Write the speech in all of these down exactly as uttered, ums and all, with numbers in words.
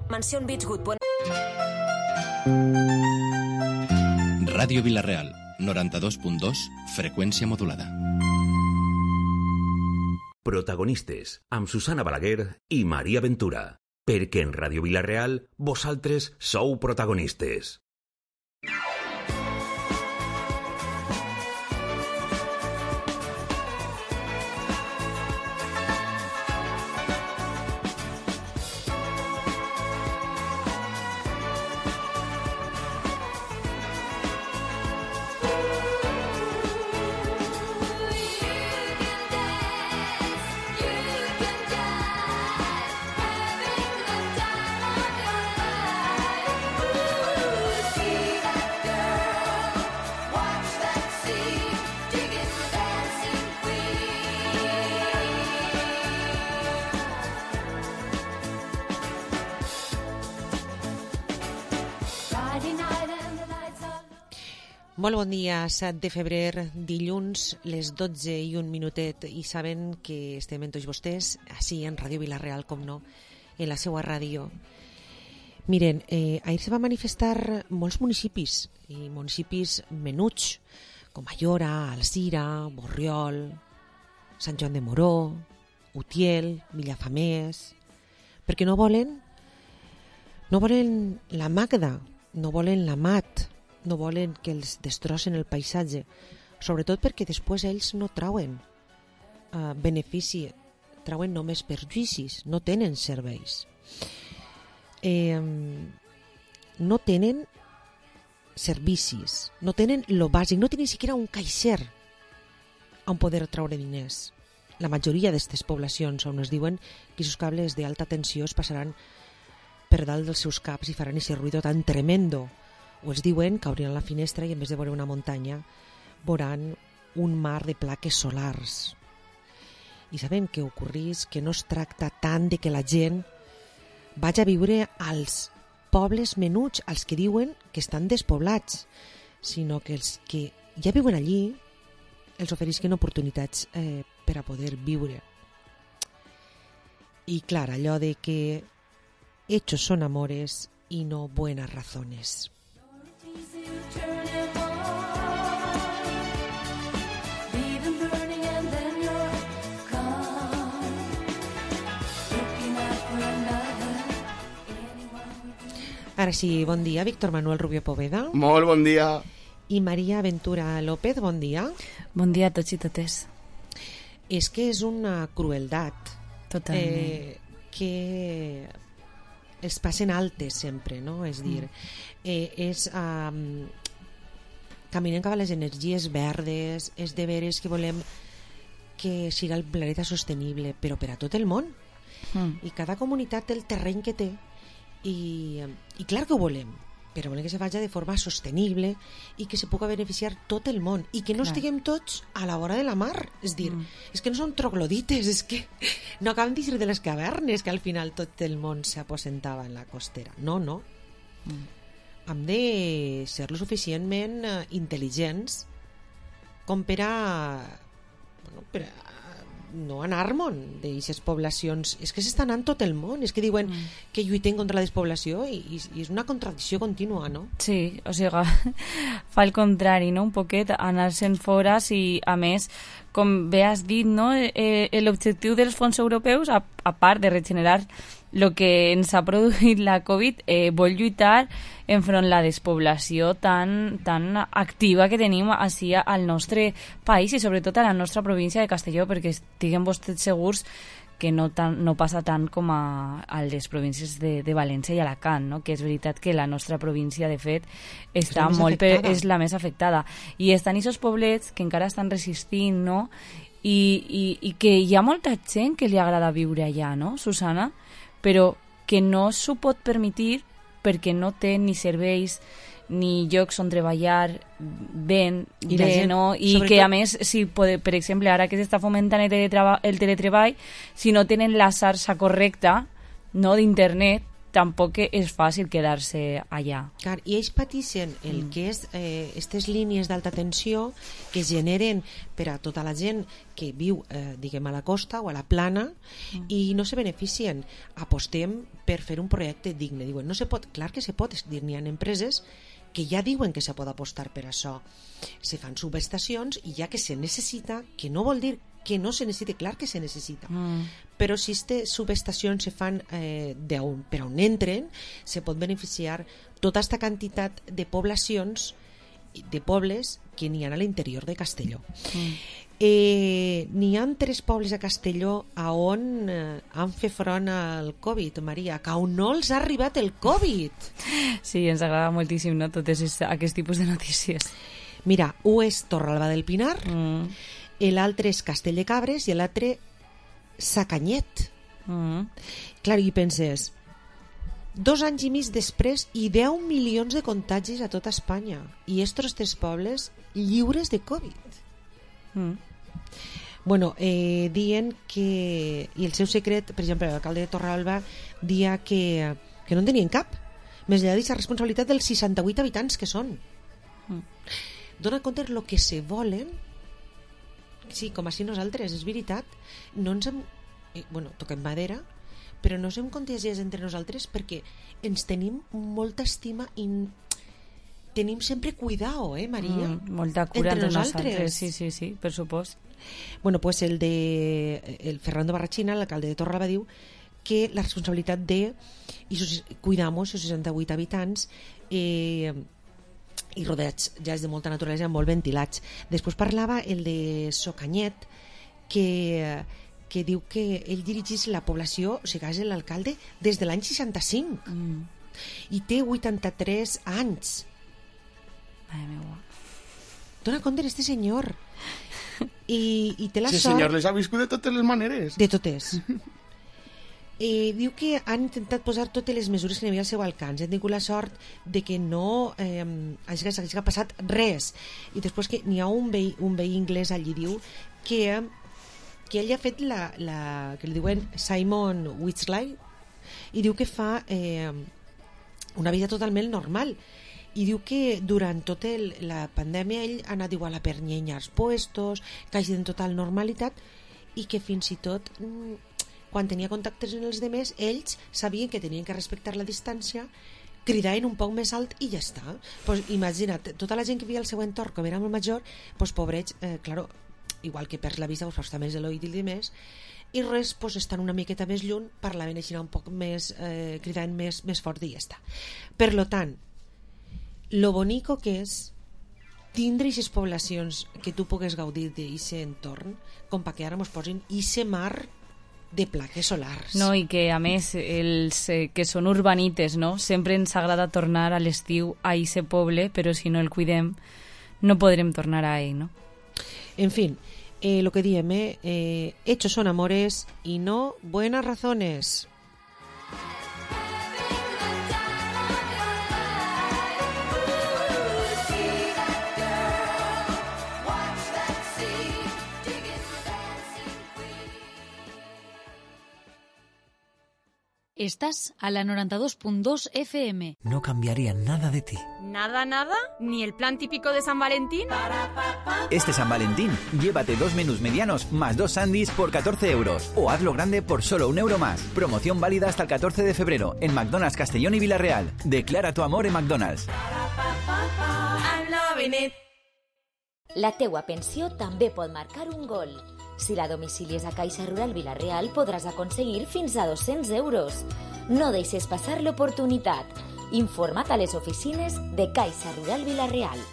Mansión Beachwood. Ràdio Vila-real, noranta-dos punt dos, freqüència modulada. Protagonistes, amb Susana Balaguer i Maria Ventura. Perquè en Ràdio Vila-real, vosaltres sou protagonistes. Molt bon dia, set de febrer, dilluns, les dotze i un minutet, i saben que estem amb tots vostès, així en Ràdio Vila-real, com no, en la seva ràdio. Miren, eh, ahir se va manifestar molts municipis, i municipis menuts, com Ayora, Alzira, Borriol, Sant Joan de Moró, Utiel, Villafamés, perquè no volen, no volen la Magda, no volen la Mat, no volen que els destrossen el paisatge, sobretot perquè després ells no trauen uh, benefici, trauen només perjuïcis, no tenen serveis. Eh, no tenen servicis, no tenen lo bàsic, no tenen ni siquiera un caixer on poder traure diners. La majoria d'aquestes poblacions on es diuen que els cables d'alta tensió es passaran per dalt dels seus caps i faran aquest ruïdo tan tremendo, o els diuen que obriran la finestra i en vez de veure una muntanya veuran un mar de plaques solars. I sabem que ocorrís que no es tracta tant de que la gent vagi a viure als pobles menuts, als que diuen que estan despoblats, sinó que els que ja viuen allí els oferisquen oportunitats eh, per a poder viure. I clar, allò de que hechos son amores y no buenas razones. Ara sí, bon dia, Víctor Manuel Rubio Poveda. Molt bon dia. I Maria Ventura López, bon dia. Bon dia a tots i totes. És que és una crueldat. Totalment. Eh, que es passen altes sempre, no? És dir, eh, és... Um, caminem cap a les energies verdes, és de veres que volem que siga el planeta sostenible, però per a tot el món. Mm. I cada comunitat té el terreny que té. I, i clar que ho volem, però volem que se faci de forma sostenible i que se pugui beneficiar tot el món i que no clar. Estiguem tots a la vora de la mar, és dir, mm. és que no són troglodites, és que no acabem d'eixir de les cavernes que al final tot el món s'aposentava en la costera, no, no mm. hem de ser lo suficientment intel·ligents com per a, bueno, per a no anar-me'n d'aquestes poblacions. És que s'està anant tot el món, és que diuen mm. que lluiten contra la despoblació i, i, i és una contradicció contínua, no? Sí, o sigui, fa el contrari, no? Un poquet, anar-se'n fora i, a més, com bé has dit, no? Eh, l'objectiu dels fons europeus, a, a part de regenerar el que ens ha produït la Covid, eh, vol lluitar enfront la despoblació tan, tan activa que tenim així al nostre país i sobretot a la nostra província de Castelló, perquè estiguem vostès segurs que no, tan, no passa tant com a, a les províncies de, de València i Alacant, no? Que és veritat que la nostra província, de fet, està és molt per, és la més afectada. I estan aquests poblets que encara estan resistint, no? I, i, i que hi ha molta gent que li agrada viure allà, no, Susana? Però que no s'ho pot permetre perquè no té ni serveis ni llocs on treballar ben, I bé, gent, no? I que tot... a més, si pode, per exemple, ara que s'està fomentant el, teletreba, el teletreball, si no tenen la xarxa correcta, no, d'internet, tampoc és fàcil quedar-se allà. Clar, i ells pateixen el mm. que és eh, aquestes línies d'alta tensió que es generen per a tota la gent que viu, eh, diguem, a la costa o a la plana mm. i no se beneficien. Apostem per fer un projecte digne. Diuen, no se pot, clar que se pot, dir, n'hi ha empreses que ja diuen que se pot apostar per això. Se fan subestacions i ja que se necessita, que no vol dir que no se necessita, clar que se necessita, mm. però si aquestes subestacions se fan eh, on, per on entren, se pot beneficiar tota aquesta quantitat de poblacions, de pobles que n'hi ha a l'interior de Castelló. Mm. Eh, n'hi ha tres pobles a Castelló a on eh, han fet front al Covid, Maria, que on no els ha arribat el Covid. Sí, ens agrada moltíssim, no?, totes aquest tipus de notícies. Mira, un és Torralba del Pinar, mm. l'altre és Castell de Cabres i l'altre Sacanyet. Mm. Clar, i penses, dos anys i mig després i deu milions de contagis a tota Espanya i estos tres pobles lliures de Covid. Mm. Bueno, eh, dient que, i el seu secret, per exemple, l'alcalde de Torralba dia que, que no en tenien cap, més allà d'aquesta responsabilitat dels seixanta-vuit habitants que són. Mm. Dona compte el que se volen. Sí, com així nosaltres, és veritat, no ens hem, eh, bueno, toquem madera, però no ens hem contagiat entre nosaltres perquè ens tenim molta estima i tenim sempre cuidao, eh, Maria? Mm, molta cura entre, entre nosaltres. nosaltres. Sí, sí, sí, per supost. Bueno, pues el de el Fernando Barrachina, l'alcalde de Torralba, diu que la responsabilitat de i sus, cuidamos els seixanta-vuit habitants eh, i rodeats ja és de molta naturalesa, molt ventilats. Després parlava el de Socanyet, que, que diu que ell dirigís la població, o sigui, és l'alcalde, des de l'any seixanta-cinc. Mm. I té vuitanta-tres anys. Mare meua. Dona compte d'este senyor. I, i té la sí, sort... senyor, les ha viscut de totes les maneres. De totes. Eh, diu que han intentat posar totes les mesures que n'hi havia al seu alcance. Han tingut la sort de que no eh, hagi, hagi passat res. I després que n'hi ha un veí, un veí anglès allí, diu que, que ell ha fet la, la que li diuen Simon Whitsley, i diu que fa eh, una vida totalment normal. I diu que durant tota el, la pandèmia ell ha anat igual a pernyenya als puestos, que hagi en total normalitat, i que fins i tot quan tenia contactes en els demés, ells sabien que tenien que respectar la distància, cridaven un poc més alt i ja està. Pues imagina't, tota la gent que vivia al seu entorn, com era molt major, pues pobrets, eh, claro, igual que perds la vista, pues està més de l'oït i demés, i res, pues estan una miqueta més lluny, parlaven així un poc més, eh, cridaven més, més fort i ja està. Per lo tant, lo bonico que és tindre aquestes poblacions que tu pugues gaudir d'aquest entorn, com perquè ara mos posin ixe mar de plaques solars. No, i que a més els eh, que són urbanites, no? Sempre ens agrada tornar a l'estiu a ese poble, però si no el cuidem no podrem tornar a ell, no? En fin, eh, lo que diem, eh, eh, hechos son amores y no buenas razones. Estás a la noventa y dos punto dos F M. No cambiaría nada de ti. ¿Nada, nada? ¿Ni el plan típico de San Valentín? Este San Valentín, llévate dos menús medianos más dos sándwiches por catorce euros. O hazlo grande por solo un euro más. Promoción válida hasta el catorce de febrero en McDonald's Castellón y Villarreal. Declara tu amor en McDonald's. I'm loving it. La teua pensió també pot marcar un gol. Si la domicilies a Caixa Rural Villarreal podràs aconseguir fins a dos-cents euros. No deixes passar l'oportunitat. Informa't a les oficines de Caixa Rural Villarreal.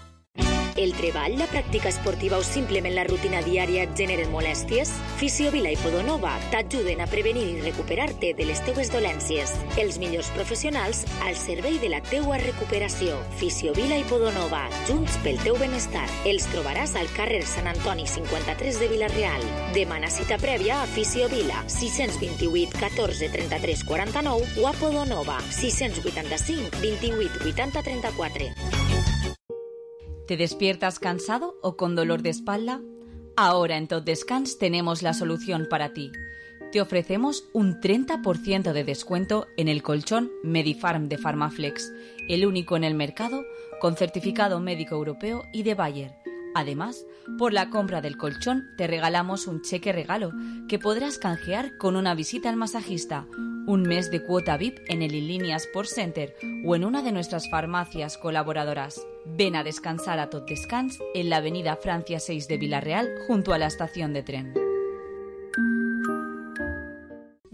El treball, la pràctica esportiva o simplement la rutina diària et generen molèsties? Fisiovila i Podonova t'ajuden a prevenir i recuperar-te de les teues dolències. Els millors professionals al servei de la teua recuperació. Fisiovila i Podonova, junts pel teu benestar. Els trobaràs al carrer Sant Antoni cinquanta-tres de Vila-real. Demana cita prèvia a Fisiovila, sis dos vuit, catorze, trenta-tres, quaranta-nou o a Podonova, sis vuitanta-cinc, vint-i-vuit, vuitanta, trenta-quatre. ¿Te despiertas cansado o con dolor de espalda? Ahora en Tot Descans tenemos la solución para ti. te ofrecemos un treinta por ciento de descuento en el colchón Medifarm de Pharmaflex, el único en el mercado con certificado médico europeo y de Bayer. Además, por la compra del colchón te regalamos un cheque regalo que podrás canjear con una visita al masajista, un mes de cuota V I P en el Inlínea Sports Center o en una de nuestras farmacias colaboradoras. Ven a descansar a tot descans en la avenida Francia seis de Villarreal junto a la estación de tren.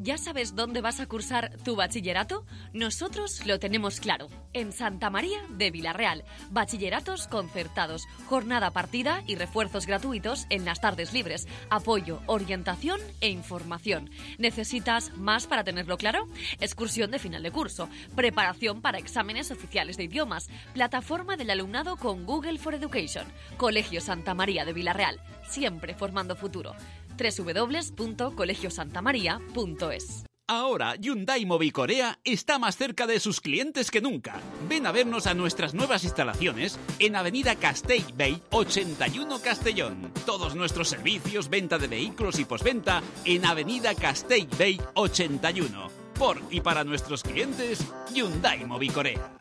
¿Ya sabes dónde vas a cursar tu bachillerato? Nosotros lo tenemos claro. En Santa María de Villarreal. Bachilleratos concertados, jornada partida y refuerzos gratuitos en las tardes libres. Apoyo, orientación e información. ¿Necesitas más para tenerlo claro? Excursión de final de curso, preparación para exámenes oficiales de idiomas, plataforma del alumnado con Google for Education. Colegio Santa María de Villarreal, siempre formando futuro. doble u doble u doble u punto colegio santa maría punto es. Ahora Hyundai Mobicorea está más cerca de sus clientes que nunca. Ven a vernos a nuestras nuevas instalaciones en Avenida Castellbell ochenta y uno Castellón. Todos nuestros servicios, venta de vehículos y postventa en Avenida Castellbell ochenta y uno. Por y para nuestros clientes, Hyundai Mobicorea.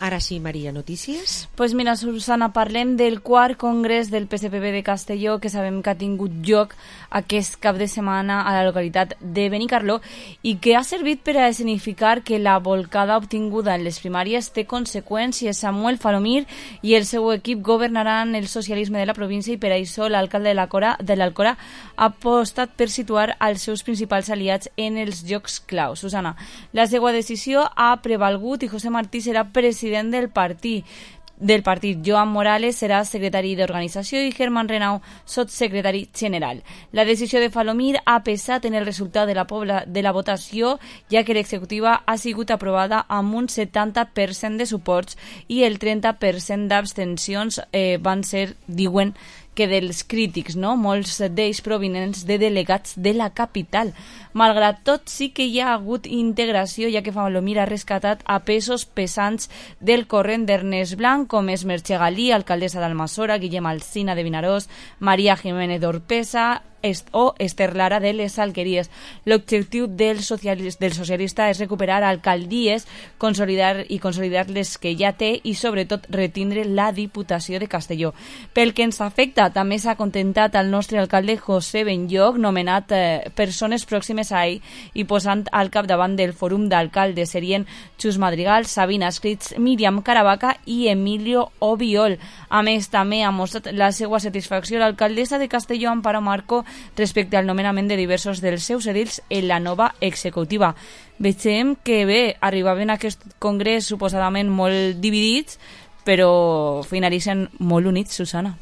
Ara sí, Maria, notícies? Pues mira, Susana, parlem del quart congrés del P S P B de Castelló, que sabem que ha tingut lloc aquest cap de setmana a la localitat de Benicarló i que ha servit per a escenificar que la volcada obtinguda en les primàries té conseqüències. Samuel Falomir i el seu equip governaran el socialisme de la província i per això l'alcalde de l'Alcora, de l'Alcora ha apostat per situar els seus principals aliats en els llocs claus. Susana, la seva decisió ha prevalgut i José Martí serà president del partit. del partit. Joan Morales serà secretari d'organització i Germán Renau sotssecretari general. La decisió de Falomir ha pesat en el resultat de la, pobla, de la votació, ja que l'executiva ha sigut aprovada amb un setanta per cent de suports i el trenta per cent d'abstencions eh, van ser, diuen, que dels crítics, no? Molts d'ells provinents de delegats de la capital. Malgrat tot, sí que hi ha hagut integració, ja que Falomir ha rescatat a pesos pesants del corrent d'Ernest Blanc, com és Merche Galí, alcaldessa d'Almassora, Guillem Alsina de Vinaròs, Maria Jiménez d'Orpesa o Esther Lara de les Alqueries. L'objectiu del socialista, del socialista és recuperar alcaldies, consolidar i consolidar les que ja té i sobretot retindre la Diputació de Castelló. Pel que ens afecta, també s'ha contentat el nostre alcalde José Benlloc, nomenat eh, persones pròximes a ell i posant al capdavant del fòrum d'alcaldes. Serien Xus Madrigal, Sabina Escrits, Míriam Caravaca i Emilio Obiol. A més, també ha mostrat la seva satisfacció l'alcaldessa de Castelló, Amparo Marco, respecte al nomenament de diversos dels seus edils en la nova executiva. Veiem que bé, arribaven a aquest congrés suposadament molt dividits, però finalitzen molt units, Susana.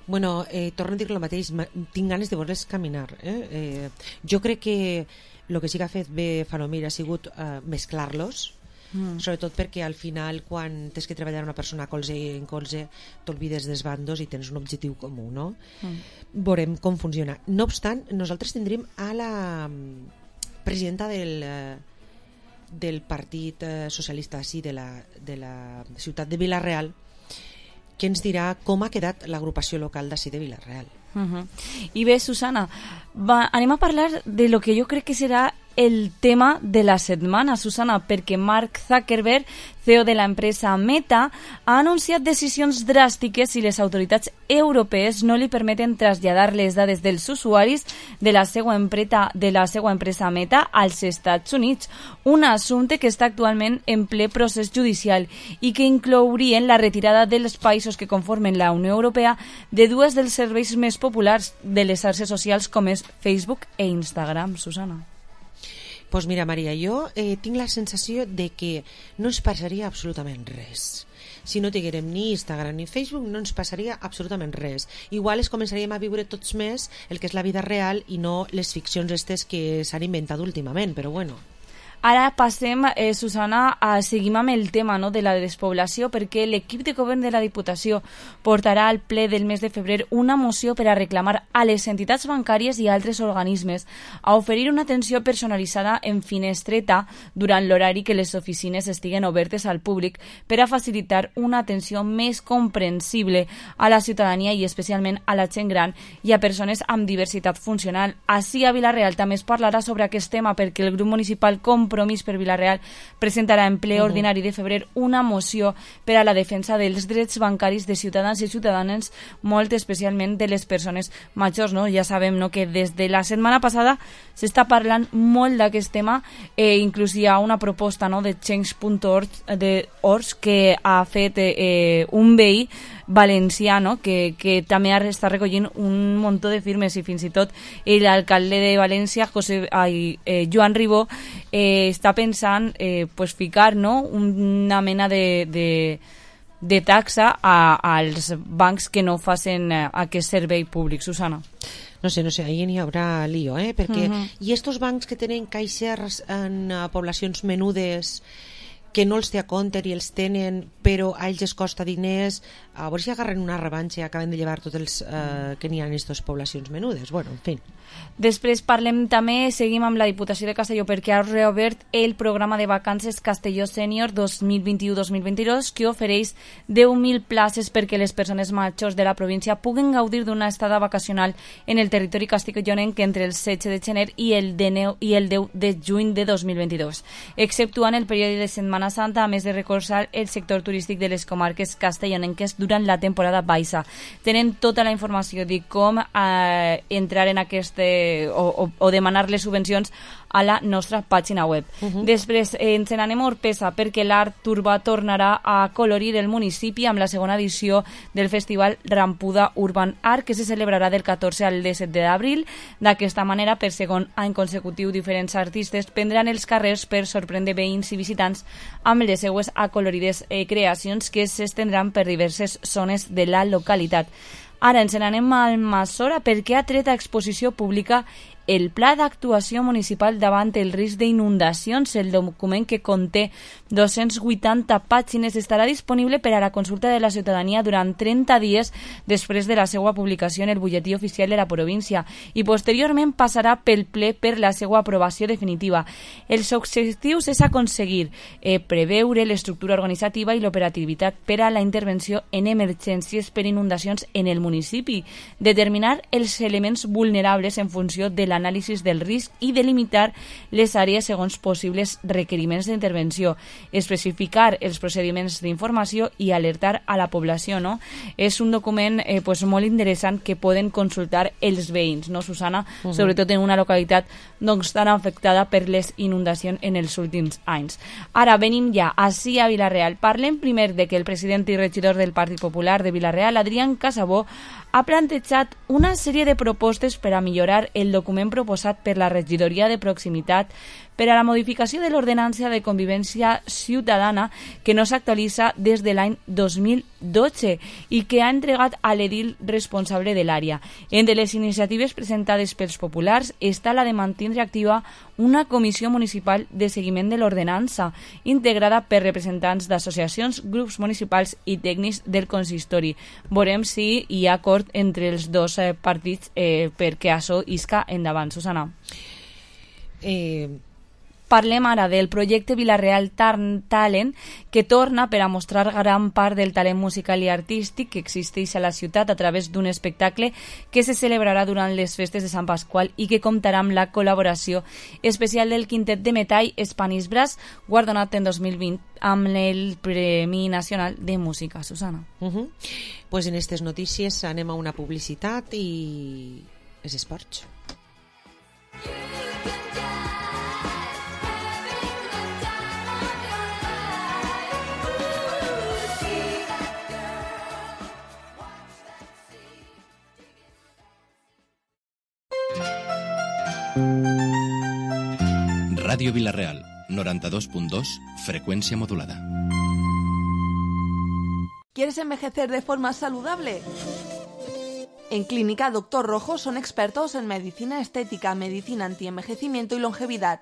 Bueno, eh, torno a dir el mateix, tinc ganes de veure-les caminar. Eh? Eh, jo crec que el que sí que ha fet bé Falomir ha sigut eh, mesclar-los, Mm. sobretot perquè al final quan tens que treballar una persona colze en colze t'olvides dels bandos i tens un objectiu comú, no? Mm. Veurem com funciona. No obstant, nosaltres tindrem a la presidenta del, del Partit Socialista sí, de, la, de la ciutat de Vila-real, que ens dirà com ha quedat l'agrupació local d'ací de Vila-real. Uh-huh. I bé, Susana, va, anem a parlar de lo que jo crec que serà el tema de la setmana, Susana, perquè Mark Zuckerberg, C E O de l'empresa Meta, ha anunciat decisions dràstiques si les autoritats europees no li permeten traslladar les dades dels usuaris de la seva empresa, de la seva empresa Meta als Estats Units, un assumpte que està actualment en ple procés judicial i que inclourien la retirada dels països que conformen la Unió Europea de dues dels serveis més populars de les xarxes socials com és Facebook e Instagram, Susana. Pues mira, Maria, jo eh, tinc la sensació de que no ens passaria absolutament res. Si no tinguérem ni Instagram ni Facebook, no ens passaria absolutament res. Igual es començaríem a viure tots més el que és la vida real i no les ficcions estes que s'han inventat últimament, però bueno. Ara passem, eh, Susana, a seguir amb el tema, no?, de la despoblació, perquè l'equip de govern de la Diputació portarà al ple del mes de febrer una moció per a reclamar a les entitats bancàries i a altres organismes a oferir una atenció personalitzada en finestreta durant l'horari que les oficines estiguen obertes al públic per a facilitar una atenció més comprensible a la ciutadania i especialment a la gent gran i a persones amb diversitat funcional. Així a Vila-real també es parlarà sobre aquest tema perquè el grup municipal Compromís per Vila-real presentarà en ple ordinari de febrer una moció per a la defensa dels drets bancaris de ciutadans i ciutadanes, molt especialment de les persones majors, no? Ja sabem, no?, que des de la setmana passada s'està parlant molt d'aquest tema, eh, inclús hi ha una proposta, no?, de change punt org de Ors que ha fet eh, un veí valencià, no?, que, que també està recollint un munt de firmes i fins i tot l'alcalde de València, José, ai, eh, Joan Ribó, eh, està pensant eh, pues, ficar, no?, una mena de, de, de taxa a, als bancs que no facin eh, aquest servei públic. Susana. No sé, no sé, ahí n'hi haurà lío, eh? Perquè, Uh-huh. i estos bancs que tenen caixers en uh, poblacions menudes que no els té a compte i els tenen, però a ells es costa diners, a veure si agarren una revanxa i acaben de llevar tots els eh, que n'hi ha en aquestes poblacions menudes. Bueno, en fi. Després parlem també, seguim amb la Diputació de Castelló perquè ha reobert el programa de vacances Castelló Sènior dos mil vint-i-u dos mil vint-i-dos que ofereix deu mil places perquè les persones majors de la província puguen gaudir d'una estada vacacional en el territori castellonenc entre el setze de gener i el, de neu, i el deu de juny de dos mil vint-i-dos, exceptuant el període de Setmana Santa, a més de recolzar el sector turístic de les comarques castellonenques durant la temporada baixa. Tenen tota la informació de com eh, entrar en aquest eh, o, o, o demanar les subvencions a la nostra pàgina web. Uh-huh. Després eh, ens n'anem a Orpesa perquè l'Art Urbà tornarà a colorir el municipi amb la segona edició del Festival Rampuda Urban Art que se celebrarà del catorze al disset d'abril. D'aquesta manera, per segon any consecutiu, diferents artistes prendran els carrers per sorprendre veïns i visitants amb les seues acolorides eh, creacions que s'estendran per diverses zones de la localitat. Ara ens n'anem al Massora perquè ha tret a exposició pública el Pla d'Actuació Municipal davant el risc d'inundacions. El document, que conté dos-cents vuitanta pàgines, estarà disponible per a la consulta de la ciutadania durant trenta dies després de la seva publicació en el butlletí oficial de la província i posteriorment passarà pel ple per la seva aprovació definitiva. Els objectius és aconseguir eh, preveure l'estructura organitzativa i l'operativitat per a la intervenció en emergències per inundacions en el municipi, determinar els elements vulnerables en funció de la l'anàlisi del risc i delimitar les àrees segons possibles requeriments d'intervenció, especificar els procediments d'informació i alertar a la població, no? És un document eh, pues, molt interessant que poden consultar els veïns, no, Susana? Uh-huh. Sobretot en una localitat doncs, tan afectada per les inundacions en els últims anys. Ara venim ja així a Vila-real. Parlem primer de que el president i regidor del Partit Popular de Vila-real, Adrián Casabó, ha plantejat una sèrie de propostes per a millorar el document proposat per la regidoria de proximitat per a la modificació de l'ordenança de convivència ciutadana que no s'actualitza des de l'any dos mil dotze i que ha entregat a l'edil responsable de l'àrea. Entre les iniciatives presentades pels populars està la de mantindre activa una comissió municipal de seguiment de l'ordenança integrada per representants d'associacions, grups municipals i tècnics del consistori. Veurem si hi ha acord entre els dos eh, partits eh, perquè això isca endavant. Susana. Eh... Parlem ara del projecte Vila-real Talent, que torna per a mostrar gran part del talent musical i artístic que existeix a la ciutat a través d'un espectacle que se celebrarà durant les festes de Sant Pasqual i que comptarà amb la col·laboració especial del quintet de metall Spanish Brass, guardonat en dos mil vint amb el Premi Nacional de Música. Susana. Uh-huh. Pues en aquestes notícies anem a una publicitat i és esports. Radio Vila-real, noventa y dos punto dos, frecuencia modulada. ¿Quieres envejecer de forma saludable? En Clínica Doctor Rojo son expertos en medicina estética, medicina antienvejecimiento y longevidad.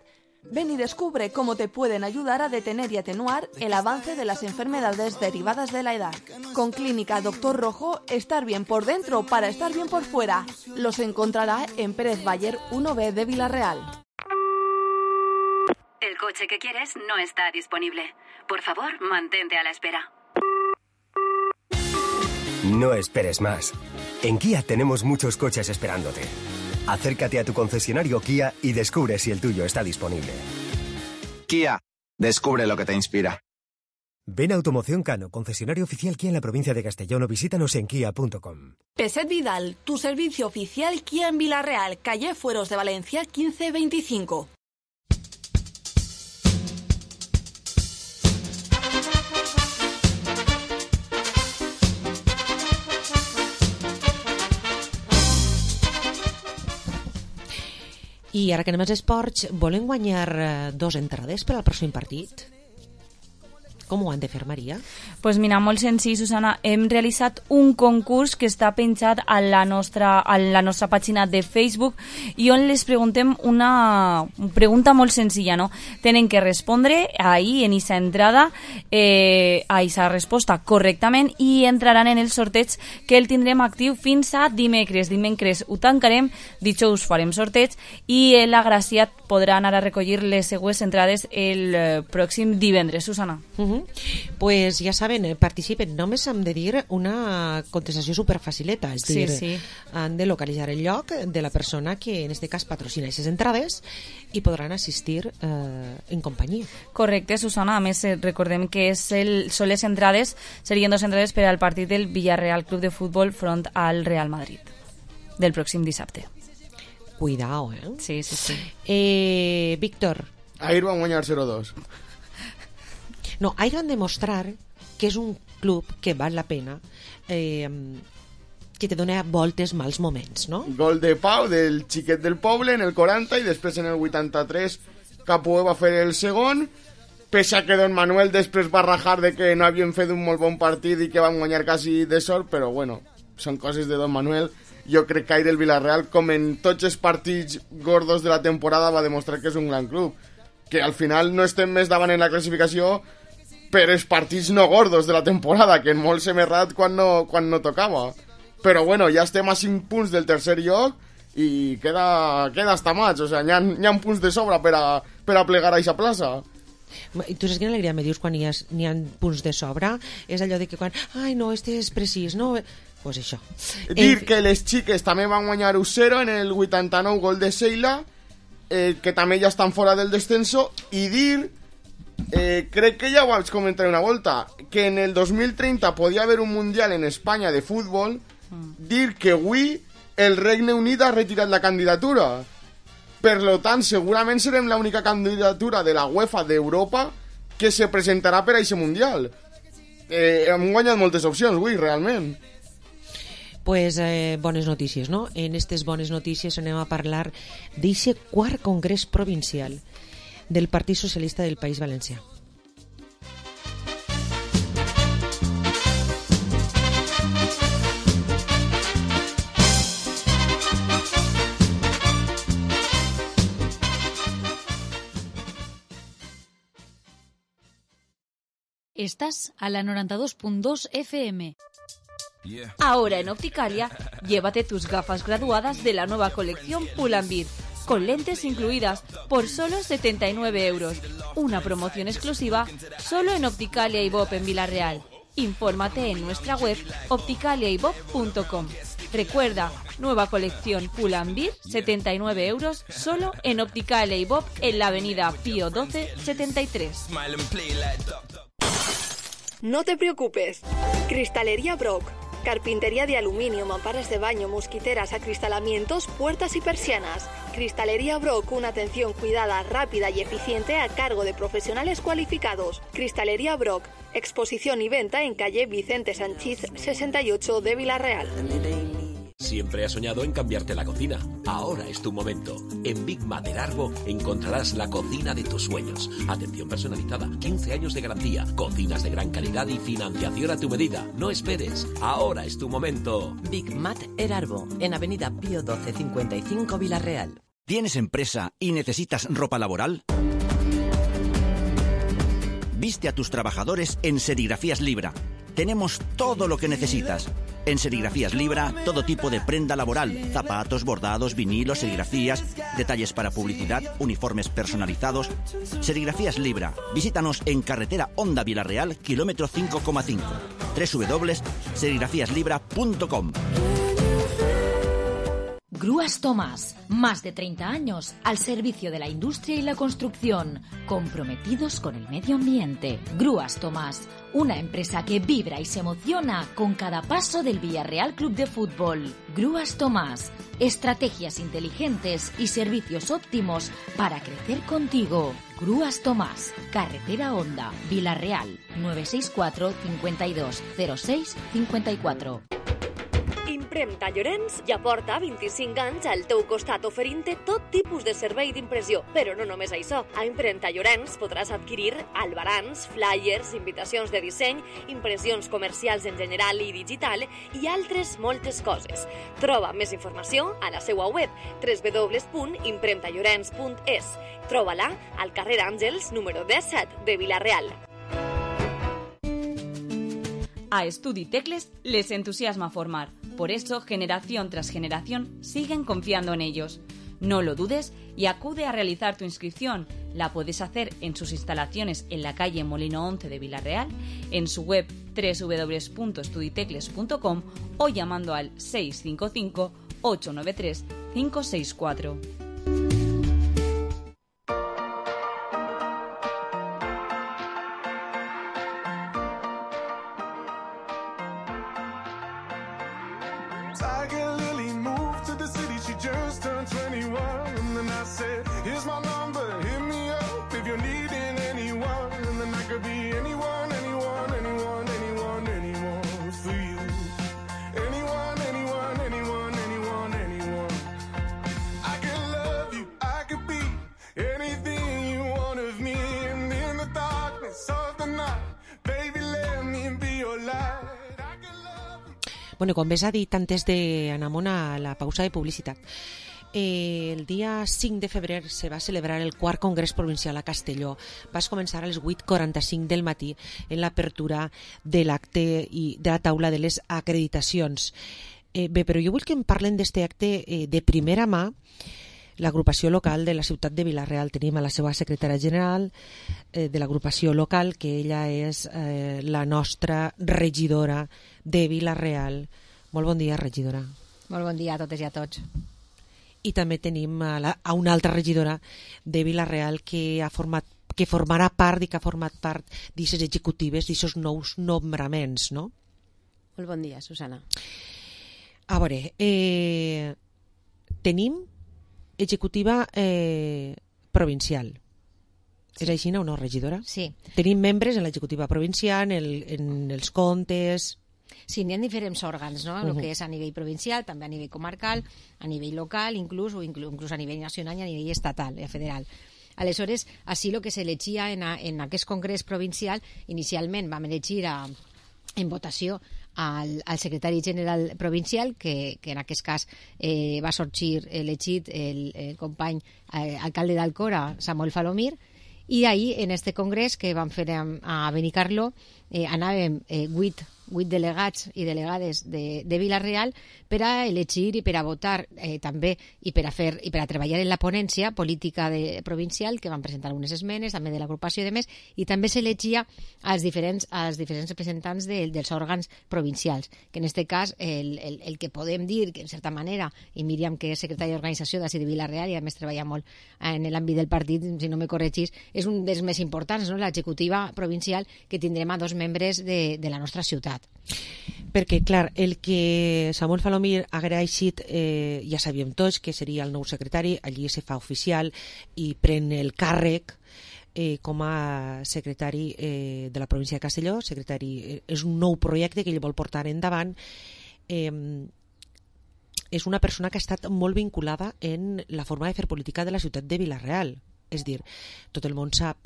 Ven y descubre cómo te pueden ayudar a detener y atenuar el avance de las enfermedades derivadas de la edad. Con Clínica Doctor Rojo, estar bien por dentro para estar bien por fuera. Los encontrará en Pérez Bayer uno B de Villarreal. El coche que quieres no está disponible. Por favor, mantente a la espera. No esperes más. En Kia tenemos muchos coches esperándote. Acércate a tu concesionario Kia y descubre si el tuyo está disponible. Kia, descubre lo que te inspira. Ven a Automoción Cano, concesionario oficial Kia en la provincia de Castellón, o visítanos en kia punto com. Peset Vidal, tu servicio oficial Kia en Villarreal, calle Fueros de Valencia quince veinticinco. I ara que anem als esports, volen guanyar dos entrades per al pròxim partit? Com ho han de fer, Maria? Pues mira, molt senzill, Susana. Hem realitzat un concurs que està penjat a la nostra, a la nostra pàgina de Facebook i on les preguntem una pregunta molt senzilla, no? Tenen que respondre ahí, en aquesta entrada, eh, a aquesta resposta correctament i entraran en el sorteig que el tindrem actiu fins a dimecres. Dimecres ho tancarem, dijous farem sorteig i l'agraciat podrà anar a recollir les següents entrades el eh, pròxim divendres, Susana. Uh-huh. Pues ja saben, participen. Només hem de dir una contestació superfacileta, és dir, sí, sí. han de localitzar el lloc de la persona que en este cas patrocina aquestes entrades i podran assistir eh, en companyia. Correcte, Susana. A més, recordem que és el, són les entrades, serien dos entrades per al partit del Villarreal Club de Futbol front al Real Madrid del pròxim dissabte. Cuidao, eh? Sí, sí, sí. Eh, Víctor. Ahir van guanyar zero dos. No, ahir van demostrar que és un club que val la pena, eh, que te dona voltes mals moments, no? Gol de Pau del xiquet del poble en el quaranta i després en el vuitanta-tres Capoe va fer el segon, pese a que Don Manuel després va rajar de que no havien fet un molt bon partit i que van guanyar quasi de sort, però bueno, són coses de Don Manuel. Jo crec que ahir el Villarreal, com en tots els partits gordos de la temporada, va demostrar que és un gran club, que al final no estem més davant en la classificació per els partits no gordos de la temporada, que en molt s'hem errat quan no, quan no tocava. Però bueno, ja estem a cinc punts del tercer lloc i queda, queda hasta maig, o sea, n'hi ha, n'hi ha punts de sobra per a, per a plegar a aquesta plaça. I tu saps quina alegria me dius quan n'hi ha, n'hi ha punts de sobra? És allò de que quan, ai no, este és precís, no? Pues això. Dir eh... que les xiques també van guanyar un zero en el vuitanta-nou, gol de Seila, eh, que també ja estan fora del descenso, i dir... Eh, crec que ja ho vaig comentar una volta, que en el dos mil treinta podia haver un mundial en Espanya de futbol, mm. dir que avui el Regne Unit ha retirat la candidatura. Per lo tant, segurament serem l'única candidatura de la UEFA d'Europa que se presentarà per a aquest mundial. Eh, hem guanyat moltes opcions avui, realment. Pues eh, bones notícies, no? En aquestes bones notícies anem a parlar d'aquest quart congrés provincial del Partit Socialista del País Valencià. Estás a la noventa y dos punto dos F M. Ahora en Opticalia, llévate tus gafas graduadas de la nueva colección Pull&Bear, con lentes incluidas por solo setenta y nueve euros. Una promoción exclusiva solo en Opticalia y Bob en Villarreal. Infórmate en nuestra web opticalia y bob punto com. Recuerda, nueva colección Pull&Bear, setenta y nueve euros, solo en Opticalia y Bob en la avenida Pío doce setenta y tres. No te preocupes. Cristalería Brock. Carpintería de aluminio, mamparas de baño, mosquiteras, acristalamientos, puertas y persianas. Cristalería Brock, una atención cuidada, rápida y eficiente a cargo de profesionales cualificados. Cristalería Brock, exposición y venta en calle Vicente Sanchís sesenta y ocho de Villarreal. Siempre has soñado en cambiarte la cocina. Ahora es tu momento. En Big Mater Arbo encontrarás la cocina de tus sueños. Atención personalizada, quince años de garantía, cocinas de gran calidad y financiación a tu medida. No esperes. Ahora es tu momento. Big Mater Arbo, en avenida Pío doce cincuenta y cinco Villarreal. ¿Tienes empresa y necesitas ropa laboral? Viste a tus trabajadores en Serigrafías Libra. Tenemos todo lo que necesitas. En Serigrafías Libra, todo tipo de prenda laboral, zapatos, bordados, vinilos, serigrafías, detalles para publicidad, uniformes personalizados. Serigrafías Libra. Visítanos en carretera Honda Vilarreal, kilómetro cinco coma cinco. doble u doble u doble u punto serigrafías libra punto com. Grúas Tomás, más de treinta años al servicio de la industria y la construcción, comprometidos con el medio ambiente. Grúas Tomás, una empresa que vibra y se emociona con cada paso del Villarreal Club de Fútbol. Grúas Tomás, estrategias inteligentes y servicios óptimos para crecer contigo. Grúas Tomás, carretera Honda, Vilarreal, nueve seis cuatro, cincuenta y dos, cero seis, cincuenta y cuatro. Impremta Llorenç ja porta vint-i-cinc anys al teu costat oferint-te tot tipus de servei d'impressió. Però no només això. A Impremta Llorenç podràs adquirir albarans, flyers, invitacions de disseny, impressions comercials en general i digital i altres moltes coses. Troba més informació a la seva web w w w punt impremta llorenç punt es. Troba-la al carrer Àngels número disset de Vilareal. A Estudi Tecles les entusiasma formar. Por eso, generación tras generación, siguen confiando en ellos. No lo dudes y acude a realizar tu inscripción. La puedes hacer en sus instalaciones en la calle Molino once de Vilarreal, en su web w w w punto estuditecles punto com o llamando al seis cinco cinco, ocho nueve tres, cinco seis cuatro. Bueno, com bé s'ha dit antes d'anar a la pausa de publicitat, eh, el dia cinc de febrer se va celebrar el quart Congrés Provincial a Castelló. Va començar a les vuit quaranta-cinc del matí en l'apertura de l'acte i de la taula de les acreditacions. Eh, bé, però jo vull que em parlen d'aquest acte eh, de primera mà. L'agrupació local de la ciutat de Vilareal. Tenim a la seva secretària general eh, de l'agrupació local, que ella és eh, la nostra regidora de Vilareal. Molt bon dia, regidora. Molt bon dia a totes i a tots. I també tenim a, la, a una altra regidora de Vilareal que ha format que formarà part i que ha format part d'aquestes executives, d'aquests nous nombraments, no? Molt bon dia, Susana. A veure, eh, tenim executiva eh, provincial. Sí. És així, no, no, regidora? Sí. Tenim membres en l'executiva provincial, en, el, en els comptes... Sí, n'hi ha diferents òrgans, no? El Uh-huh. que és a nivell provincial, també a nivell comarcal, a nivell local, inclús, o inclús, inclús a nivell nacional i a nivell estatal, eh, federal. Aleshores, així el que s'elegia en, a, en aquest congrés provincial, inicialment vam elegir a, en votació al, al secretari general provincial, que, que en aquest cas eh, va sorgir elegit el, el company eh, alcalde d'Alcora, Samuel Falomir, i ahir en este congrés que vam fer a, a Benicarló eh, anàvem eh, vuit, vuit delegats i delegades de, de Vilareal per a elegir i per a votar eh, també i per a fer i per a treballar en la ponència política de, provincial, que van presentar algunes esmenes també de l'agrupació i de més, i també s'elegia als diferents, als diferents representants de, dels òrgans provincials, que en aquest cas el, el, el que podem dir que en certa manera, i Míriam, que és secretària d'organització d'ací de Vilareal i a més treballa molt en l'àmbit del partit, si no me corregís, és un dels més importants, no? L'executiva provincial, que tindrem a dos membres de, de la nostra ciutat. Perquè, clar, el que Samuel Falomir ha agraït, eh, ja sabíem tots que seria el nou secretari, allí se fa oficial i pren el càrrec eh, com a secretari eh, de la província de Castelló. Secretari, eh, és un nou projecte que ell vol portar endavant. Eh, és una persona que ha estat molt vinculada en la forma de fer política de la ciutat de Vilareal. És dir, tot el món sap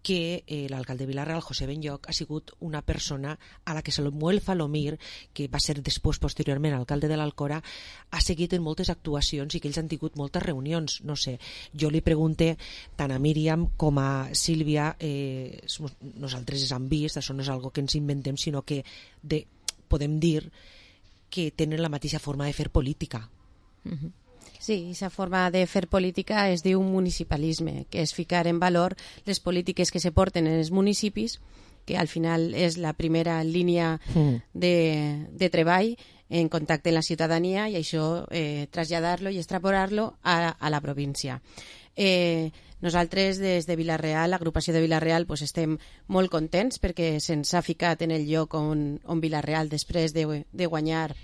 que eh, l'alcalde de Vila-real, José Benlloch, ha sigut una persona a la que Samuel Falomir, que va ser després, posteriorment, alcalde de l'Alcora, ha seguit en moltes actuacions i que ells han tingut moltes reunions. No sé, jo li pregunté tant a Míriam com a Sílvia, eh, nosaltres ens han vist, això no és algo que ens inventem, sinó que de, podem dir que tenen la mateixa forma de fer política. Uh-huh. Sí, aquesta forma de fer política es diu municipalisme, que és ficar en valor les polítiques que se porten en els municipis, que al final és la primera línia de, de treball en contacte amb la ciutadania, i això eh, traslladar-lo i extrapolar-lo a, a la província. Eh, nosaltres des de Vila-real, l'agrupació de Vila-real, pues, estem molt contents perquè se'ns ha ficat en el lloc on, on Vila-real, després de, de guanyar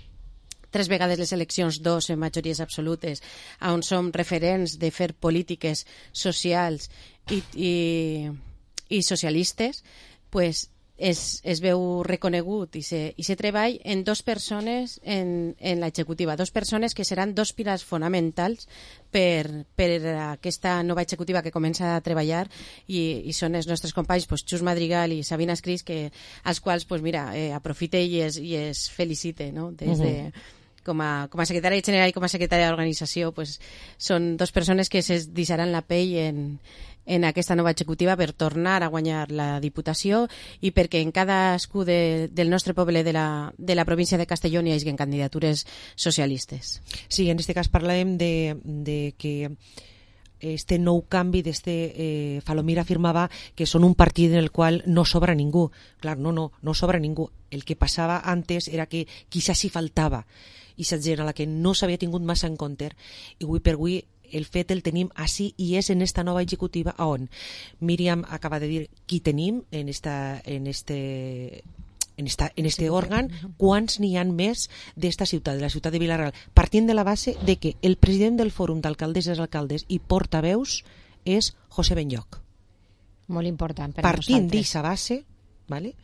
tres vegades les eleccions, dos en majories absolutes, on som referents de fer polítiques socials i, i, i socialistes, pues es, es veu reconegut i se, i se treball en dos persones en, en l'executiva, dos persones que seran dos pilars fonamentals per, per aquesta nova executiva que comença a treballar, i, i són els nostres companys, pues, Xus Madrigal i Sabina Escris, que, als quals pues, mira, eh, aprofite i es, i es felicite, no? Des de... Uh-huh. Com a, com a secretària general i com a secretària d'organització, pues, són dues persones que se deixaran la pell en, en aquesta nova executiva per tornar a guanyar la Diputació i perquè en cadascú de, del nostre poble de la, de la província de Castelló hi hagi candidatures socialistes. Sí, en aquest cas parlem de, de que este nou canvi d'este eh, Falomir afirmava que són un partit en el qual no sobra ningú. Clar, no, no, no sobra ningú. El que passava antes era que quizás sí faltava i la gent a la que no s'havia tingut massa en compte, i avui per avui el fet el tenim així i és en esta nova executiva on Míriam acaba de dir qui tenim en esta, en este, en esta, en este òrgan, quants n'hi han més d'esta ciutat, de la ciutat de Vila-real, partint de la base de que el president del Fòrum d'Alcaldes i Alcaldes i portaveus és José Benlloch. Molt important per a partint nosaltres. d'aquesta base, ¿vale?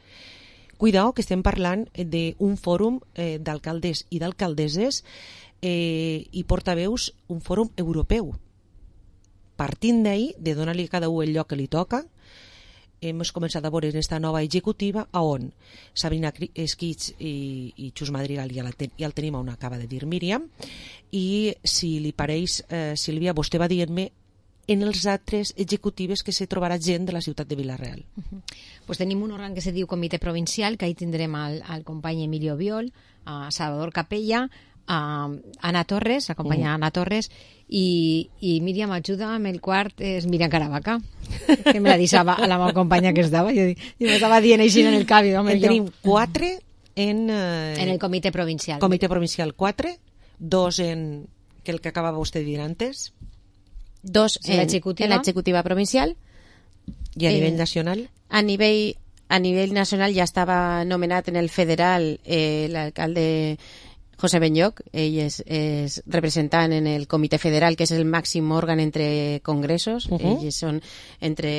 Cuidao que estem parlant d'un fòrum eh, d'alcaldes i d'alcaldesses eh, i portaveus, un fòrum europeu. Partint d'ahí, de donar-li a cada un el lloc que li toca, hem començat a veure en aquesta nova executiva a on Sabina Esquits i, i Xus Madrigal ja, la ten, ja el tenim on acaba de dir Míriam, i si li pareix, eh, Sílvia, vostè va dient-me en els altres executives que se trobarà gent de la ciutat de Vila-real. Uh-huh. Pues tenim un òrgan que se diu Comitè Provincial, que ahí tindrem al, al company Emilio Biol, a Salvador Capella, a Anna Torres, la companya uh-huh. Anna Torres, i, i Míriam ajuda amb el quart és Míriam Caravaca, que me la deixava a la meva companya que estava, jo, jo m'estava dient així en el cavi. En tenim quatre en... Eh, en el Comitè Provincial. Comitè Provincial quatre, dos en que el que acabava vostè de dir antes, dos en l'executiva provincial i a eh, nivell nacional. A nivell, a nivell nacional ja estava nomenat en el federal eh, l'alcalde José Benlloch, ell és, és representant en el Comitè Federal, que és el màxim òrgan entre congressos. Uh-huh. Ells són entre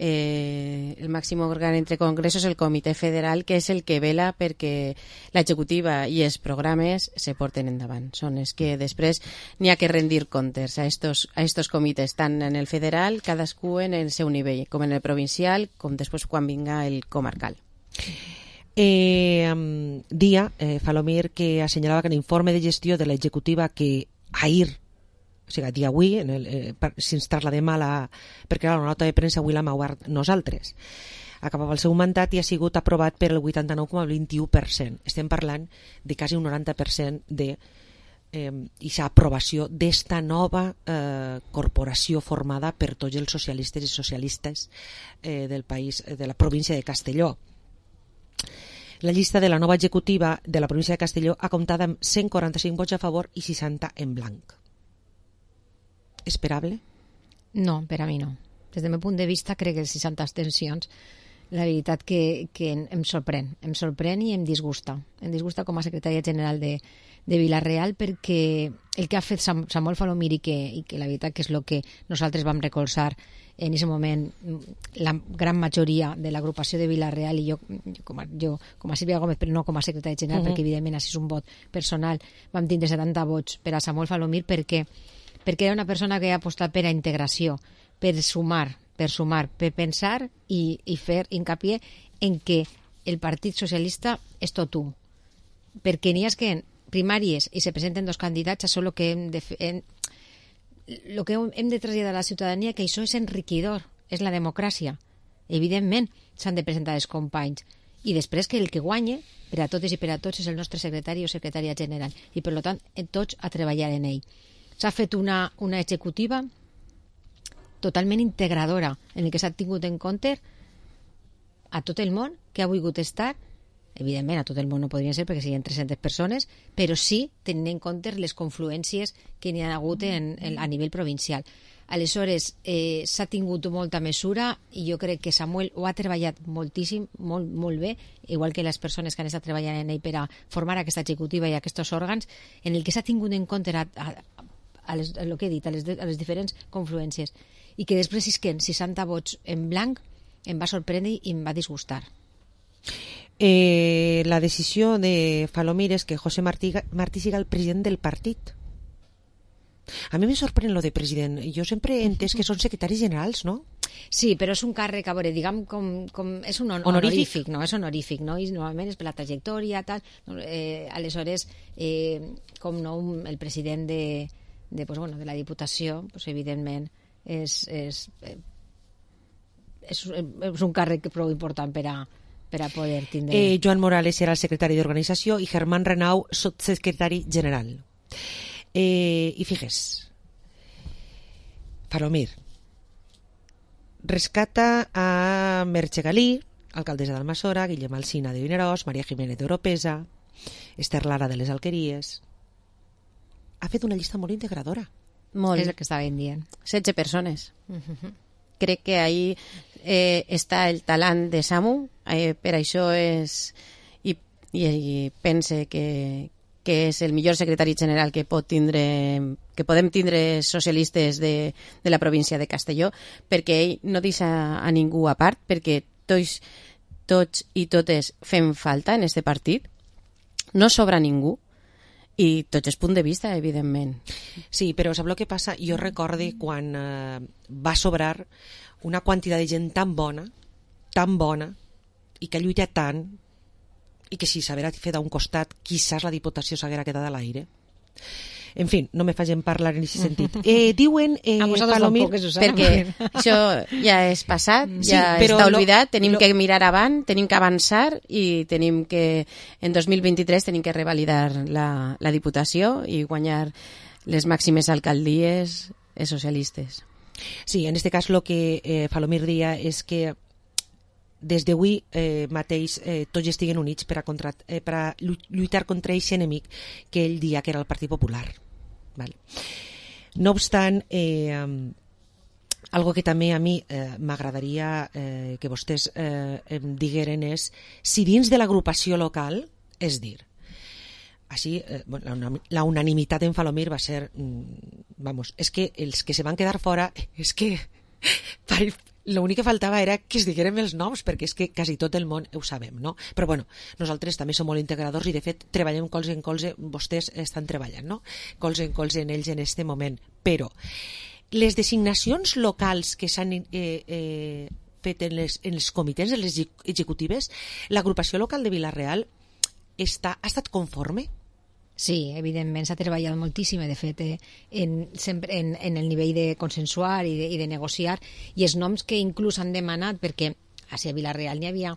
eh, el màxim òrgan entre congressos, el Comitè Federal, que és el que vela perquè l'executiva i els programes se porten endavant. Són els que després n'hi ha que rendir comptes a estos, a estos comitès, tant en el federal, cadascú en el seu nivell, com en el provincial, com després quan vinga el comarcal. Eh, dia, eh, Falomir, que assenyalava que en l'informe de gestió de l'executiva que ahir, o sigui, dia avui, en el, eh, per, si ens trasladem a la... perquè la nota de premsa avui l'hem obert nosaltres. Acabava el seu mandat i ha sigut aprovat per el vuitanta-nou coma vint-i-u per cent. Estem parlant de quasi un noranta per cent de eh, aquesta aprovació d'esta nova eh, corporació formada per tots els socialistes i socialistes eh, del país, de la província de Castelló. La llista de la nova executiva de la província de Castelló ha comptat amb cent quaranta-cinc vots a favor i seixanta en blanc. Esperable? No, per a mi no. Des del meu punt de vista crec que les seixanta abstencions, la veritat que, que em sorprèn. Em sorprèn i em disgusta. Em disgusta com a secretària general de, de Vila-real perquè el que ha fet Sam, Samuel Falomir i que, i que la veritat que és el que nosaltres vam recolzar en aquest moment la gran majoria de l'agrupació de Vila-real i jo, jo, com a, jo com a Sílvia Gómez, però no com a secretària general, uh-huh. perquè evidentment així és un vot personal, vam tindre setanta vots per a Samuel Falomir perquè, perquè era una persona que ha apostat per a integració, per sumar, per sumar, per pensar i, i fer hincapié en que el Partit Socialista és tot un. Perquè n'hi ha que en primàries i se presenten dos candidats, això és el que hem de fer, en, el que hem de traslladar a la ciutadania, que això és enriquidor, és la democràcia. Evidentment s'han de presentar els companys i després que el que guanye per a totes i per a tots és el nostre secretari o secretària general i per tant tots a treballar en ell. S'ha fet una, una executiva totalment integradora en el que s'ha tingut en compte a tot el món que ha volgut estar. Evidentment a tot el món no podrien ser perquè siguin tres-centes persones, però sí tenint en compte les confluències que n'hi ha hagut en, en, a nivell provincial. Aleshores, eh, s'ha tingut molta mesura i jo crec que Samuel ho ha treballat moltíssim, molt, molt bé, igual que les persones que han estat treballant en ell per a formar aquesta executiva i aquests òrgans, en el que s'ha tingut en compte a, a, a, les, a, lo que he dit, a, les, a les diferents confluències, i que després isquen seixanta vots en blanc em va sorprendre i em va disgustar. Eh, la decisió de Falomir és que José Martí, Martí siga el president del partit. A mi me sorprèn lo de president. Jo sempre he entès que són secretaris generals, no? Sí, però és un càrrec, a veure, diguem, com, com és un on honorífic, no? És honorífic, no? I normalment és per la trajectòria, tal. Eh, aleshores, eh, com no, el president de, de, pues, bueno, de la Diputació, pues, evidentment, és, és, és, és un càrrec prou important per a, per a poder tindre... Eh, Joan Morales era el secretari d'organització i Germán Renau, secretari general. Eh, I figues, Falomir rescata a Merche Galí, alcaldessa d'Almassora, Guillem Alsina de Vinaròs, Maria Jiménez d'Oropesa, Esther Lara de les Alqueries. Ha fet una llista molt integradora. Molt. És el que estaven dient. setze persones. Uh-huh. Crec que ahí eh, està el talent de Samu, eh, per això és i, i, i pense que que és el millor secretari general que pot tindre, que podem tindre socialistes de, de la província de Castelló, perquè ell no deixa a ningú a part, perquè tots, tots i totes fem falta en este partit, no sobra ningú, i tots els punts de vista, evidentment. Sí, però sap el que passa? Jo recorde quan eh, va sobrar una quantitat de gent tan bona, tan bona, i que lluita tant, i que si s'haguera fet a un costat, quizás la Diputació s'haguera quedat a l'aire. En fin, no me facin parlar en aquest sentit. Eh, diuen, eh, Falomir... Perquè això ja és passat, sí, ja està oblidat, lo, tenim lo... que mirar avant, tenim que avançar i tenim que, en dos mil vint-i-tres, tenim que revalidar la, la Diputació i guanyar les màximes alcaldies socialistes. Sí, en aquest cas el que eh, Falomir dia és que des d'avui eh, mateix eh, tots estiguen units per a, contra, eh, per a lluitar contra aquest enemic que ell dia que era el Partit Popular. Vale. No obstant, eh, algo que també a mi eh, m'agradaria eh, que vostès eh, em digueren és si dins de l'agrupació local, és dir, així, eh, bueno, la, la unanimitat en Falomir va ser, mm, vamos, és que els que se van quedar fora, és que l'únic que faltava era que es diguérem els noms, perquè és que quasi tot el món ho sabem, no? Però bueno, nosaltres també som molt integradors i de fet treballem colze en colze, vostès estan treballant, no? Colze en colze en ells en este moment. Però les designacions locals que s'han eh, eh, fet en les, en els comitès, en les executives, l'agrupació local de Vila-real està, ha estat conforme? Sí, evidentment s'ha treballat moltíssim, de fet, eh, en, sempre en, en el nivell de consensuar i de, i de negociar, i els noms que inclús han demanat, perquè a Vila-real n'hi havia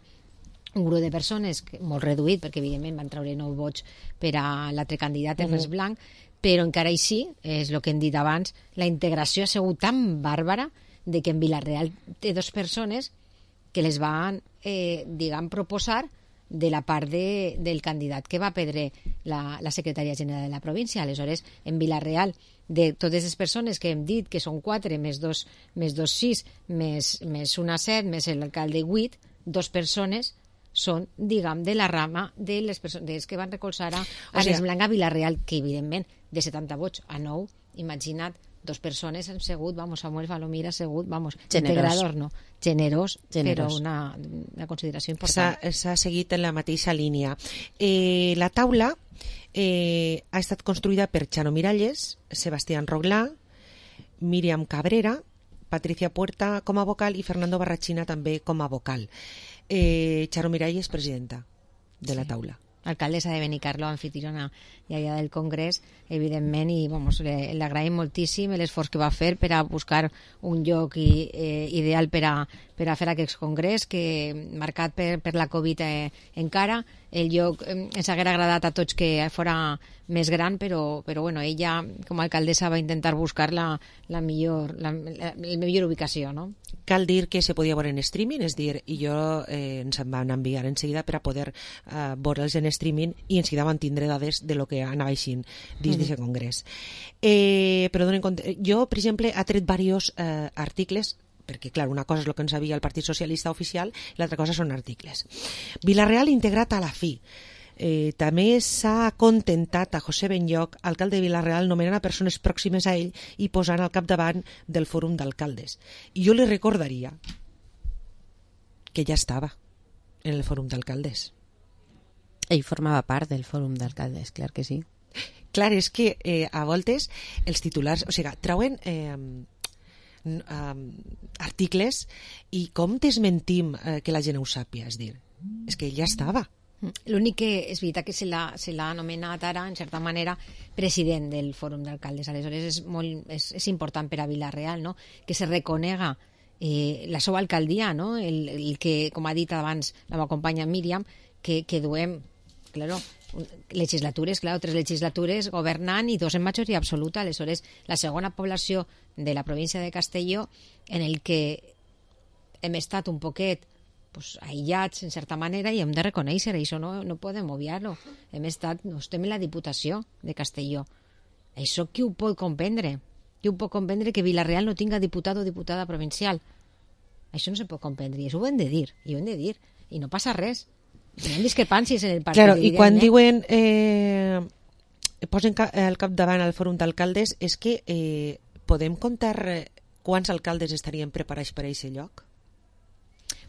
un grup de persones que, molt reduït, perquè evidentment van treure nou vots per a l'altre candidat, Ernest uh -huh. Blanc, però encara així, és el que hem dit abans, la integració ha sigut tan bàrbara de que en Vila-real té dues persones que les van, eh, diguem, proposar de la part de, del candidat que va perdre la, la secretària general de la província. Aleshores, en Vila-real, de totes les persones que hem dit, que són quatre, més dos, més dos sis, més, més una set, més l'alcalde vuit, dos persones són, diguem, de la rama de les persones que van recolzar a Ernest o sigui, Blanc a Vila-real, que evidentment de setanta vots a nou, imagina't, dos persones han sigut, vamos, Samuel Falomir ha sigut, vamos, generós. Integrador, no, generós, generós. Però una, una consideració important. S'ha seguit en la mateixa línia. Eh, la taula eh, ha estat construïda per Chano Miralles, Sebastián Roglà, Míriam Cabrera, Patricia Puerta com a vocal i Fernando Barrachina també com a vocal. Eh, Charo Miralles, presidenta de la Sí. taula. Alcaldessa de Benicarló, anfitriona ja ja del Congrés, evidentment, i vamos, le, le agraïm moltíssim l'esforç que va fer per a buscar un lloc i, eh, ideal per a, per a fer aquest congrés, que marcat per, per la Covid eh, encara. El lloc eh, ens haguera agradat a tots que fora més gran, però, però bueno, ella com a alcaldessa va intentar buscar la, la, millor, la, la, la millor ubicació, no? Cal dir que se podia veure en streaming, és dir, i jo eh, ens en van enviar en seguida per a poder eh, veure'ls en streaming i en seguida van tindre dades de lo que anava aixint dins d'aquest congrés. Eh, però donen compte, jo, per exemple, he tret diversos eh, articles, perquè, clar, una cosa és el que ens havia el Partit Socialista oficial i l'altra cosa són articles. Vilareal integrat a la fi. Eh, també s'ha contentat a José Benlloch, alcalde de Vilareal, nomenant a persones pròximes a ell i posant al capdavant del fòrum d'alcaldes. I jo li recordaria que ja estava en el fòrum d'alcaldes. Ell formava part del fòrum d'alcaldes, clar que sí. Clar, és que eh, a voltes els titulars, o sigui, trauen eh, um, articles i com desmentim eh, que la gent ho sàpia, és dir, és que ell ja estava. L'únic que és veritat que se l'ha se l'ha anomenat ara, en certa manera, president del Fòrum d'Alcaldes. Aleshores és, molt, és, és important per a Vila-real, no?, que se reconega eh, la seva alcaldia, no?, el, el que, com ha dit abans la meva companya Míriam, que, que duem, claro, legislatures, claro, tres legislatures governant i dos en majoria absoluta. Aleshores, la segona població de la província de Castelló, en el que hem estat un poquet pues, aïllats, en certa manera, i hem de reconèixer, això no, no podem obviar-lo. Hem estat, no estem en la Diputació de Castelló. Això qui ho pot comprendre? Qui ho pot comprendre que Vila-real no tinga diputat o diputada provincial? Això no se pot comprendre, i això ho hem de dir, i ho hem de dir, i no passa res. Hi ha discrepàncies en el partit. Claro, i quan diuen eh, posen al capdavant al fòrum d'alcaldes, és que eh, podem contar quants alcaldes estarien preparats per a aquest lloc?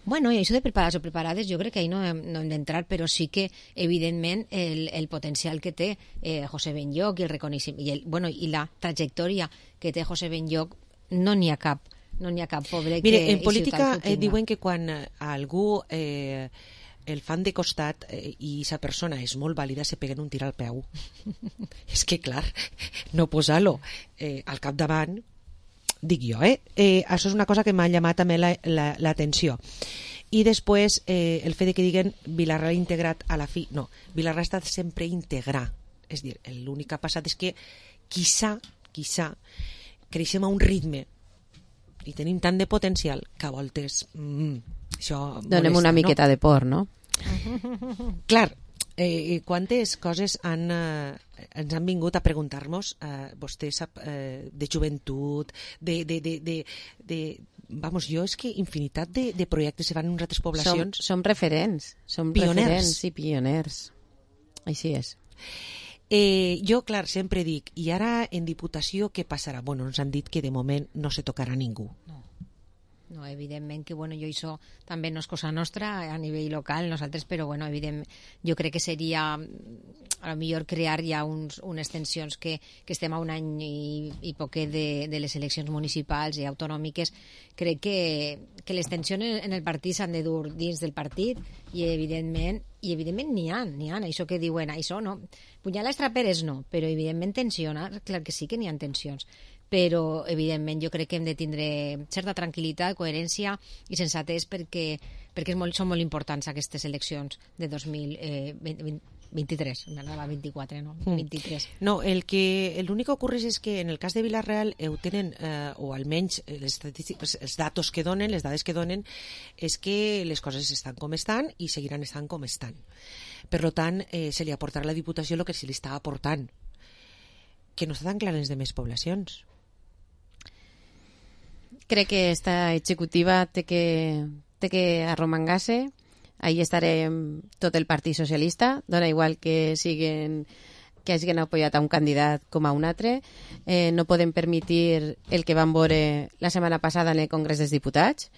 Bueno, i això de preparats o preparades jo crec que ahí no hem, no hem d'entrar, però sí que evidentment el, el potencial que té eh, José Benlloch i el reconeixement i, el, bueno, i la trajectòria que té José Benlloch, no n'hi ha cap no n'hi ha cap pobre. Mire, que en política eh, diuen que quan algú eh, el fan de costat eh, i sa persona és molt vàlida, se peguen un tir al peu. És que clar, no posar-lo eh, al capdavant, dic jo, eh? eh? Això és una cosa que m'ha llamat també l'atenció. La, la, I després eh, el fet de que diguen Vila-real integrat a la fi, no, Vila-real ha estat sempre integrar, és dir, l'únic que ha passat és que quizà, quizà creixem a un ritme i tenim tant de potencial que a voltes mm, això donem molesta, una miqueta no? de por, no? Clar, eh, quantes coses han, eh, ens han vingut a preguntar-nos eh, vostè sap eh, de joventut, de, de, de, de, de vamos, jo és que infinitat de, de projectes se fan en altres poblacions. Som, som referents, som pioners. referents i pioners. Així és. Eh, jo, clar, sempre dic, i ara en Diputació què passarà? Bueno, ens han dit que de moment no se tocarà ningú. No. No, evidentment que bueno, jo això també no és cosa nostra a nivell local, nosaltres, però bueno, evident, jo crec que seria a lo millor crear ja uns, unes tensions que, que estem a un any i, i poquet de, de les eleccions municipals i autonòmiques. Crec que, que les tensions en el partit s'han de dur dins del partit i evidentment i evidentment n'hi ha, n'hi ha, això que diuen, això no, punyales traperes no, però evidentment tensionar, clar que sí que n'hi ha tensions, però evidentment jo crec que hem de tindre certa tranquil·litat, coherència i sensatez perquè, perquè és molt, són molt importants aquestes eleccions de dos mil vint-i-tres, m'anava vint-i-quatre, no? vint-i-tres. No, el que l'únic que ocorre és que en el cas de Vila-real ho tenen, eh, o almenys les estadístiques, els datos que donen, les dades que donen, és que les coses estan com estan i seguiran estant com estan. Per tant, eh, se li aportarà a la Diputació el que se li està aportant, que no està tan clar en les demés poblacions. Crec que esta executiva té que, té que arromangar-se. Ahí estarem tot el Partit Socialista. Dona igual que siguen que hagin apoyat a un candidat com a un altre. Eh, no podem permetre el que vam veure la setmana passada en el Congrés dels Diputats.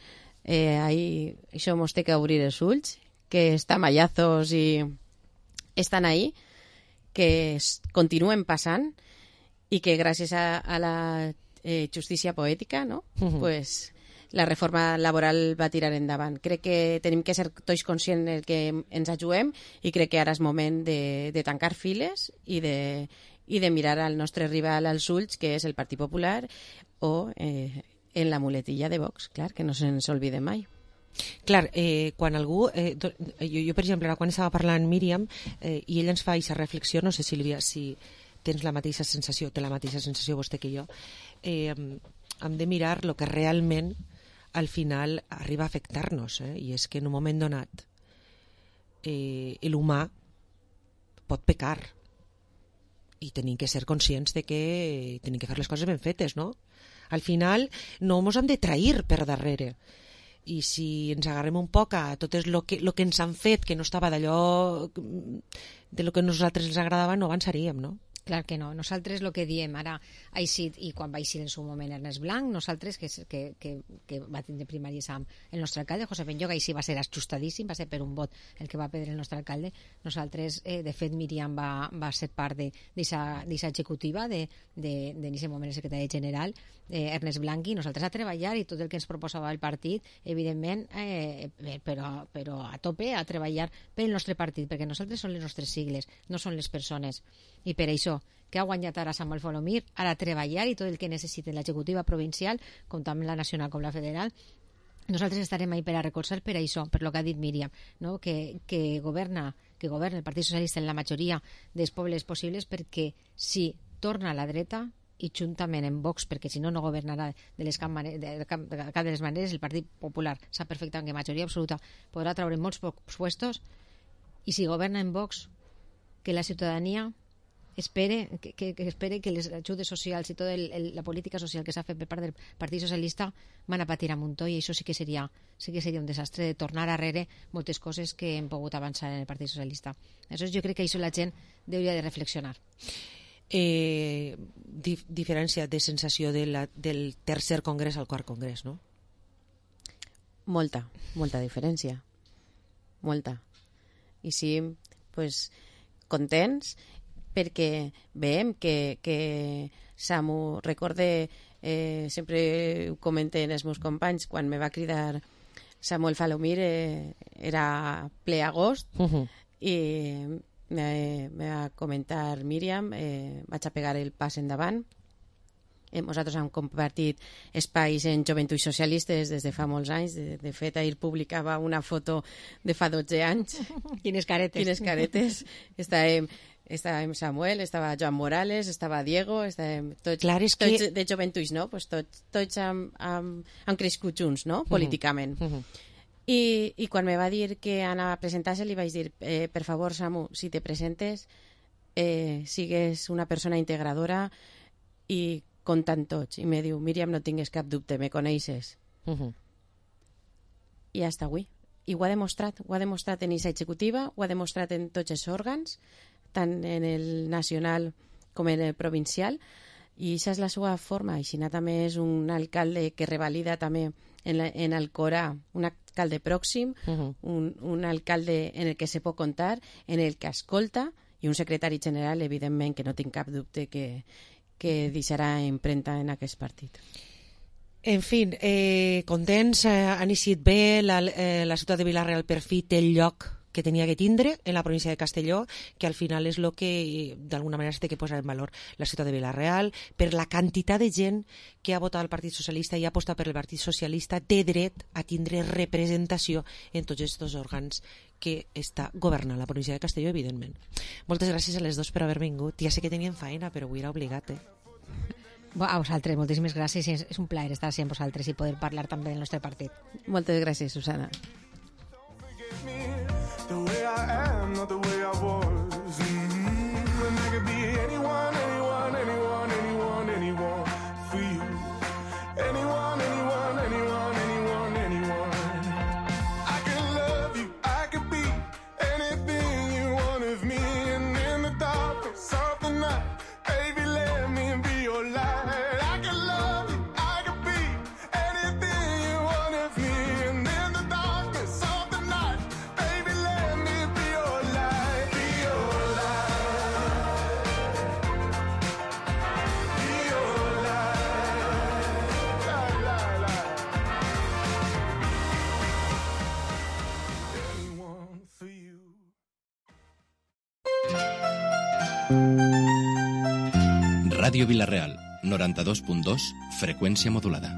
Eh, ahí, això mos té que obrir els ulls, que està mallazos i estan ahí, que es, continuen passant i que gràcies a, a la eh, justícia poètica, no? Mhm. Pues la reforma laboral va tirar endavant. Crec que tenim que ser tots conscients del que ens ajudem i crec que ara és moment de, de tancar files i de, i de mirar al nostre rival als ulls, que és el Partit Popular, o eh, en la muletilla de Vox, clar, que no se'ns oblide mai. Clar, eh, quan algú... Eh, do, jo, jo, per exemple, ara quan estava parlant Míriam, eh, i ell ens fa aquesta reflexió, no sé, Sílvia, si tens la mateixa sensació, té la mateixa sensació vostè que jo, eh, hem de mirar el que realment al final arriba a afectar-nos, eh? I és que en un moment donat eh, l'humà pot pecar i tenim que ser conscients de que tenim que fer les coses ben fetes, no? Al final no ens hem de trair per darrere, i si ens agarrem un poc a tot el que, lo que ens han fet, que no estava d'allò de lo que a nosaltres ens agradava, no avançaríem, no? Clar que no. Nosaltres el que diem ara ha eixit, i quan va eixir en su moment Ernest Blanc, nosaltres, que, que, que, que va tindre primàries amb el nostre alcalde, José Benlloc, així va ser ajustadíssim, va ser per un vot el que va perdre el nostre alcalde. Nosaltres, eh, de fet, Míriam va, va ser part d'aquesta executiva, de, de, de, en aquest moment el secretari general, eh, Ernest Blanc, i nosaltres a treballar, i tot el que ens proposava el partit, evidentment, eh, però, però a tope, a treballar pel nostre partit, perquè nosaltres són les nostres sigles, no són les persones. I per això, que ha guanyat ara Samuel Folomir, ara treballar i tot el que necessiten l'executiva provincial, com també la nacional com la federal, nosaltres estarem ahí per a recolzar per això, per lo que ha dit Míriam, no? que, que governa que governa el Partit Socialista en la majoria dels pobles possibles, perquè si torna a la dreta, i juntament en Vox, perquè si no, no governarà de, les cap, de, de, cap, de cap de les maneres, el Partit Popular sap perfectament que majoria absoluta podrà treure molts pocs puestos, i si governa en Vox, que la ciutadania espere que, que, que espere que les ajudes socials i tota la política social que s'ha fet per part del Partit Socialista van a patir a muntó, i això sí que seria sí que seria un desastre de tornar arrere moltes coses que hem pogut avançar en el Partit Socialista. Aleshores, jo crec que això la gent hauria de reflexionar. Eh, dif diferència de sensació de la, del tercer congrés al quart congrés, no? Molta, molta diferència. Molta. I sí, pues, contents, perquè veiem que, que Samu, recorde, eh, sempre ho comenten els meus companys, quan me va cridar Samuel Folomir eh, era ple agost, uh -huh. i me, me va comentar Míriam, eh, vaig a pegar el pas endavant. Eh, nosaltres hem compartit espais en Joventuts Socialistes des de fa molts anys. De, de fet, ahir publicava una foto de fa dotze anys. Quines caretes. Quines caretes. Estàvem, estàvem Samuel, estava Joan Morales, estava Diego, estàvem tots, Clar, és tots que... de Joventuts, no? Pues tots tots hem, hem, hem crescut junts, no? Políticament. Uh -huh. I, I quan me va dir que anava a presentar-se, li vaig dir, eh, per favor, Samu, si te presentes, eh, sigues una persona integradora i comptant tots. I me diu, Míriam, no tingues cap dubte, me coneixes. Uh -huh. I hasta avui. I ho ha demostrat. Ho ha demostrat en aquesta executiva, ho ha demostrat en tots els òrgans, tant en el nacional com en el provincial, i aquesta és la seva forma. I Xina també és un alcalde que revalida també en, la, en Alcorà, un alcalde pròxim, uh -huh. un, un alcalde en el que se pot contar, en el que escolta, i un secretari general, evidentment, que no tinc cap dubte que que deixarà empremta en aquest partit. En fi, eh, contents, eh, han eixit bé, la, eh, la ciutat de Vila-real per fi té el lloc que tenia que tindre en la província de Castelló, que al final és el que d'alguna manera s'ha de posar en valor la ciutat de Vila-real, per la quantitat de gent que ha votat el Partit Socialista i ha apostat per el Partit Socialista, té dret a tindre representació en tots aquests òrgans que està governant la província de Castelló, evidentment. Moltes gràcies a les dos per haver vingut. Ja sé que tenien feina, però avui era obligat, eh? A vosaltres, moltíssimes gràcies. És un plaer estar amb vosaltres i poder parlar també del nostre partit. Moltes gràcies, Susana. The way I am, not the way I was. Mm-hmm. And I could be anyone, anyone, anyone, anyone, anyone for you. Anyone, anyone, anyone, anyone, anyone. I can love you, I could be anything you want of me. And in the darkness of the night, baby, let me be your light. I can love you, I could be anything you want of me. And in the darkness of the night, baby, Ràdio Vila-real, noranta-dos punt dos, freqüència modulada.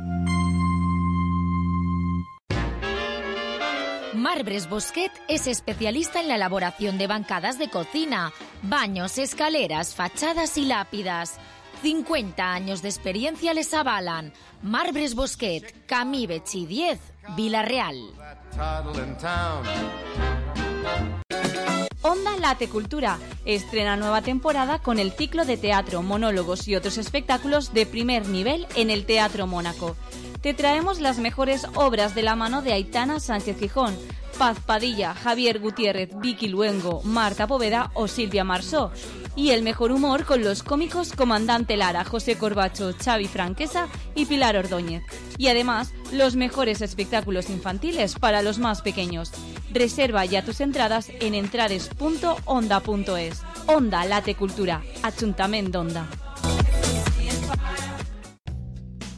Marbres Bosquet es especialista en la elaboración de bancadas de cocina, baños, escaleras, fachadas y lápidas. cincuenta años de experiencia les avalan. Marbres Bosquet, Camí Betxí diez, Vila-real. Onda Late Cultura estrena nueva temporada con el ciclo de teatro, monólogos y otros espectáculos de primer nivel en el Teatro Mónaco. Te traemos las mejores obras de la mano de Aitana Sánchez Gijón, Paz Padilla, Javier Gutiérrez, Vicky Luengo, Marta Poveda o Silvia Marsó. Y el mejor humor con los cómicos Comandante Lara, José Corbacho, Xavi Franquesa y Pilar Ordóñez. Y además, los mejores espectáculos infantiles para los más pequeños. Reserva ya tus entradas en entrades punto onda punto es. Onda Late Cultura, Ajuntament d'Onda.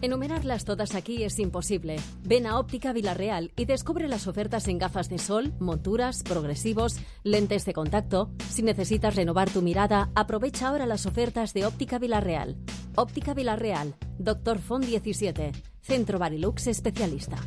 Enumerarlas todas aquí es imposible. Ven a Óptica Vila-real y descubre las ofertas en gafas de sol, monturas, progresivos, lentes de contacto. Si necesitas renovar tu mirada, aprovecha ahora las ofertas de Óptica Vila-real. Óptica Vila-real, Doctor Font diecisiete, Centro Barilux especialista.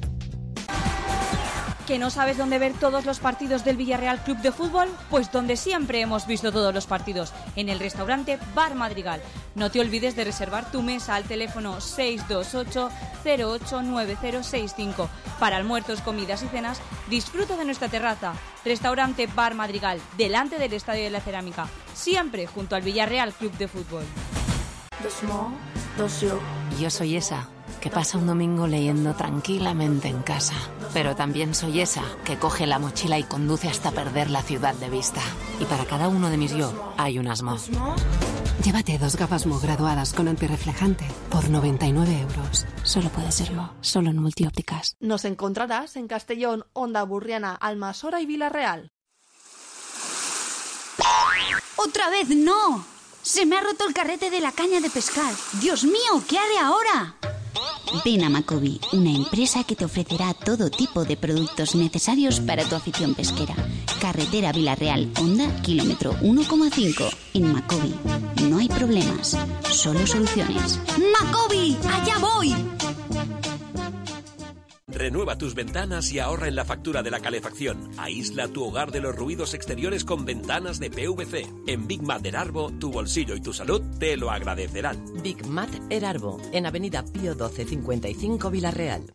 ¿Que no sabes dónde ver todos los partidos del Villarreal Club de Fútbol? Pues donde siempre hemos visto todos los partidos, en el restaurante Bar Madrigal. No te olvides de reservar tu mesa al teléfono seis dos ocho cero ocho nueve cero seis cinco. Para almuerzos, comidas y cenas, disfruta de nuestra terraza. Restaurante Bar Madrigal, delante del Estadio de la Cerámica, siempre junto al Villarreal Club de Fútbol. Yo soy esa que pasa un domingo leyendo tranquilamente en casa. Pero también soy esa que coge la mochila y conduce hasta perder la ciudad de vista. Y para cada uno de mis yo hay un Asmo. Llévate dos gafas Mo graduadas con antirreflejante por noventa y nueve euros. Solo puede serlo, solo en Multiópticas. Nos encontrarás en Castellón, Onda Burriana, Almasora y Vila-real. ¡Otra vez no! Se me ha roto el carrete de la caña de pescar. ¡Dios mío! ¿Qué haré ahora? Ven a Macobi, una empresa que te ofrecerá todo tipo de productos necesarios para tu afición pesquera. Carretera Vila-real, Honda, kilómetro uno coma cinco. En Macobi no hay problemas, solo soluciones. ¡Macobi! ¡Allá voy! Renueva tus ventanas y ahorra en la factura de la calefacción. Aísla tu hogar de los ruidos exteriores con ventanas de P V C. En Big Mat Erarbo, tu bolsillo y tu salud te lo agradecerán. Big Mat Erarbo, en Avenida Pío doce cincuenta y cinco, Vila-real.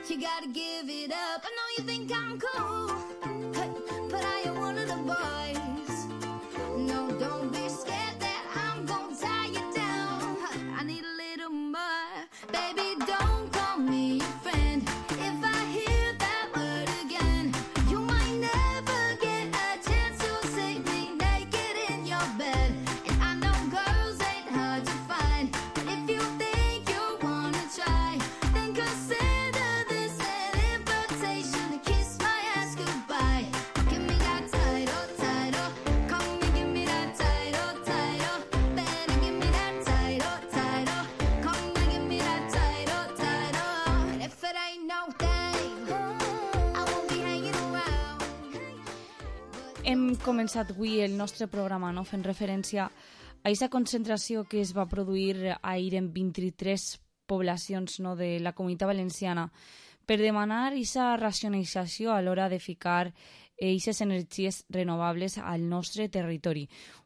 You gotta give it up. I know you think I'm cool, but I am one of the boys. No, don't be scared that I'm gonna tie you down. I need a little more. Baby, don't call me your friend. If I hear that word again, you might never get a chance to see me naked in your bed. And I know girls ain't hard to find, but if you think you wanna try, then consider Hem començat avui el nostre programa, no?, fent referència a aquesta concentració que es va produir ahir en vint-i-tres poblacions, no?, de la Comunitat Valenciana per demanar aquesta racionalització a l'hora de ficar aquestes energies renovables al nostre territori.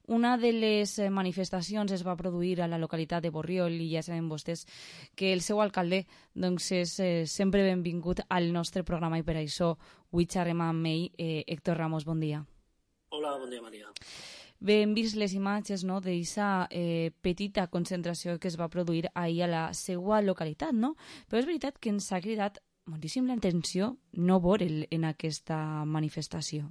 Una de les manifestacions es va produir a la localitat de Borriol i ja saben vostès que el seu alcalde doncs, és eh, sempre benvingut al nostre programa i per això avui xerrem amb ell. Eh, Héctor Ramos, bon dia. Hola, bon dia, Maria. Bé, hem vist les imatges, no?, d'aquesta eh, petita concentració que es va produir ahir a la seva localitat, no? Però és veritat que ens ha cridat moltíssim l'atenció no veure en aquesta manifestació.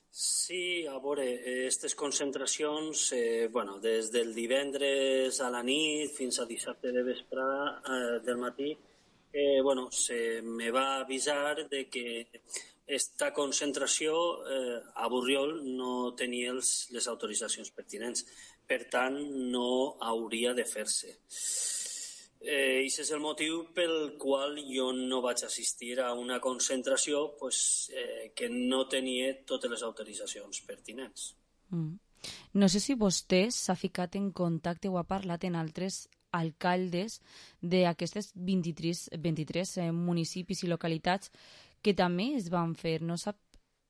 Sí, a veure, aquestes concentracions, eh, bueno, des del divendres a la nit fins a dissabte de vespre eh, del matí, eh, bueno, se me va avisar de que esta concentració eh, a Borriol no tenia els, les autoritzacions pertinents. Per tant, no hauria de fer-se. Eh, I és el motiu pel qual jo no vaig assistir a una concentració pues, eh, que no tenia totes les autoritzacions pertinents. Mm. No sé si vostè s'ha ficat en contacte o ha parlat en altres alcaldes d'aquestes vint-i-tres, vint-i-tres eh, municipis i localitats que també es van fer. No sap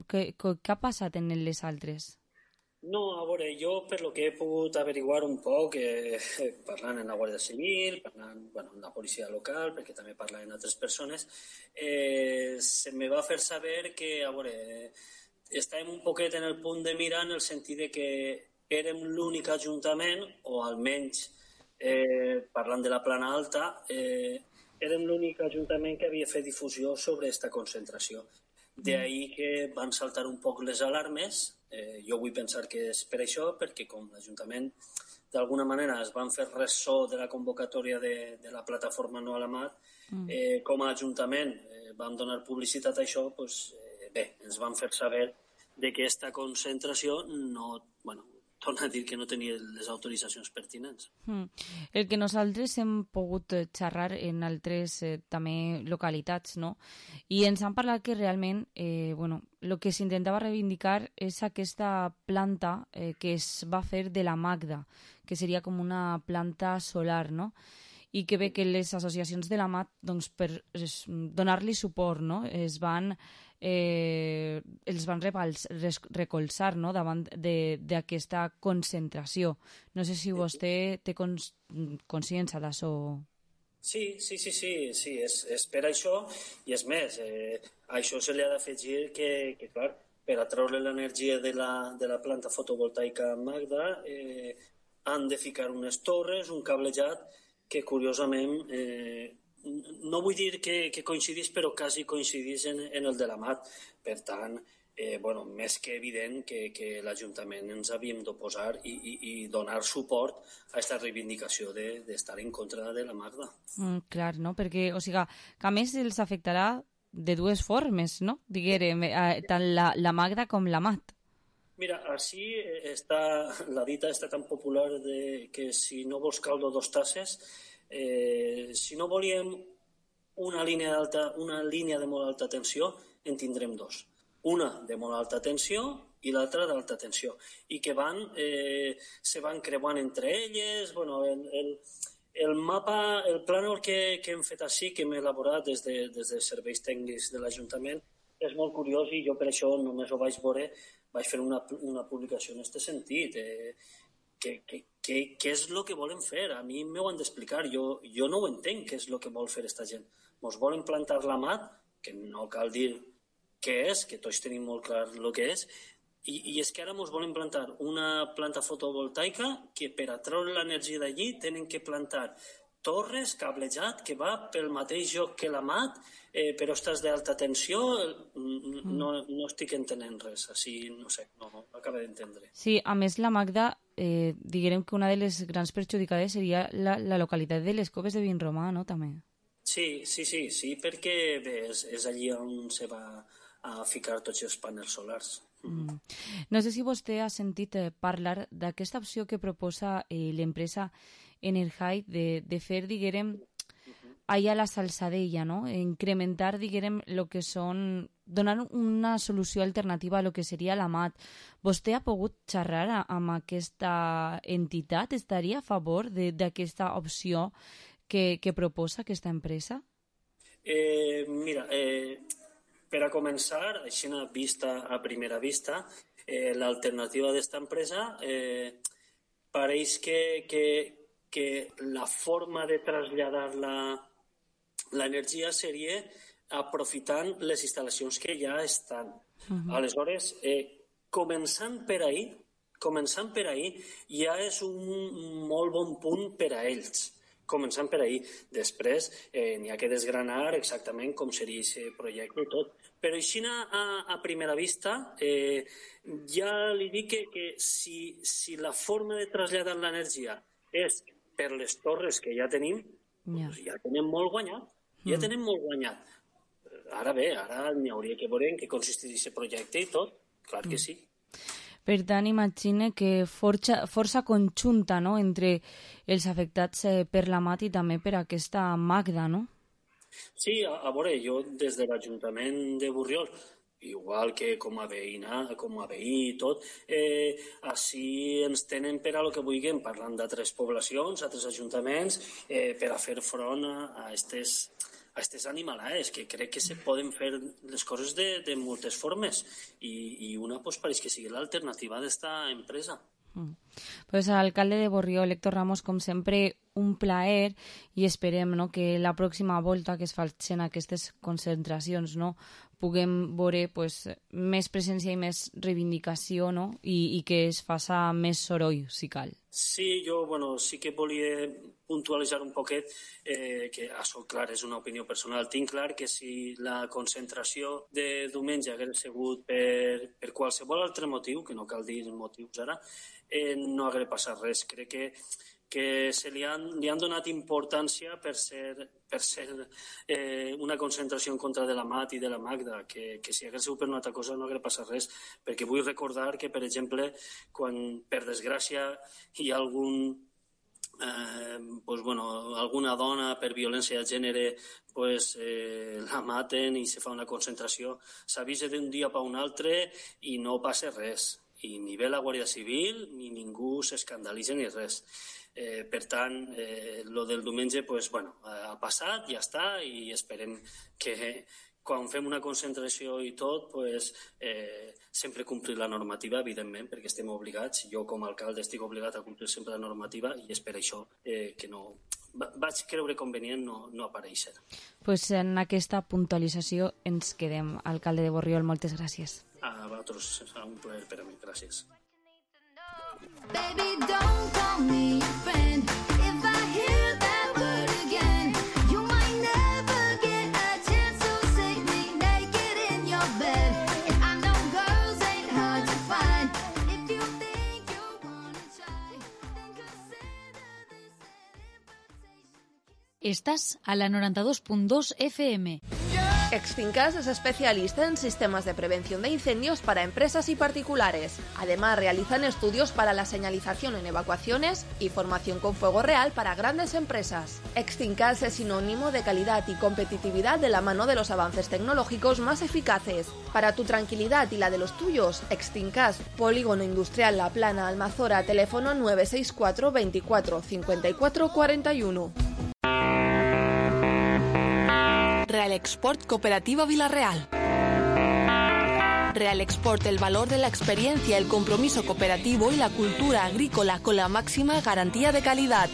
què, què ha passat en les altres? No, a veure, jo per lo que he pogut averiguar un poc, eh, parlant amb la Guàrdia Civil, parlant bueno, amb la policia local, perquè també parlant amb altres persones, eh, se me va fer saber que, a veure, estàvem un poquet en el punt de mira en el sentit de que érem l'únic ajuntament, o almenys eh, parlant de la Plana Alta, eh, érem l'únic ajuntament que havia fet difusió sobre aquesta concentració. D'ahí que van saltar un poc les alarmes. Eh, jo vull pensar que és per això, perquè com l'Ajuntament d'alguna manera es van fer ressò de la convocatòria de, de la plataforma No a la Mat, eh, com a Ajuntament eh, vam donar publicitat a això, pues, eh, bé, ens van fer saber de que aquesta concentració no, bueno, torna a dir que no tenia les autoritzacions pertinents. Mm. El que nosaltres hem pogut xerrar en altres eh, també localitats, no? I ens han parlat que realment eh, bueno, el que s'intentava reivindicar és aquesta planta eh, que es va fer de la Magda, que seria com una planta solar, no? I que bé que les associacions de la M A T, doncs, per donar-li suport, no? es van, eh, els van recolzar, no? davant d'aquesta concentració. No sé si vostè té cons consciència d'això. Sí, sí, sí, sí, sí és, és per això, i és més, eh, a això se li ha d'afegir que, que, clar, per atraure l'energia de, la, de la planta fotovoltaica Magda eh, han de ficar unes torres, un cablejat, que curiosament, eh, no vull dir que, que coincidís, però quasi coincidís en, en el de la M A T. Per tant, eh, bueno, més que evident que, que l'Ajuntament ens havíem d'oposar i, i, i donar suport a aquesta reivindicació d'estar de, en contra de la Magda. Mm, clar, no? Perquè, o sigui, que a més els afectarà de dues formes, no? Diguérem, eh, tant la, la Magda com la M A T. Mira, així està, la dita està tan popular de que si no vols caldo, dos tasses. Eh, si no volíem una línia, alta, una línia de molt alta tensió, en tindrem dos. Una de molt alta tensió i l'altra d'alta tensió. I que van, eh, se van creuant entre elles. Bueno, el, el, el mapa, el plànol que, que hem fet així, que hem elaborat des de, des de serveis tècnics de l'Ajuntament, és molt curiós i jo per això només ho vaig veure, vaig fer una, una publicació en aquest sentit. Eh, què, què, què, què és el que volen fer? A mi m'ho han d'explicar. Jo, jo no ho entenc, què és el que vol fer aquesta gent. Ens volen plantar la M A T, que no cal dir què és, que tots tenim molt clar el que és, i, i és que ara ens volen plantar una planta fotovoltaica que per atraure l'energia d'allí tenen que plantar torres, cablejat, que va pel mateix joc que la M A T, eh, però estàs d'alta tensió, no, no estic entenent res, així, no sé, no, no acabo d'entendre. Sí, a més la Magda, eh, diguem que una de les grans perjudicades seria la, la localitat de les Coves de Vinromà, no?, també. Sí, sí, sí, sí, perquè bé, és, és allí on se va a ficar tots els panels solars. Mm. No sé si vostè ha sentit eh, parlar d'aquesta opció que proposa eh, l'empresa Energy de, de fer, diguem, allà a la Salsadella, no? Incrementar, diguem, lo que són... donar una solució alternativa a lo que seria la M A T. Vostè ha pogut xerrar amb aquesta entitat? Estaria a favor d'aquesta opció que, que proposa aquesta empresa? Eh, mira, eh, per a començar, així a vista, a primera vista, eh, l'alternativa d'esta empresa eh, pareix que, que, que la forma de traslladar l'energia seria aprofitant les instal·lacions que ja estan. Uh-huh. Aleshores, eh, començant per ahí, començant per ahí, ja és un molt bon punt per a ells. Començant per ahí. Després eh, n'hi ha que desgranar exactament com seria aquest projecte i tot. Però així a, a primera vista eh, ja li dic que, que si, si la forma de traslladar l'energia és per les torres que ja tenim, yeah. doncs ja tenem molt guanyat. Ja mm. tenem molt guanyat. Ara bé, ara n'hi hauria que veure en què consisteix aquest projecte i tot, clar que sí. Per tant, imagine que força, força conjunta, no?, entre els afectats eh, per la Mat i també per aquesta Magda, no? Sí, a, a veure, jo des de l'Ajuntament de Borriol, igual que com a veïna, com a veí i tot, eh, així ens tenen per a lo que vulguem, parlant d'altres poblacions, altres ajuntaments, eh, per a fer front a aquestes a aquestes animalades, que crec que se poden fer les coses de, de moltes formes i, i una pues, pareix que sigui l'alternativa d'esta empresa. Mm. Pues alcalde de Borriol, Héctor Ramos, com sempre, un plaer i esperem, no?, que la pròxima volta que es facin aquestes concentracions, no?, puguem veure pues, més presència i més reivindicació, no?, I, i que es faça més soroll, si cal. Sí, jo bueno, sí que volia puntualitzar un poquet, eh, que això, clar, és una opinió personal. Tinc clar que si la concentració de diumenge hagués sigut per, per qualsevol altre motiu, que no cal dir motius ara, eh, no hagués passat res. Crec que que se li han, li han donat importància per ser, per ser eh, una concentració en contra de la Mat i de la Magda, que, que si hagués sigut per una altra cosa no hagués passat res, perquè vull recordar que, per exemple, quan per desgràcia hi ha algun Eh, pues, bueno, alguna dona per violència de gènere pues, eh, la maten i se fa una concentració, s'avisa d'un dia per un altre i no passa res, i ni ve la Guàrdia Civil ni ningú s'escandalitza ni res. Eh, per tant, eh, lo del diumenge pues, bueno, ha passat, ja està, i esperem que quan fem una concentració i tot, pues, eh, sempre complir la normativa, evidentment, perquè estem obligats. Jo, com a alcalde, estic obligat a complir sempre la normativa i és per això eh, que no... vaig creure convenient no, no aparèixer. Pues en aquesta puntualització ens quedem. Alcalde de Borriol, moltes gràcies. A vosaltres, serà un plaer per a mi. Gràcies. Baby, don't call me your friend. If I hear that word again, you might never get a chance to see me naked in your bed. And I know girls ain't hard to find. If you think you wanna try, then consider this an invitation. Estás a la noventa y dos punto dos F M. Extincas es especialista en sistemas de prevención de incendios para empresas y particulares. Además, realizan estudios para la señalización en evacuaciones y formación con fuego real para grandes empresas. Extincas es sinónimo de calidad y competitividad de la mano de los avances tecnológicos más eficaces. Para tu tranquilidad y la de los tuyos, Extincas, Polígono Industrial La Plana, Almazora, teléfono nueve seis cuatro veinticuatro cincuenta y cuatro cuarenta y uno. Real Export Cooperativa Villarreal. Real Export, el valor de la experiencia, el compromiso cooperativo y la cultura agrícola con la máxima garantía de calidad.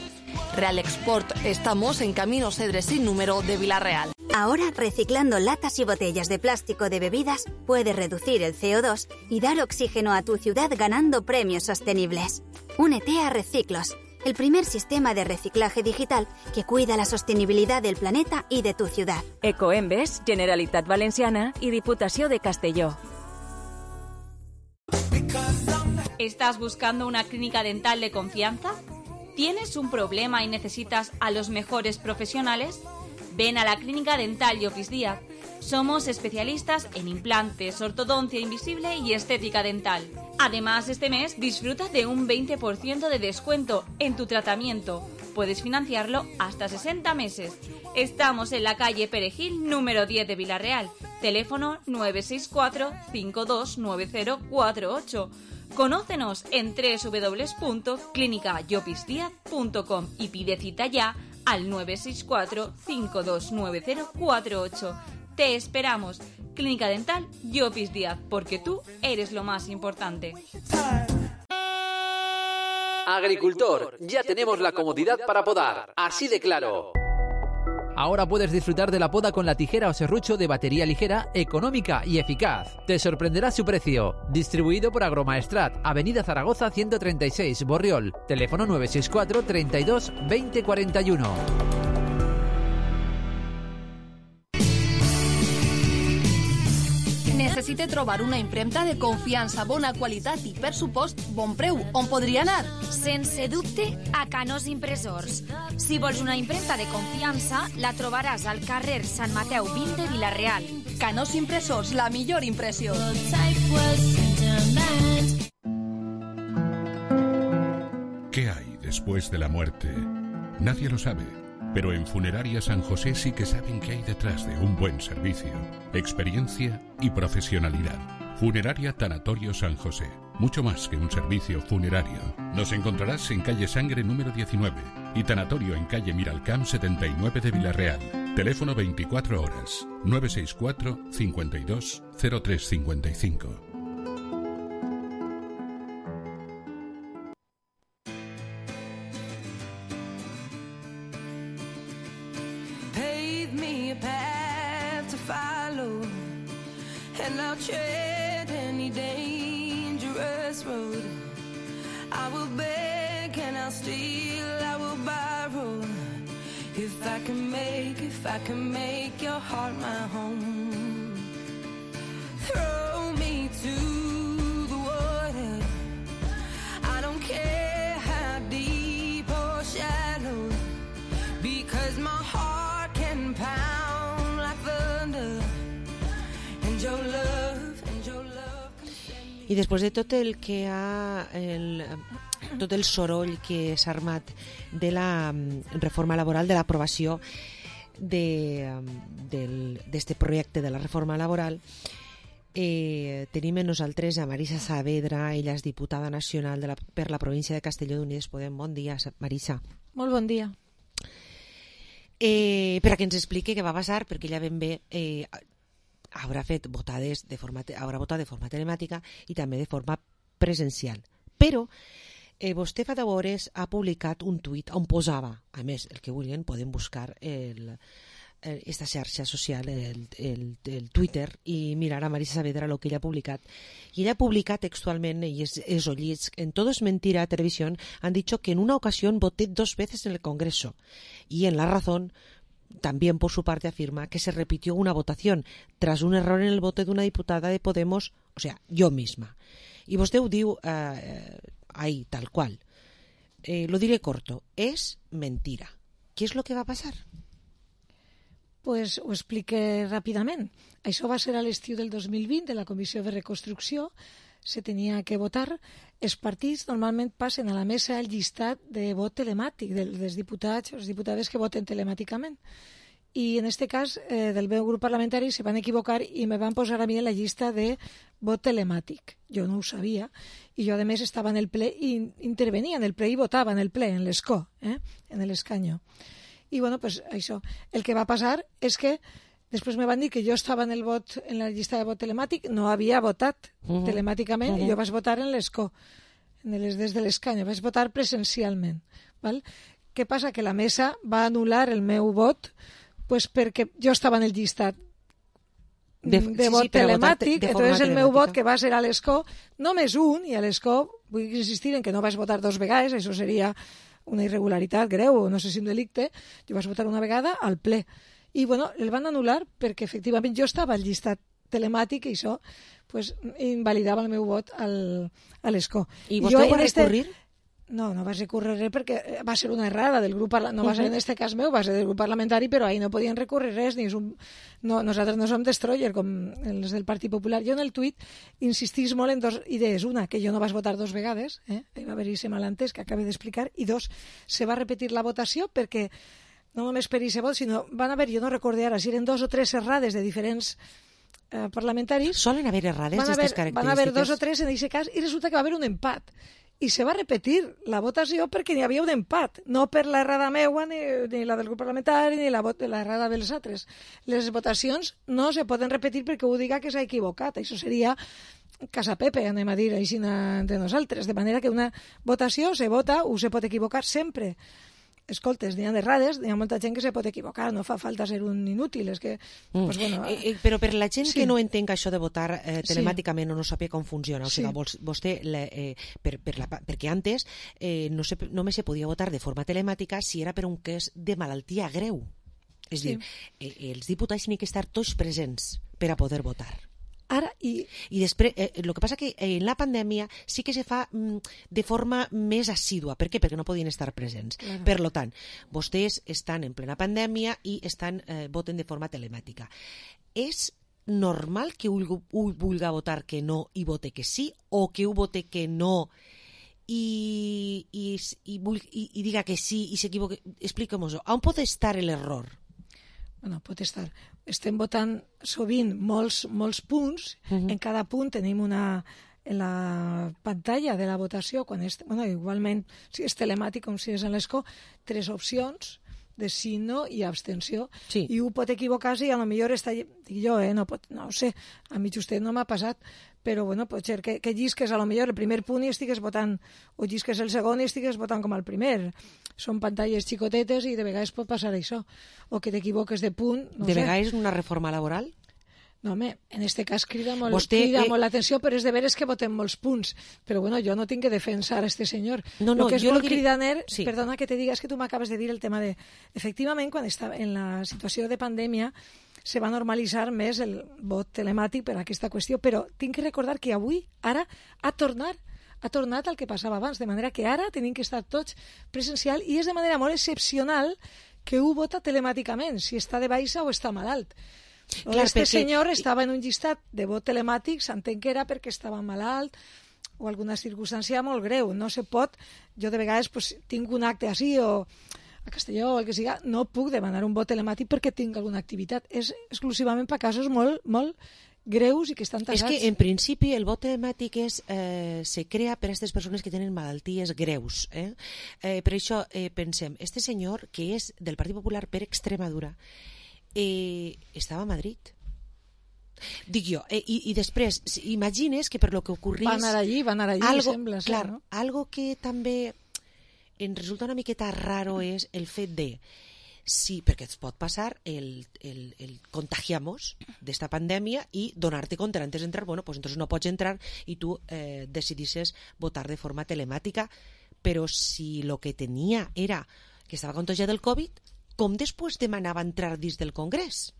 Real Export, estamos en Camino Cedres sin número de Villarreal. Ahora, reciclando latas y botellas de plástico de bebidas, puedes reducir el C O dos y dar oxígeno a tu ciudad ganando premios sostenibles. Únete a Reciclos, el primer sistema de reciclaje digital que cuida la sostenibilidad del planeta y de tu ciudad. Ecoembes, Generalitat Valenciana y Diputació de Castelló. ¿Estás buscando una clínica dental de confianza? ¿Tienes un problema y necesitas a los mejores profesionales? Ven a la Clínica Dental Llopis Díaz. Somos especialistas en implantes, ortodoncia invisible y estética dental. Además, este mes disfruta de un veinte por ciento de descuento en tu tratamiento. Puedes financiarlo hasta sesenta meses. Estamos en la calle Perejil, número diez de Villarreal. Teléfono nueve seis cuatro cinco dos nueve cero cuatro ocho. Conócenos en doble u doble u doble u punto clínica llopis díaz punto com y pide cita ya al nueve seis cuatro cinco dos nueve cero cuatro ocho. Te esperamos. Clínica Dental Llopis Díaz, porque tú eres lo más importante. Agricultor, ya tenemos la comodidad para podar, así de claro. Ahora puedes disfrutar de la poda con la tijera o serrucho de batería ligera, económica y eficaz. Te sorprenderá su precio. Distribuido por Agromaestrat, Avenida Zaragoza ciento treinta y seis, Borriol. Teléfono nueve seis cuatro treinta y dos veinte cuarenta y uno. Necessite trobar una impremta de confiança, bona qualitat i, per supost, bon preu. On podria anar? Sense dubte, a Canós Impressors. Si vols una impremta de confiança, la trobaràs al carrer Sant Mateu vint de Vilareal. Canós Impressors, la millor impressió. ¿Qué hay después de la muerte? Nadie lo sabe, pero en Funeraria San José sí que saben qué hay detrás de un buen servicio, experiencia y profesionalidad. Funeraria Tanatorio San José, mucho más que un servicio funerario. Nos encontrarás en calle Sangre número diecinueve y Tanatorio en calle Miralcamp setenta y nueve de Villarreal. Teléfono veinticuatro horas, nueve seis cuatro, cincuenta y dos, cero tres cincuenta y cinco. And I'll tread any dangerous road. I will beg and I'll steal, I will borrow. If I can make, if I can make your heart my home. Throw me to the water. I don't care how deep or shallow, because my heart can pound like thunder. I després de tot el que ha el, tot el soroll que s'ha armat de la reforma laboral, de l'aprovació d'este projecte de la reforma laboral, eh, tenim en nosaltres a Marisa Saavedra. Ella és diputada nacional de la, per la província de Castelló d'Unides Podem. Bon dia, Marisa. Molt bon dia. Eh, per a que ens expliqui què va passar, perquè ella ben bé eh, haurà fet votades de forma, haurà votat de forma telemàtica i també de forma presencial. Però eh, vostè fa deu hores ha publicat un tuit on posava, a més, el que vulguin, poden buscar el, el, esta xarxa social, el, el, el Twitter, i mirar a Marisa Saavedra el que ella ha publicat. I ella ha publicat textualment, i es, es ollits, en Todo es Mentira Televisión han dicho que en una ocasión voté dos veces en el Congreso, y en La Razón también por su parte afirma que se repitió una votación tras un error en el voto de una diputada de Podemos, o sea, yo misma. Y vostè ho diu eh, ahí, tal cual. Eh, lo diré corto, es mentira. ¿Qué es lo que va a pasar? Pues ho explique ràpidament. Això va ser a l'estiu del dos mil vint, de la Comissió de Reconstrucció. Se tenia que votar. Els partits normalment passen a la mesa el llistat de vot telemàtic dels diputats o les diputades que voten telemàticament. I en aquest cas eh, del meu grup parlamentari se van equivocar i me van posar a mi en la llista de vot telemàtic. Jo no ho sabia i jo a més estava en el ple i intervenia en el ple i votava en el ple, en l'escó, eh? en l'escanyo. I bueno, pues això, el que va passar és que després me van dir que jo estava en el vot, en la llista de vot telemàtic, no havia votat uh-huh. telemàticament, uh-huh. i jo vaig votar en l'escó, en les, des de l'escany, vaig votar presencialment. Val? Què passa? Que la mesa va anul·lar el meu vot pues perquè jo estava en el llistat de, de vot sí, sí, telemàtic, entonces el meu vot que va ser a l'escó, només un, i a l'escó vull insistir en que no vaig votar dos vegades, això seria una irregularitat greu, o no sé si un delicte, jo vaig votar una vegada al ple. I bueno, el van anul·lar perquè efectivament jo estava al llistat telemàtic i això pues, invalidava el meu vot al, a l'escó. I vostè va recurrir? Este... No, no vaig recórrer res perquè va ser una errada del grup parlamentari, no va ser en aquest cas meu, va ser del grup parlamentari, però ahí no podien recórrer res, ni és un... no, nosaltres no som destroyer com els del Partit Popular. Jo en el tuit insistís molt en dues idees. Una, que jo no vaig votar dos vegades, eh? Hi va haver-hi ese malentès que acabo d'explicar, i dos, se va repetir la votació perquè no només per aquest vot, sinó van haver, jo no recordé ara, si eren dos o tres errades de diferents eh, parlamentaris. Solen haver errades d'aquestes característiques? Van haver dos o tres en aquest cas, i resulta que va haver un empat. I se va repetir la votació perquè n'hi havia un empat, no per l'errada meua, ni, ni la del grup parlamentari, ni la, la errada dels altres. Les votacions no se poden repetir perquè ho diga que s'ha equivocat. Això seria Casa Pepe, anem a dir així entre nosaltres. De manera que una votació se vota o se pot equivocar sempre. Escoltes, n'hi ha d'errades, n'hi ha molta gent que se pot equivocar, no fa falta ser un inútil, és que... Mm. Pues, bueno, eh, eh, però per la gent sí. que no entenga això de votar eh, telemàticament sí. o no sàpiga com funciona, o sigui, sí. vostè, le, eh, per, per la, perquè antes eh, no se, només se podia votar de forma telemàtica si era per un cas de malaltia greu. És sí. dir, eh, els diputats tenen que estar tots presents per a poder votar. Ara, i... I després, eh, el que passa que en la pandèmia sí que se fa mm, de forma més assídua. Per què? Perquè no podien estar presents. Claro. Per lo tant, vostès estan en plena pandèmia i estan, eh, voten de forma telemàtica. És normal que un vulga votar que no i vote que sí, o que un vote que no i, i, i, i, i diga que sí i s'equivoque? Expliquem-ho. On pot estar l'error? Bueno, pot estar. Estem votant sovint molts, molts punts. Uh-huh. En cada punt tenim una... En la pantalla de la votació, quan és, bueno, igualment, si és telemàtic com si és en l'escó, tres opcions de sí, no i abstenció. Sí. I un pot equivocar-se i a lo millor està... Dic jo, eh? No, pot, no ho sé, a mi just no m'ha passat, però bueno, pot ser que, que llisques a lo millor el primer punt i estigues votant, o llisques el segon i estigues votant com el primer. Són pantalles xicotetes i de vegades pot passar això. O que t'equivoques de punt, no de sé. vegades una reforma laboral? No, home, en este cas crida molt, Vostè, crida eh... molt l'atenció, però és de veres que votem molts punts. Però bueno, jo no tinc que defensar a este senyor. No, no, lo que és jo molt que... cridaner, sí. Perdona que te diga, és que tu m'acabes de dir el tema de... Efectivament, quan estava en la situació de pandèmia, se va normalitzar més el vot telemàtic per aquesta qüestió, però tinc que recordar que avui, ara, ha tornat ha tornat al que passava abans, de manera que ara tenim que estar tots presencial i és de manera molt excepcional que un vota telemàticament, si està de baixa o està malalt. Clar, este perquè... senyor estava en un llistat de vot telemàtic, s'entén que era perquè estava malalt o alguna circumstància molt greu. No se pot, jo de vegades pues, tinc un acte així o a Castelló o el que siga, no puc demanar un vot telemàtic perquè tinc alguna activitat. És exclusivament per casos molt, molt greus i que estan tassats. És que en principi el vot telemàtic és, eh, se crea per a aquestes persones que tenen malalties greus. Eh? Eh, per això eh, pensem, este senyor que és del Partit Popular per Extremadura Eh, estava a Madrid, dic jo, eh, i, i després imagines que per lo que ocorrís va anar allí, va anar allí algo, sembla ser, clar, no? algo que també em resulta una miqueta raro és el fet de sí, perquè et pot passar el, el, el contagiamos d'esta pandèmia i donar-te compte antes d'entrar, bueno, pues entonces no pots entrar i tu eh, decidisses votar de forma telemàtica, però si lo que tenia era que estava contagiat del Covid, com després demanava entrar dins del Congrés?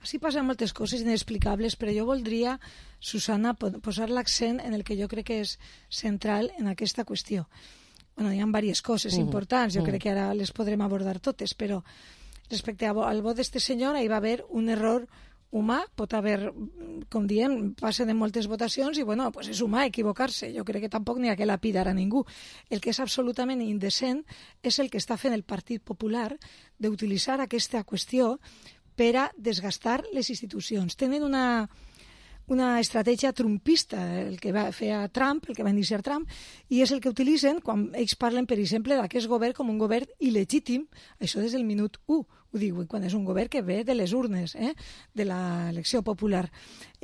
Així passen moltes coses inexplicables, però jo voldria, Susana, posar l'accent en el que jo crec que és central en aquesta qüestió. Bueno, hi ha diverses coses mm. importants, jo mm. crec que ara les podrem abordar totes, però respecte al vot d'este senyor hi va haver un error humà, pot haver, com diem, passen en moltes votacions i, bueno, pues és humà equivocar-se. Jo crec que tampoc n'hi ha que lapidar a ningú. El que és absolutament indecent és el que està fent el Partit Popular d'utilitzar aquesta qüestió per a desgastar les institucions. Tenen una, una estratègia trumpista, el que va fer a Trump, el que va iniciar Trump, i és el que utilitzen quan ells parlen, per exemple, d'aquest govern com un govern il·legítim, això des del minut u. Ho dic, quan és un govern que ve de les urnes, eh? de l'elecció popular.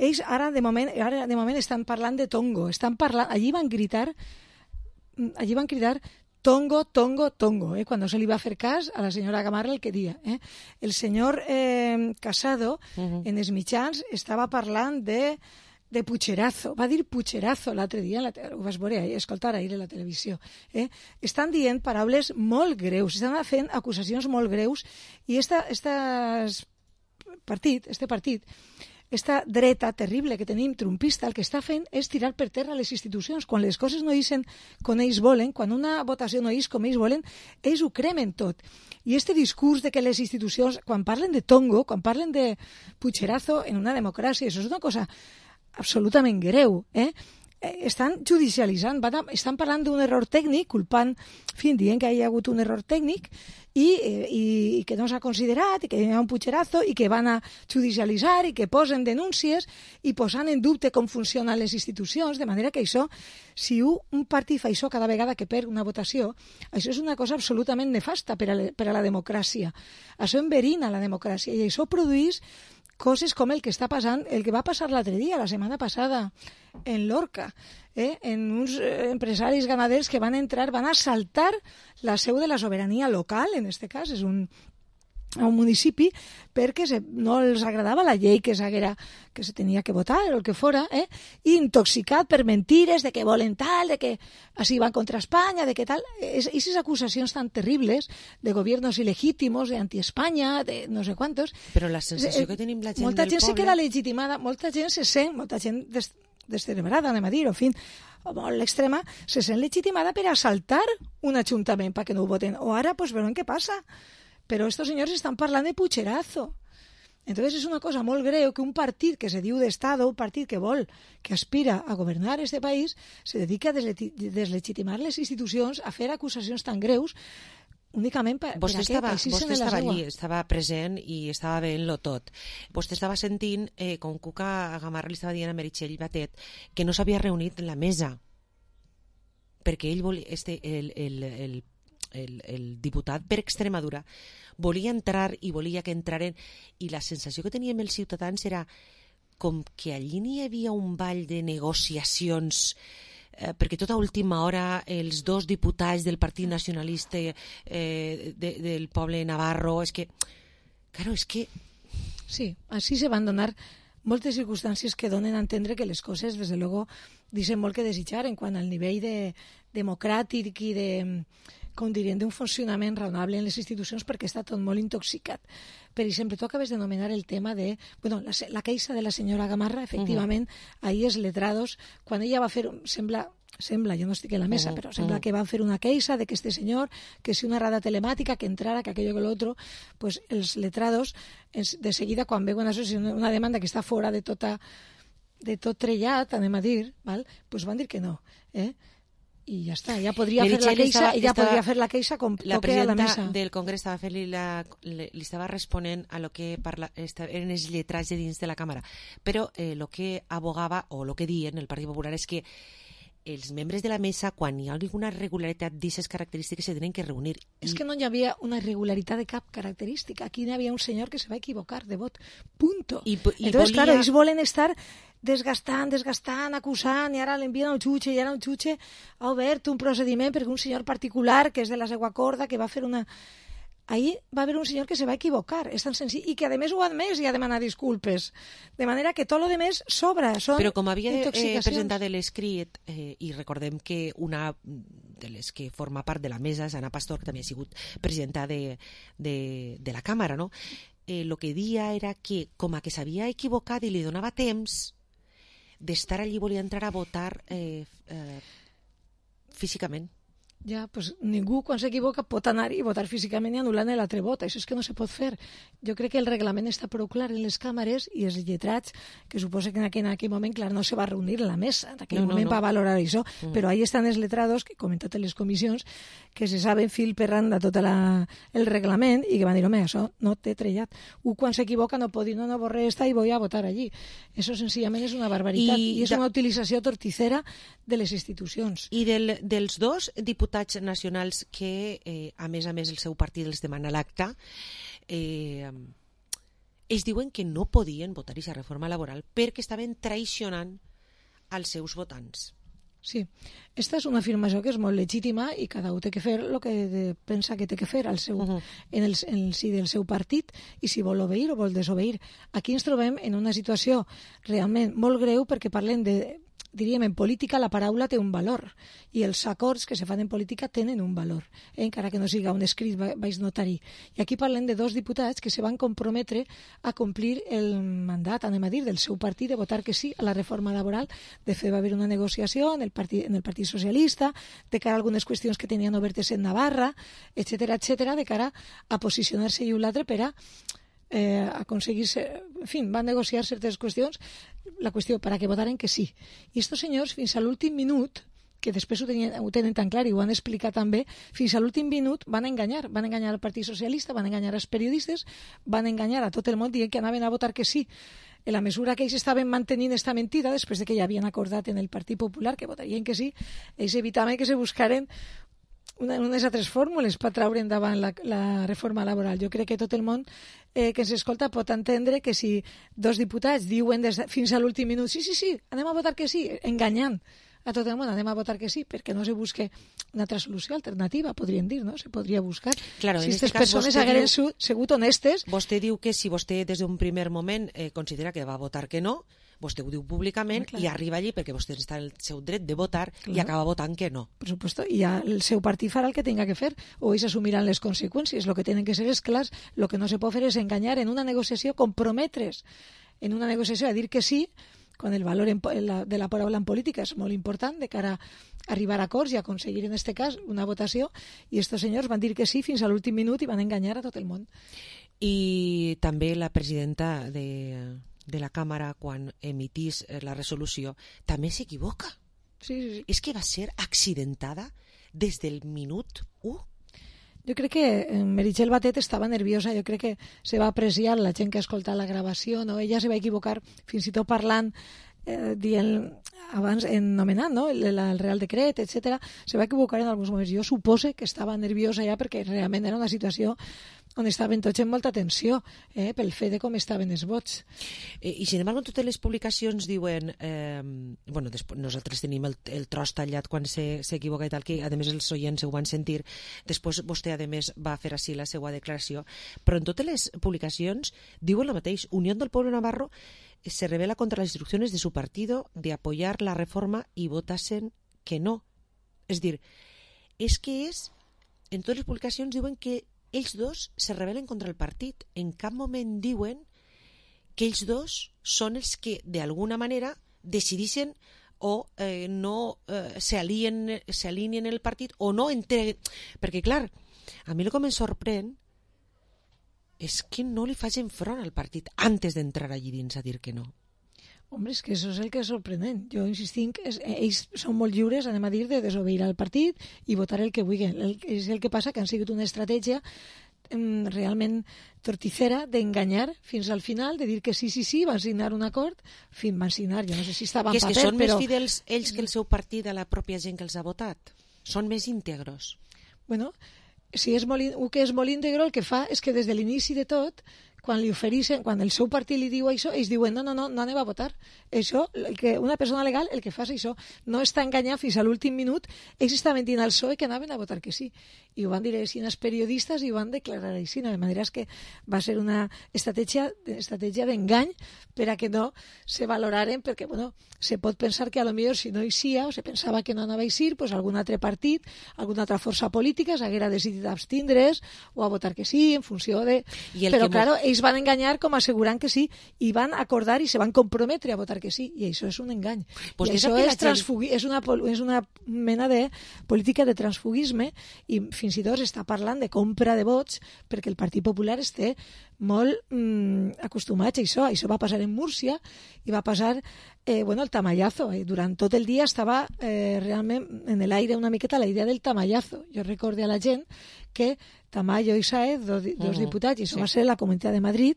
Ells ara de moment, ara de moment estan parlant de tongo, estan parlant, allí van gritar, allí van cridar tongo, tongo, tongo, eh? Quan se li va fer cas a la senyora Gamarra el que dia. Eh? El senyor eh, Casado, uh-huh. en els mitjans, estava parlant de de pucherazo, va dir pucherazo l'altre dia, la te... ho vas veure, escoltar ahir a la televisió. Eh? Estan dient paraules molt greus, estan fent acusacions molt greus i esta, esta partit, este partit, esta dreta terrible que tenim trumpista, el que està fent és tirar per terra les institucions. Quan les coses no ixen com ells volen, quan una votació no ix com ells volen, ells ho cremen tot. I este discurs de que les institucions, quan parlen de tongo, quan parlen de pucherazo en una democràcia, això és una cosa absolutament greu, eh? Estan judicialitzant, van a, estan parlant d'un error tècnic, culpant, en fi, dient que hi ha hagut un error tècnic i, i, i que no s'ha considerat, i que hi ha un pucherazo, i que van a judicialitzar, i que posen denúncies, i posant en dubte com funcionen les institucions, de manera que això, si un, un partit fa això cada vegada que perd una votació, això és una cosa absolutament nefasta per a, le, per a la democràcia. Això enverina la democràcia, i això produeix coses com el que està passant, el que va passar l'altre dia, la setmana passada, en Lorca, eh? en uns empresaris ganaders que van entrar, van assaltar la seu de la sobirania local, en aquest cas, és un, un municipi, perquè se, no els agradava la llei que, que se tenia que votar, o el que fora, eh? i intoxicat per mentires de que volen tal, de que així van contra Espanya, de que tal. Aquestes acusacions tan terribles de gobiernos ilegítimos, de anti-Espanya, de no sé quantos. Però la sensació que tenim la gent molta del gent poble... se queda legitimada, molta gent se sent, molta gent des, descerebrada, anem a dir, o fin, molt l'extrema, se sent legitimada per assaltar un ajuntament perquè no ho voten. O ara, pues, veurem què passa. Però estos senyors estan parlant de pucherazo. Entonces és una cosa molt greu que un partit que se diu d'Estado, un partit que vol, que aspira a governar este país, se dedica a deslegitimar les institucions, a fer acusacions tan greus, únicament per, vostè per estava, aquest vostè estava allí, estava present i estava veient-lo tot. Vostè estava sentint eh, com Cuca Gamarra li estava dient a Meritxell Batet que no s'havia reunit en la mesa perquè ell volia, este, el, el, el, el, el diputat per Extremadura volia entrar i volia que entraren, i la sensació que teníem els ciutadans era com que allí n'hi havia un ball de negociacions, eh, perquè tota última hora els dos diputats del Partit Nacionalista eh, de, del poble navarro, és que, claro, és que... Sí, així se van donar moltes circumstàncies que donen a entendre que les coses, des de luego, deixen molt que desitjar en quant al nivell de, democràtic i de, com dirien, d'un funcionament raonable en les institucions, perquè està tot molt intoxicat. Per exemple, tu acabes de nomenar el tema de... Bueno, la, la queixa de la senyora Gamarra, efectivament, uh-huh. ahir els letrados, quan ella va fer... Sembla... Sembla, jo no estic en la mesa, uh-huh. però sembla uh-huh. que van fer una queixa de que este senyor, que si una rada telemàtica, que entrara, que aquello que l'altre, pues els letrados, de seguida, quan veuen això, una demanda que està fora de tota de tot trellat, anem a dir, val? Pues van dir que no, eh? I ja està, ja podria fer la queixa, estava, ella estava, podria fer la queixa com la toque a la mesa. La presidenta del Congrés estava fent-li la, li, li estava responent a lo que parla, esta, eren els lletrats de dins de la càmera, però eh, lo que abogava, o lo que dien el Partit Popular, és que els membres de la mesa, quan hi ha alguna irregularitat d'aquestes característiques, se tenen que reunir. És que no hi havia una irregularitat de cap característica. Aquí hi havia un senyor que se va equivocar de vot. Punto. I, i Entonces, volia... claro, ells volen estar desgastant, desgastant, acusant, i ara l'envien al jutge, i ara el jutge ha obert un procediment perquè un senyor particular, que és de la seva corda, que va fer una... Ahí va haver un senyor que se va equivocar, és tan senzill, i que a més ho ha admès i ha demanat disculpes. De manera que tot lo demés sobra, són Però com havia eh, presentat l'escrit, eh, i recordem que una de les que forma part de la mesa, Ana Pastor, que també ha sigut presidenta de, de, de la Càmera, no? Eh, lo que dia era que, com a que s'havia equivocat i li donava temps d'estar allí, volia entrar a votar eh, eh, físicament. Ja, pues ningú quan s'equivoca pot anar i votar físicament i anul·lant l'altre vot. Això és que no se pot fer. Jo crec que el reglament està prou clar en les càmeres i els lletrats, que suposa que en aquell, en aquell moment, clar, no se va reunir en la mesa, en aquell no, moment no, no. va valorar això, mm. però ahí estan els letrados, que com en totes les comissions, que se saben fil per randa tot la, el reglament i que van dir, home, això no té trellat. Un quan s'equivoca no pot dir, no, no, borré esta i voy a votar allí. Això senzillament és una barbaritat i, i és da... una utilització torticera de les institucions. I del, dels dos diputats nacionals que, eh, a més a més, el seu partit els demana l'acta, eh, ells diuen que no podien votar aquesta reforma laboral perquè estaven traicionant als seus votants. Sí, esta és una afirmació que és molt legítima i cada un té que fer el que de, pensa que té que fer al seu, uh-huh. en, el, en el si del seu partit i si vol obeir o vol desobeir. Aquí ens trobem en una situació realment molt greu perquè parlem de... diríem, en política la paraula té un valor i els acords que se fan en política tenen un valor, eh? encara que no siga un escrit baix notari. I aquí parlem de dos diputats que se van comprometre a complir el mandat, anem a dir, del seu partit de votar que sí a la reforma laboral. De fet, va haver una negociació en el Partit, en el Partit Socialista de cara a algunes qüestions que tenien obertes en Navarra, etcètera, etcètera, de cara a posicionar-se i un l'altre per a eh, aconseguir-se... En fi, van negociar certes qüestions, la qüestió per a que votaren que sí. I estos senyors, fins a l'últim minut, que després ho, tenien, ho tenen tan clar i ho han explicat també, fins a l'últim minut van enganyar. Van enganyar al Partit Socialista, van enganyar als periodistes, van enganyar a tot el món dient que anaven a votar que sí. En la mesura que ells estaven mantenint esta mentida, després de que ja havien acordat en el Partit Popular que votarien que sí, ells evitaven que se buscaren Una, unes altres fórmules per traure endavant la, la reforma laboral. Jo crec que tot el món eh, que ens escolta pot entendre que si dos diputats diuen des de, fins a l'últim minut sí, sí, sí, anem a votar que sí, enganyant a tot el món, anem a votar que sí, perquè no se busque una altra solució alternativa, podríem dir, no? Se podria buscar. Claro, si aquestes persones hagueren diu, sigut honestes... Vostè diu que si vostè des d'un primer moment eh, considera que va votar que no, vostè ho diu públicament i arriba allí perquè vostè està en el seu dret de votar clar. I acaba votant que no. Per supuesto, i ja el seu partit farà el que tenga que fer o ells assumiran les conseqüències. El que tenen que ser és clars, el que no se pot fer és enganyar en una negociació, comprometre's en una negociació a dir que sí, quan el valor en, en la, de la paraula en política és molt important de cara a arribar a acords i a aconseguir en aquest cas una votació, i estos senyors van dir que sí fins a l'últim minut i van enganyar a tot el món. I també la presidenta de, de la Càmera, quan emitís la resolució, també s'equivoca. Sí, sí, sí. És que va ser accidentada des del minut u. Jo crec que Meritxell Batet estava nerviosa, jo crec que se va apreciar la gent que ha escoltat la gravació, no? Ella se va equivocar fins i tot parlant, eh, dient abans, nomenant, no? el, el Real Decret, etcètera. Se va equivocar en alguns moments. Jo supose que estava nerviosa ja perquè realment era una situació on estaven tots en molta tensió, eh, pel fet de com estaven els vots. Eh, I sin embargo, totes les publicacions diuen, eh, bueno, després, nosaltres tenim el, el tros tallat quan s'equivoca i tal, que a més els oients ho van sentir, després vostè a més va fer així la seva declaració, però en totes les publicacions diuen el mateix: Unión del Pueblo Navarro se revela contra las instrucciones de su partido de apoyar la reforma y votasen que no. És dir, és que és, en totes les publicacions diuen que ells dos se rebel·len contra el partit. En cap moment diuen que ells dos són els que, d'alguna manera, decidixen o eh, no eh, s'alineen el partit o no entreguen. Perquè, clar, a mi el que em sorprèn és que no li facin front al partit antes d'entrar allí dins a dir que no. Hombre, és que això és el que és sorprenent. Jo insistim que ells són molt lliures, anem a dir, de desobeir al partit i votar el que vulguin. El, és el que passa que han sigut una estratègia um, realment torticera d'enganyar fins al final, de dir que sí, sí, sí, van signar un acord, fin, van signar, jo no sé si estava en paper, però... Que és que són però... més fidels ells que el seu partit a la pròpia gent que els ha votat. Són més íntegros. Bueno, si és molt, el que és molt íntegro, el que fa és que des de l'inici de tot, quan li ofereixen, quan el seu partit li diu això, ells diuen, no, no, no, no anem a votar. Això, el que una persona legal, el que fa és això, no està enganyant fins a l'últim minut, ells estaven dient al P S O E que anaven a votar que sí. I ho van dir així als periodistes i ho van declarar així, de manera que va ser una estratègia estratègia d'engany per a que no se valoraren, perquè, bueno, se pot pensar que a lo millor si no hi sia, o se pensava que no anava a eixir, pues algun altre partit, alguna altra força política s'haguera decidit abstindre's o a votar que sí, en funció de... Però, claro, ells van enganyar com assegurant que sí i van acordar i se van comprometre a votar que sí, i això és un engany. Pues I això és, transfugui... és, una, és una mena de política de transfugisme i fins i tot està parlant de compra de vots perquè el Partit Popular esté molt mm, acostumat a això. Això va passar en Múrcia i va passar eh, bueno, el tamallazo. Eh. Durant tot el dia estava eh, realment en l'aire una miqueta la idea del tamallazo. Jo recorde a la gent que Tamayo i Sáez, dos, dos uh-huh. diputats, i això sí. va ser la Comunitat de Madrid,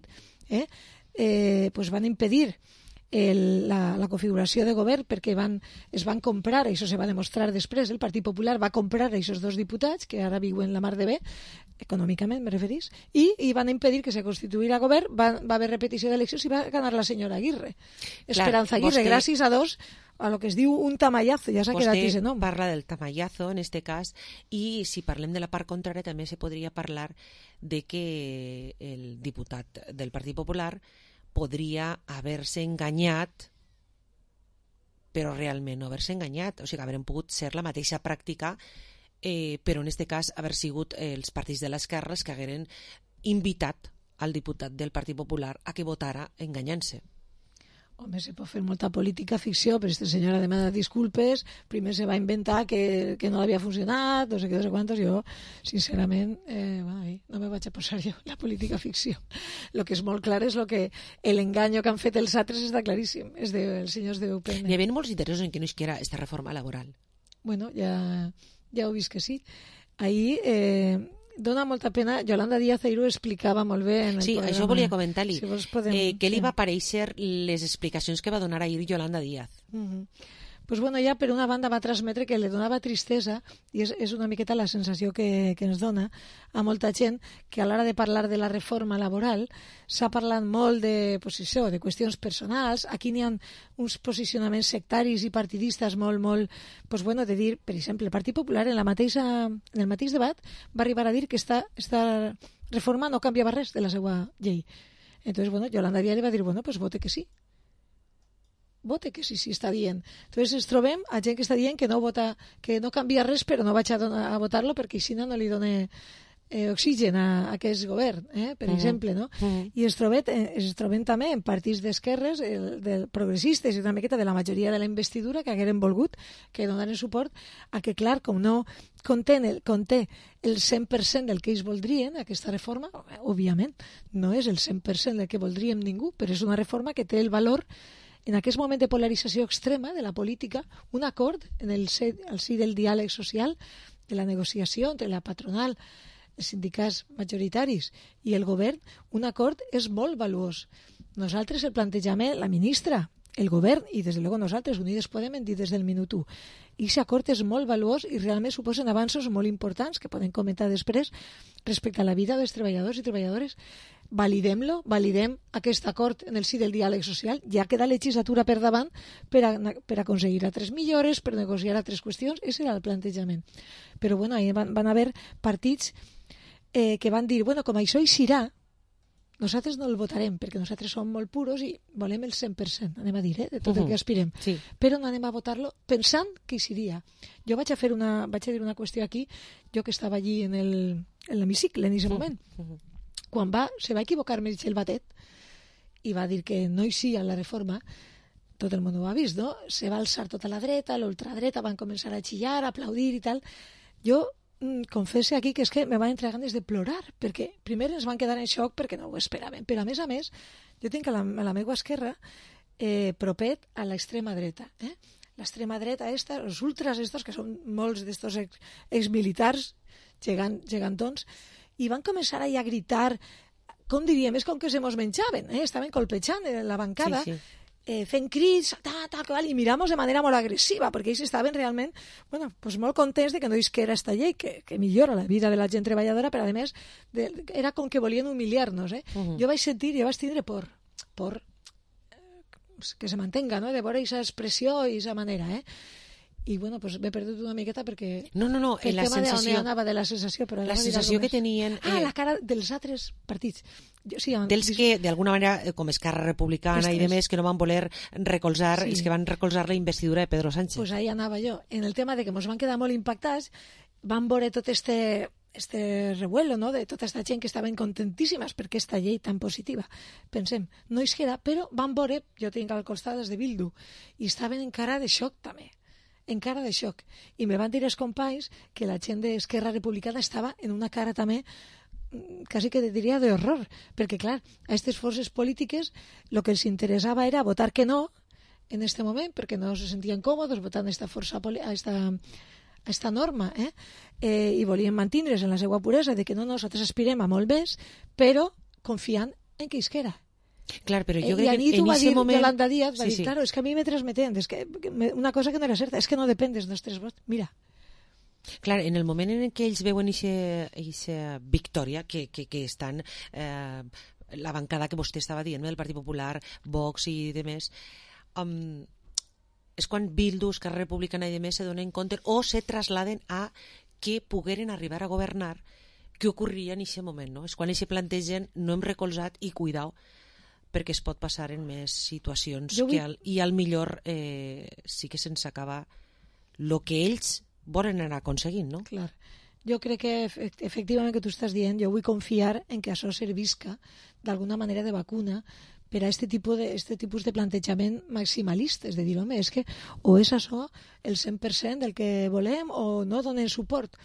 eh, eh, pues van impedir el, la, la configuració de govern perquè van, es van comprar, això se va demostrar després, el Partit Popular va comprar aquests dos diputats, que ara viuen la mar de bé, econòmicament me referís, i, i van impedir que se constituïra govern, va, va haver repetició d'eleccions i va ganar la senyora Aguirre. Clar, Esperanza Aguirre, vostè... gràcies a dos, a lo que es diu un tamallazo, ja s'ha quedat aquest nom. Vostè parla del tamallazo, en este cas, i si parlem de la part contrària també se podria parlar de que el diputat del Partit Popular podria haver-se enganyat, però realment no haver-se enganyat. O sigui, haurem pogut ser la mateixa pràctica, eh, però en aquest cas haver sigut els partits de l'esquerra que hagueren invitat al diputat del Partit Popular a que votara enganyant-se. Home, se pot fer molta política ficció, però aquesta senyora demana disculpes, primer se va inventar que, que no havia funcionat, no sé què, no sé quantos, jo, sincerament, eh, bueno, no me vaig a posar jo la política ficció. El que és molt clar és lo que l'engany que han fet els altres està claríssim, és dels senyors de U P N. Hi havia molts interessos en que no isquiera esta reforma laboral. Bueno, ja, ja ho vist que sí. Ahir... Eh, dona molta pena, Yolanda Díaz ahir ho explicava molt bé en el sí, programa. Sí, això volia comentar-li. Si podem... eh, què li va parèixer les explicacions que va donar ahir Yolanda Díaz? Uh-huh. Pues bueno, ja per una banda va transmetre que li donava tristesa, i és, és una miqueta la sensació que, que ens dona a molta gent, que a l'hora de parlar de la reforma laboral s'ha parlat molt de, pues això, de qüestions personals. Aquí n'hi ha uns posicionaments sectaris i partidistes molt, molt, pues bueno, de dir, per exemple, el Partit Popular en, la mateixa, en el mateix debat va arribar a dir que esta, esta reforma no canviava res de la seva llei. Entonces, bueno, Yolanda Díaz li va dir, bueno, pues vote que sí. Vote que sí, sí, està dient. Entonces ens trobem a gent que està dient que no vota, que no canvia res, però no vaig a, donar, a votar-lo perquè així no li dona eh, oxigen a, a aquest govern, eh, per Mhm. exemple, no? Mhm. I es troben, eh, es troben també en partits d'esquerres, el, de progressistes i una miqueta de la majoria de la investidura que hagueren volgut, que donaren suport a que, clar, com no conté el, conté el cent per cent del que ells voldrien, aquesta reforma, òbviament, no és el cent per cent del que voldríem ningú, però és una reforma que té el valor en aquest moment de polarització extrema de la política, un acord en el si, el si del diàleg social, de la negociació entre la patronal, els sindicats majoritaris i el govern, un acord és molt valuós. Nosaltres el plantejament, la ministra, el govern i des de luego nosaltres, Unides Podem, hem dit des del minut u. I aquest acord és molt valuós i realment suposen avanços molt importants que podem comentar després respecte a la vida dels treballadors i treballadores. Validem-lo, validem aquest acord en el si del diàleg social. Ja queda legislatura per davant per, a, per aconseguir altres millores, per negociar altres qüestions. Ese era el plantejament. Però bueno, ahí van, van haver partits eh, que van dir, bueno, com això hi serà, nosaltres no el votarem perquè nosaltres som molt puros i volem el cent per cent, anem a dir, eh, de tot uh -huh. el que aspirem. Sí. Però no anem a votar-lo pensant que hi seria. Jo vaig a fer una, vaig a dir una qüestió aquí, jo que estava allí en el, en l'hemicicle en aquest moment. Uh -huh. Quan va, se va equivocar Meritxell Batet i va dir que no hi sia la reforma, tot el món ho ha vist, no? Se va alçar tota la dreta, l'ultradreta, van començar a xillar, a aplaudir i tal. Jo confesse aquí que és que me van entrar ganes de plorar, perquè primer ens van quedar en xoc perquè no ho esperaven, però a més a més jo tinc a la, a la meva esquerra eh, propet a l'extrema dreta, eh? L'extrema dreta esta, els ultras estos, que són molts d'estos ex, exmilitars gegant, gegantons, i van començar a gritar, com diríem, és com que se mos menjaven, eh? Estaven colpejant en la bancada, sí, sí. Eh, fent crits, ta, ta, tal, i miramos de manera molt agressiva, perquè ells estaven realment bueno, pues molt contents de que no isquera esta llei, que, que millora la vida de la gent treballadora, però a més de, era com que volien humiliar-nos. Eh? Uh -huh. Jo vaig sentir, jo vaig tindre por, por eh, que se mantenga, no? De veure aquesta expressió i aquesta manera, eh? I bueno, pues m'he perdut una miqueta perquè no, no, no, el la tema sensació, de on anava de la sensació, però la sensació que tenien eh, ah, la cara dels altres partits. Jo, sí, dels que d'alguna manera, com Esquerra Republicana Estres. i demés, que no van voler recolzar, sí. els que van recolzar la investidura de Pedro Sánchez. Pues ahí anava jo, en el tema de que ens van quedar molt impactats, van veure tot este este revuelo, no?, de tota aquesta gent que estaven contentíssimes per aquesta llei tan positiva. Pensem, no és que era, però van veure, jo tinc al costat des de Bildu, i estaven en cara de xoc també. En cara de xoc. I me van dir els companys que la gent d'Esquerra Republicana estava en una cara també quasi que diria d'horror, perquè clar, a aquestes forces polítiques el que els interessava era votar que no en este moment, perquè no se sentien còmodes votant esta força a esta, a esta norma, eh? Eh, i volien mantindre's en la seva puresa de que no, nosaltres aspirem a molt més, però confiant en que isquera. Clar, però jo eh, crec que en aquest moment... Yolanda Díaz va sí, dir, sí. claro, es que a mi me transmeten, es que una cosa que no era certa, es que no depèn dels nostres vots. Mira. Clar, en el moment en què ells veuen aquesta victòria que, que, que estan... Eh, la bancada que vostè estava dient, del Partit Popular, Vox i demés, um, és quan Bildu, Esquerra Republicana i demés se donen compte o se trasladen a que pogueren arribar a governar, què ocorria en aquest moment, no? És quan ells se plantegen, no hem recolzat i cuidao, perquè es pot passar en més situacions vull... que al, i al millor eh, sí que se'ns acaba el que ells volen anar aconseguint, no? Clar. Jo crec que efectivament que tu estàs dient, jo vull confiar en que això servisca d'alguna manera de vacuna per a este tipus de, este tipus de plantejament maximalista, és de dir, home, és que o és això el cent per cent del que volem o no donen suport.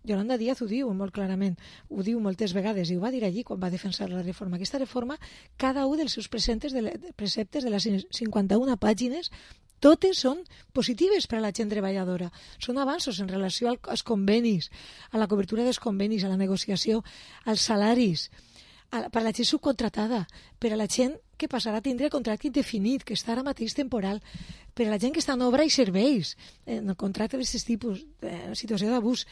Yolanda Díaz ho diu molt clarament, ho diu moltes vegades i ho va dir allí quan va defensar la reforma. Aquesta reforma, cada un dels seus preceptes de, les, preceptes de les cinquanta-una pàgines, totes són positives per a la gent treballadora. Són avanços en relació als convenis, a la cobertura dels convenis, a la negociació, als salaris, a, per a la gent subcontratada, per a la gent que passarà a tindre contracte indefinit, que està ara mateix temporal, per a la gent que està en obra i serveis, en el contracte d'aquest tipus, en situació d'abús.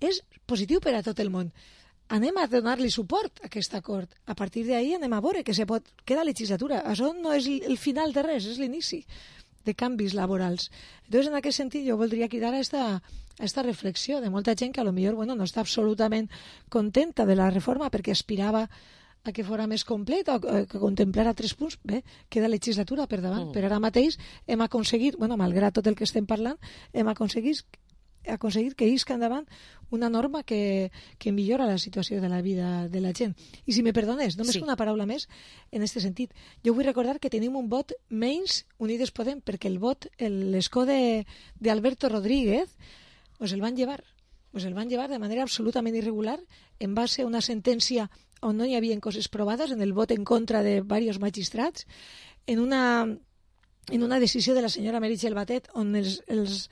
És positiu per a tot el món. Anem a donar-li suport a aquest acord. A partir d'ahir anem a veure que se pot... Queda legislatura. Això no és el final de res, és l'inici de canvis laborals. Entonces, en aquest sentit, jo voldria cridar a esta, a esta reflexió de molta gent que a lo millor bueno, no està absolutament contenta de la reforma perquè aspirava a que fora més completa o que contemplara tres punts. Bé, queda legislatura per davant, mm. però ara mateix hem aconseguit, bueno, malgrat tot el que estem parlant, hem aconseguit aconseguir que isca endavant una norma que, que millora la situació de la vida de la gent. I si me perdones, només sí. una paraula més en aquest sentit. Jo vull recordar que tenim un vot menys Unides Podem, perquè el vot, l'escó d'Alberto Rodríguez, pues el van llevar. Pues el van llevar de manera absolutament irregular en base a una sentència on no hi havia coses provades, en el vot en contra de diversos magistrats, en una, en una decisió de la senyora Meritxell Batet on els, els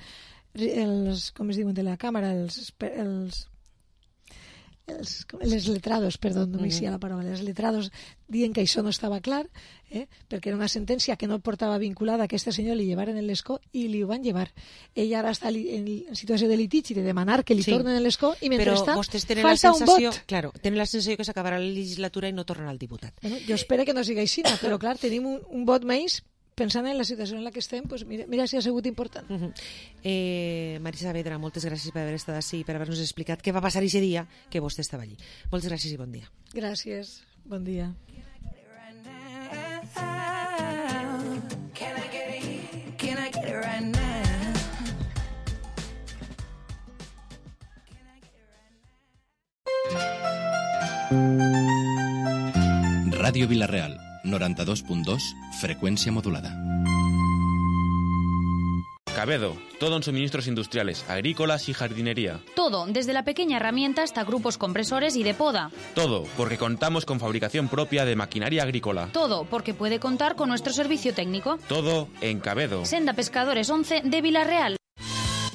els, com es diuen de la càmera, els, els, els les letrados, perdó, no m'hi la paraula, els letrados dient que això no estava clar, eh, perquè era una sentència que no portava vinculada a aquesta senyora, li llevaren en l'escó i li ho van llevar. Ella ara està en, en situació de litigi de demanar que li sí. tornen l'escó i mentrestant falta un vot. Claro, tenen la sensació que s'acabarà la legislatura i no tornen al diputat. Bueno, jo espero que no sigui així, però clar, tenim un, un vot menys. Pensant en la situació en la que estem, pues mira, mira si ha sigut important. Uh -huh. eh, Marisa Saavedra, moltes gràcies per haver estat així i per haver-nos explicat què va passar aquest dia que vostè estava allí. Moltes gràcies i bon dia. Gràcies, bon dia. Ràdio Vila-real, noranta-dos punt dos, frecuencia modulada. Cabedo, todo en suministros industriales, agrícolas y jardinería. Todo, desde la pequeña herramienta hasta grupos compresores y de poda. Todo, porque contamos con fabricación propia de maquinaria agrícola. Todo, porque puede contar con nuestro servicio técnico. Todo en Cabedo. Senda Pescadores once de Vila-real.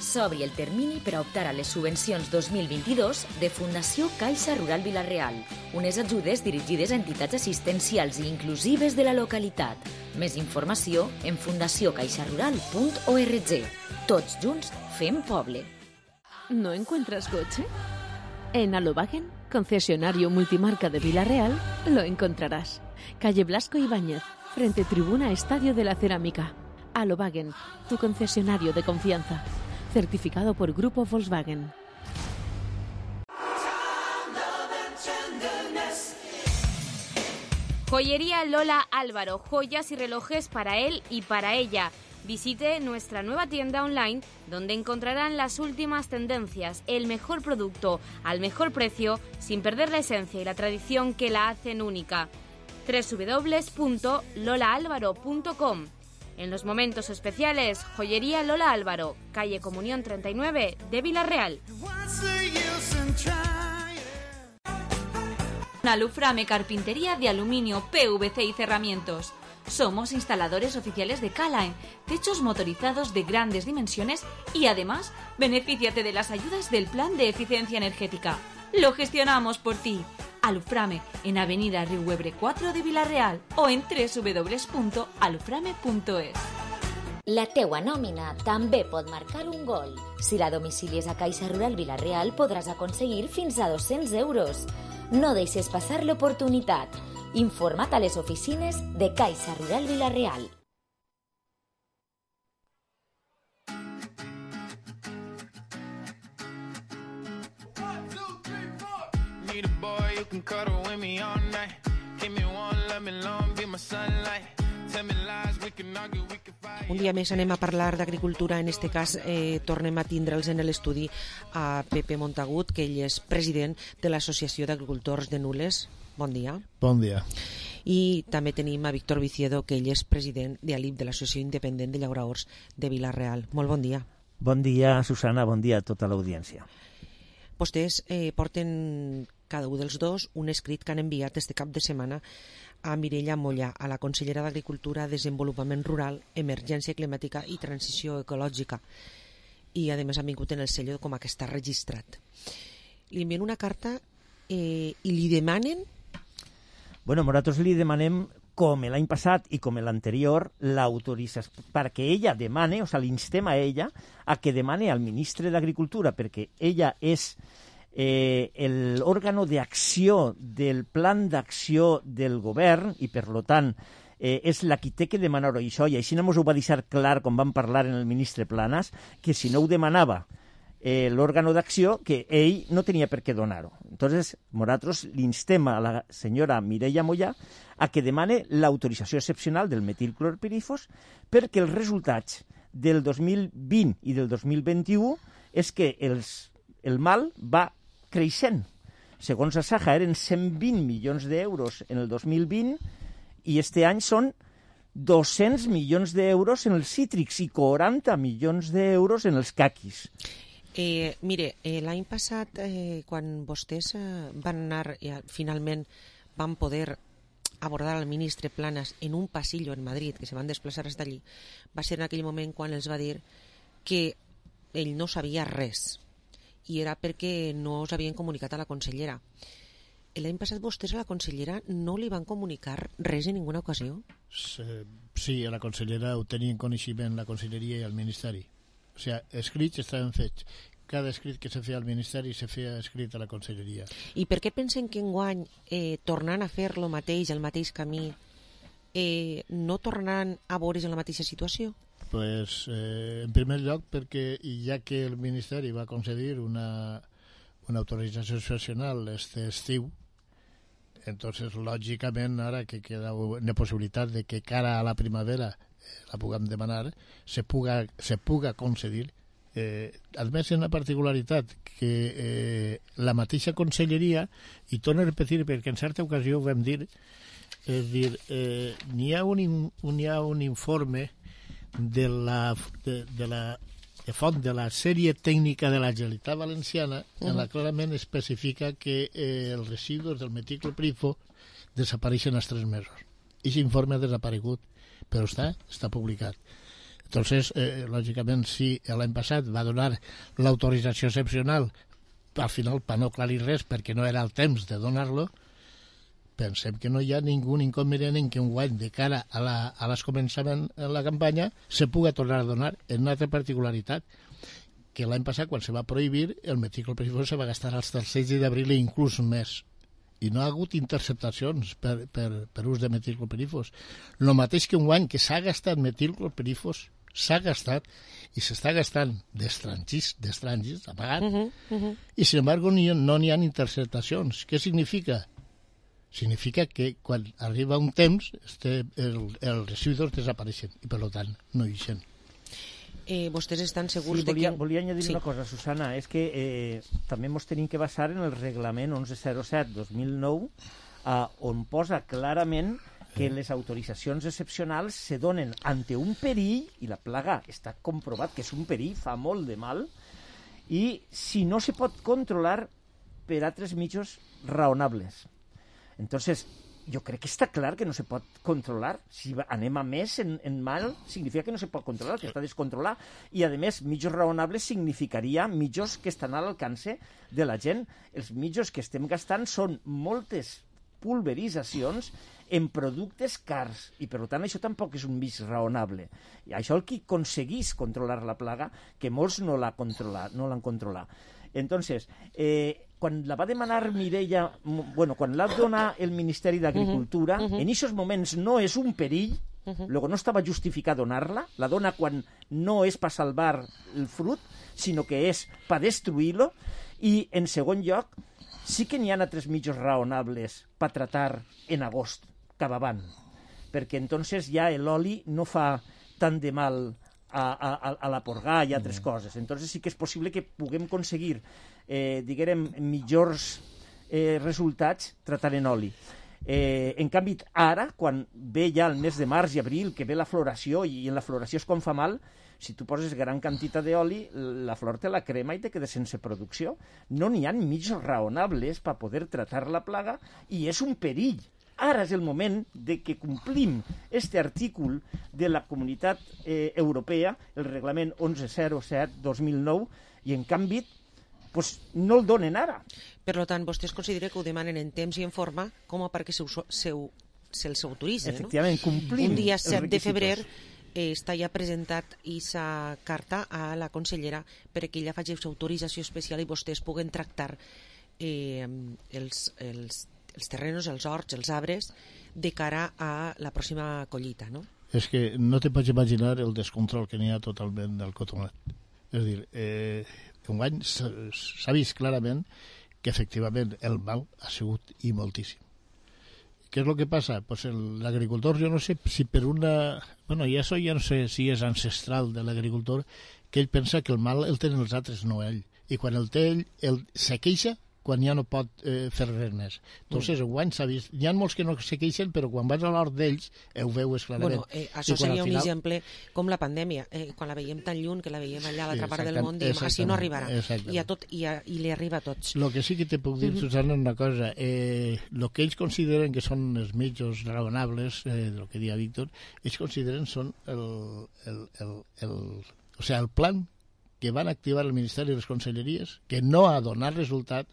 S'obri el termini per a optar a les subvencions dos mil vint-i-dos de Fundació Caixa Rural Vila-real, unes ajudes dirigides a entitats assistencials i inclusives de la localitat. Més informació en fundació caixa rural punt org. Tots junts fem poble. ¿No encuentras coche? En Alobagen, concesionario multimarca de Vila-real, lo encontrarás. Calle Blasco Ibáñez, frente Tribuna Estadio de la Cerámica. Alobagen, tu concesionario de confianza. Certificado por Grupo Volkswagen. Joyería Lola Álvaro, joyas y relojes para él y para ella. Visite nuestra nueva tienda online donde encontrarán las últimas tendencias, el mejor producto al mejor precio, sin perder la esencia y la tradición que la hacen única. doble u doble u doble u punto lola álvaro punto com. En los momentos especiales, Joyería Lola Álvaro, calle Comunión treinta y nueve de Vila-real. Aluframe Carpintería de aluminio, P V C y cerramientos. Somos instaladores oficiales de K-Line, techos motorizados de grandes dimensiones y además, benefíciate de las ayudas del Plan de Eficiencia Energética. Lo gestionamos por ti. Aluframe en Avenida Riuebre cuatro de Vila-real o en doble u doble u doble u punto aluframe punto es. La teua nòmina també pot marcar un gol. Si la domicilies a Caixa Rural Vila-real podràs aconseguir fins a dos-cents euros. No deixes passar l'oportunitat. Informa't a les oficines de Caixa Rural Vila-real. Un dia més anem a parlar d'agricultura. En este cas eh, tornem a tindre'ls en l'estudi a Pepe Montagut, que ell és president de l'Associació d'Agricultors de Nules. Bon dia. Bon dia. I també tenim a Víctor Viciedo, que ell és president de A L I P, de l'Associació Independent de Llauraors de Vila-real. Molt bon dia. Bon dia, Susana, bon dia a tota l'audiència. Vostès eh, porten cada un dels dos un escrit que han enviat este cap de setmana a Mireia Mollà, a la consellera d'Agricultura, Desenvolupament Rural, Emergència Climàtica i Transició Ecològica. I, a més, han vingut en el sello com a que està registrat. Li envien una carta eh, i li demanen... Bueno, nosaltres li demanem, com l'any passat i com l'anterior, l'autorització, perquè ella demane, o sigui, l'instem a ella a que demane al ministre d'Agricultura, perquè ella és eh, l'òrgano d'acció del plan d'acció del govern i, per tant, eh, és la qui té que demanar això, i així no ens ho va deixar clar quan vam parlar en el ministre Planas, que si no ho demanava eh, l'òrgano d'acció, que ell no tenia per què donar-ho. Entonces, nosaltres l'instem a la senyora Mireia Mollà a que demane l'autorització excepcional del metilclorpirifos perquè els resultats del dos mil vint i del dos mil vint-i-u és que els, el mal va creixent. Segons la Saja, eren cent vint milions d'euros en el dos mil vint i este any són dos-cents milions d'euros en els cítrics i quaranta milions d'euros en els caquis. Eh, mire, eh, l'any passat, eh, quan vostès eh, van anar, eh, finalment van poder abordar al ministre Planas en un pasillo en Madrid, que se van desplaçar fins allí, va ser en aquell moment quan els va dir que ell no sabia res, i era perquè no us havien comunicat a la consellera. L'any passat vostès a la consellera no li van comunicar res en ninguna ocasió? Sí, a la consellera ho tenien coneixement la conselleria i el ministeri. O sigui, escrits estaven fets. Cada escrit que se feia al ministeri se feia escrit a la conselleria. I per què pensen que enguany, eh, tornant a fer el mateix, el mateix camí, eh, no tornaran a veure's en la mateixa situació? Pues, eh, en primer lloc, perquè ja que el ministeri va concedir una, una autorització excepcional este estiu, entonces, lògicament, ara que queda una possibilitat de que cara a la primavera la puguem demanar, se puga, se puga concedir. Eh, a més, una particularitat que eh, la mateixa conselleria, i torno a repetir perquè en certa ocasió ho vam dir, és dir, eh, n'hi ha, un, hi ha un informe de la, de, de la de font de la sèrie tècnica de la Generalitat Valenciana, uh-huh. en la clarament especifica que eh, els residus del metilclopirifos desapareixen als tres mesos. Aquest informe ha desaparegut, però està, està publicat. Entonces, eh, lògicament, si l'any passat va donar l'autorització excepcional, al final, per no aclarir res, perquè no era el temps de donar-lo, pensem que no hi ha ningú inconvenient en que un guany de cara a la, a l'escomençament de la campanya se puga tornar a donar. En una altra particularitat, que l'any passat, quan se va prohibir, el metilclopirifos se va gastar als tercers d'abril i inclús més. I no ha hagut interceptacions per, per, per ús de metilclopirifos. El mateix que un guany que s'ha gastat metilclopirifos, s'ha gastat i s'està gastant d'estrangis, d'estrangis, apagat, uh-huh, uh-huh. i sin embargo ni, no n'hi ha interceptacions. Què significa? Significa que quan arriba un temps este, el, els residus desapareixen i per tant no hi són. Eh, vostès estan segurs sí, volia, de que... Volia añadir sí. una cosa, Susana, és que eh, també ens tenim que basar en el reglament onze zero set dos mil nou eh, on posa clarament que les autoritzacions excepcionals se donen ante un perill, i la plaga està comprovat que és un perill, fa molt de mal, i si no se pot controlar per altres mitjans raonables. Entonces, jo crec que està clar que no se pot controlar. Si anem a més en, en mal, significa que no se pot controlar, que està descontrolat. I, a més, mitjos raonables significaria mitjos que estan a l'alcance de la gent. Els mitjos que estem gastant són moltes pulveritzacions en productes cars, i per tant això tampoc és un mig raonable. I això el que aconseguís controlar la plaga, que molts no l'han controlat, no l'han controlat. Entonces, eh, quan la va demanar Mireia, bueno, quan l'ha donat el Ministeri d'Agricultura, uh-huh, uh-huh. en aquests moments no és un perill, uh-huh. luego no estava justificat donar-la, la dona quan no és per salvar el fruit, sinó que és per destruir-lo, i en segon lloc, sí que n'hi ha altres mitjos raonables per tratar en agost, cap avant, perquè entonces ja l'oli no fa tant de mal a, a, a la porgà i altres mm. coses. Entonces sí que és possible que puguem aconseguir, eh, diguem, millors eh, resultats tratant en oli. Eh, en canvi, ara, quan ve ja el mes de març i abril, que ve la floració, i en la floració és quan fa mal, si tu poses gran quantitat d'oli, la flor te la crema i te quedes sense producció. No n'hi ha mitjos raonables per poder tratar la plaga, i és un perill. Ara és el moment de que complim este artícul de la Comunitat eh, Europea, el reglament onze zero set dos mil nou, i en canvi pues, no el donen ara. Per tant, vostès consideren que ho demanen en temps i en forma com a perquè se'ls se, se, se autoritza, no? Efectivament, complim un dia set de febrer eh, està ja presentat aquesta carta a la consellera perquè ella faci autorització especial i vostès puguen tractar eh, els, els els terrenos, els horts, els arbres, de cara a la pròxima collita, no? És que no te pots imaginar el descontrol que n'hi ha totalment del cotonat. És a dir, eh, enguany s'ha vist clarament que efectivament el mal ha sigut i moltíssim. Què és el que passa? Pues l'agricultor, jo no sé si per una... Bueno, i això ja no sé si és ancestral de l'agricultor, que ell pensa que el mal el tenen els altres, no ell. I quan el té ell, el se queixa quan ja no pot eh, fer res més. Entonces, mm. enguany s'ha vist... Hi ha molts que no se queixen, però quan vas a l'hort d'ells, ho veus clarament. Bueno, eh, això seria un final... exemple com la pandèmia, eh, quan la veiem tan lluny, que la veiem allà a l'altra part del món, diem, així no arribarà. I, a tot, i, a, i li arriba a tots. El que sí que te puc dir, mm -hmm. Susana, una cosa. El eh, que ells consideren que són els mitjos raonables, eh, del que dia Víctor, ells consideren són el, el, el, el, o sea, el plan que van activar el Ministeri i les Conselleries, que no ha donat resultat.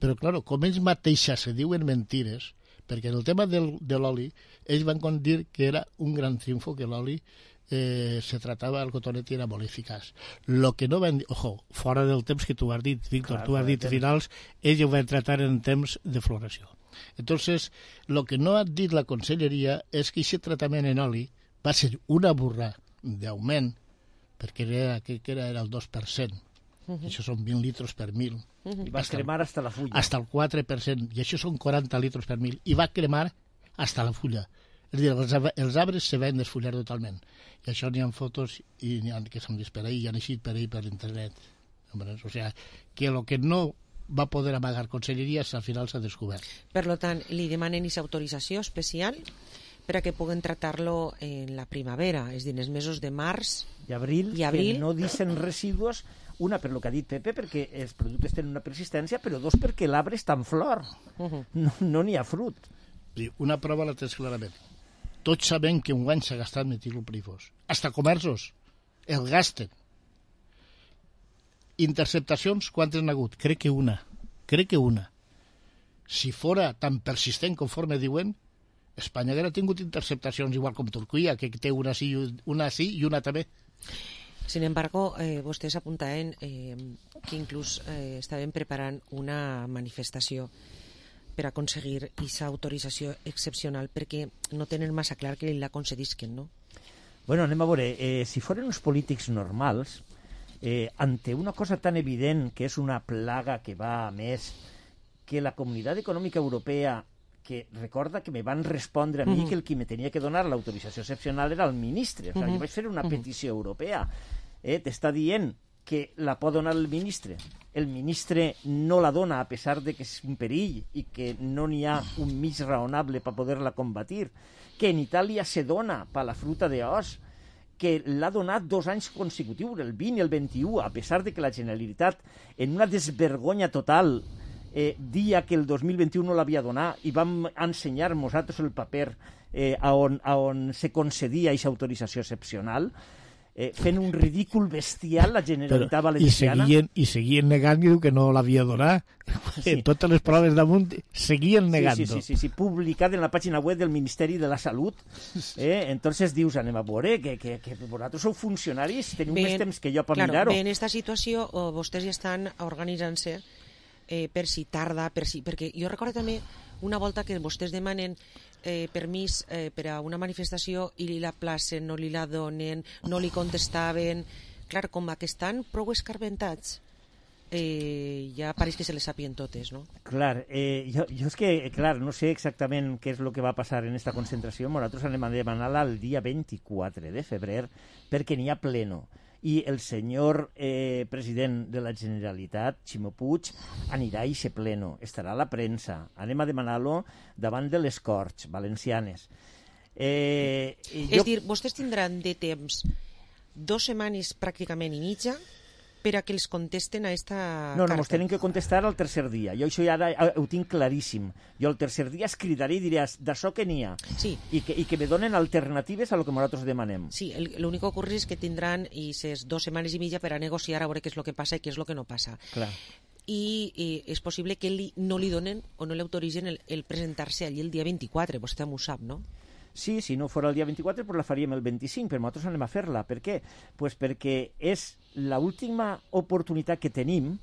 Però, clar, com ells mateixes se diuen mentires, perquè en el tema del, de l'oli, ells van dir que era un gran triomfo, que l'oli eh, se tratava, el cotonet i era molt eficaç. Lo que no van dir, ojo, fora del temps que tu has dit, Víctor, clar, tu has dit finals, ells ho van tratar en temps de floració. Entonces, lo que no ha dit la Conselleria és que aquest tractament en oli va ser una burra d'augment, perquè era, que era, era el dos per cent. Uh -huh. Això són vint litres per mil. Uh -huh. I va cremar hasta la fulla. Hasta el quatre per cent. I això són quaranta litres per mil. I va cremar hasta la fulla. És a dir, els, els arbres se van desfullar totalment. I això n'hi ha fotos i n'hi ha que s'han vist per ahí i han eixit per ahí per internet. O sigui, que el que no va poder amagar Conselleria al final s'ha descobert. Per tant, li demanen aquesta autorització especial per a que puguen tratar-lo en la primavera, és a dir, en els mesos de març i abril, i abril. Que no deixen residus. Una, per lo que ha dit Pepe, perquè els productes tenen una persistència, però dos, perquè l'arbre està en flor. Uh -huh. No n'hi no ha fruit. Una prova la tens clarament. Tots sabem que un guany s'ha gastat metiloprífos. Hasta comerços el gasten. Interceptacions, quantes n'ha hagut? Crec que una. Crec que una. Si fora tan persistent conforme diuen, Espanya hauria tingut interceptacions igual com Turquia, que té una sí, una sí i una també. Sin embargo, eh, vostès apuntaven eh, que inclús eh, estaven preparant una manifestació per aconseguir aquesta autorització excepcional, perquè no tenen massa clar que la concedisquen, no? Bueno, anem a veure, eh, si foren uns polítics normals, eh, ante una cosa tan evident que és una plaga que va a més, que la Comunitat Econòmica Europea, que recorda que me van respondre a mi uh -huh. que el qui me tenia que donar l'autorització excepcional era el ministre, o sigui, uh -huh. jo vaig fer una petició uh -huh. europea, eh, t'està dient que la pot donar el ministre, el ministre no la dona a pesar de que és un perill i que no n'hi ha un mig raonable per poder-la combatir, que en Itàlia se dona per la fruta d'os, que l'ha donat dos anys consecutius, el vint i el vint-i-u, a pesar de que la Generalitat, en una desvergonya total, eh, dia que el dos mil vint-i-u no l'havia donat, i vam ensenyar nosaltres el paper eh, a, on, a on se concedia aquesta autorització excepcional, eh, fent un ridícul bestial la Generalitat Però, Valenciana. I seguien, i seguien negant que no l'havia donat. Sí. En totes les proves damunt seguien negant. Sí, sí, sí, sí, sí, publicat en la pàgina web del Ministeri de la Salut. Eh? Entonces dius, anem a veure, que, que, que vosaltres sou funcionaris, teniu ben, més temps que jo per claro, mirar-ho. Bé, en aquesta situació oh, vostès ja estan organitzant-se eh, per si tarda, per si, perquè jo recordo també una volta que vostès demanen eh, permís eh, per a una manifestació i li la placen, no li la donen, no li contestaven. Clar, com que estan prou escarbentats, eh, ja pareix que se les sapien totes, no? Clar, eh, jo, jo és que, clar, no sé exactament què és el que va passar en esta concentració. Nosaltres anem a demanar-la el dia vint-i-quatre de febrer perquè n'hi ha pleno. I el senyor eh, president de la Generalitat, Ximo Puig, anirà a aquest pleno, estarà a la premsa, anem a demanar-lo davant de les Corts Valencianes. Eh, jo... És dir, vostès tindran de temps dos setmanes pràcticament i mitja per a que els contesten a esta no, no, carta. No, ens tenen que contestar el tercer dia. Jo això ja ara ho tinc claríssim. Jo el tercer dia escridaré i diré d'això que n'hi ha. Sí. I que, I que me donen alternatives a lo que nosaltres demanem. Sí, l'únic que ocorre és que tindran aquestes dues setmanes i mitja per a negociar a veure què és el que passa i què és el que no passa. Clar. I eh, és possible que li, no li donen o no li autoritzen el, el presentar-se allí el dia vint-i-quatre. Vostè m'ho sap, no? Sí, si no fos el dia vint-i-quatre, pues la faríem el vint-i-cinc, però nosaltres anem a fer-la. Per què? Pues perquè és l'última oportunitat que tenim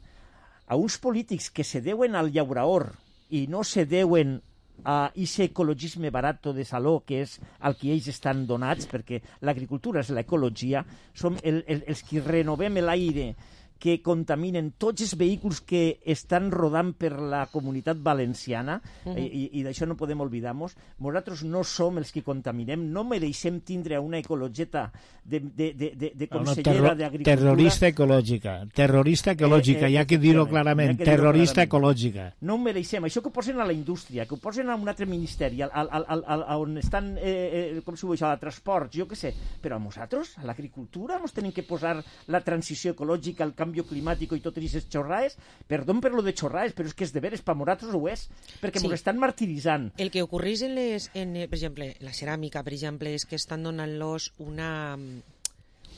a uns polítics que se deuen al llauraor i no se deuen a aquest ecologisme barat de saló, que és el que ells estan donats, perquè l'agricultura és l'ecologia, som el, el, els que renovem l'aire, que contaminen tots els vehicles que estan rodant per la comunitat valenciana, uh -huh. i, i d'això no podem oblidar-nos. Nosaltres no som els que contaminem, no mereixem tindre una ecologeta de, de, de, de, de consellera no, d'Agricultura. Terrorista ecològica, terrorista ecològica, eh, eh, hi ha que dir-ho clarament, terrorista ecològica. No ho mereixem, això que ho posen a la indústria, que ho posen a un altre ministeri, al, al, al, al, on estan, eh, eh, com s'ho diu això, a transports, jo què sé, però a nosaltres, a l'agricultura, ens tenim que posar la transició ecològica, el canvi climàtic i totes aquestes xorrades, perdó per lo de xorrades, però és que és de veres, per nosaltres ho és, perquè ens sí. estan martiritzant. El que ocorreix en les, en, per exemple, la ceràmica, per exemple, és que estan donant-los una,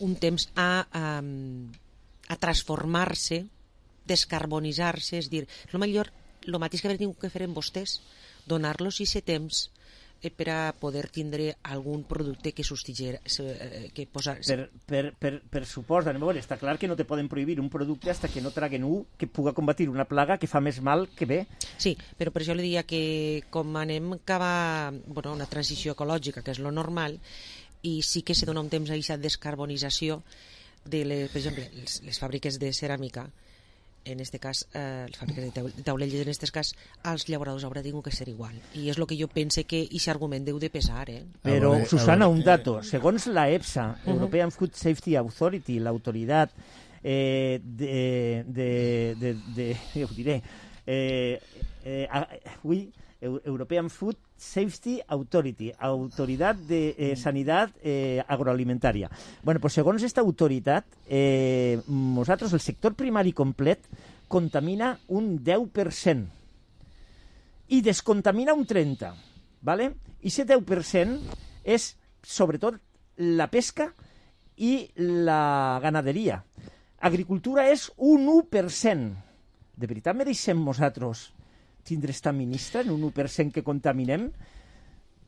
un temps a, a, a transformar-se, descarbonitzar-se, és dir, el millor, el mateix que haver tingut que fer en vostès, donar-los aquest temps per a poder tindre algun producte que substituir, que posar... Per, per, per, per suposa, anem a veure, està clar que no te poden prohibir un producte fins que no traguen un que puga combatir una plaga que fa més mal que bé. Sí, però per això li diria que com anem cap a bueno, una transició ecològica, que és lo normal, i sí que se dona un temps a aquesta descarbonització de, les, per exemple, les, les fàbriques de ceràmica, en este cas, eh, les fàbriques de taulelles, en aquest cas, als llauradors haurà tingut que ser igual. I és el que jo pense que aquest argument deu de pesar, eh? Però, Susana, un dato. Segons la EFSA, uh-huh. European Food Safety Authority, l'autoritat eh, de, de, de, de... ja ho diré... Eh, eh, ui, European Food Safety Authority, Autoridad de eh, Sanidad eh, Agroalimentaria. Bueno, pues segons aquesta autoritat, eh, nosaltres, el sector primari complet, contamina un deu per cent i descontamina un trenta per cent, ¿vale? I aquest deu per cent és, sobretot, la pesca i la ganaderia. Agricultura és un u per cent. De veritat mereixem nosaltres tindre esta ministra en un u per cent que contaminem?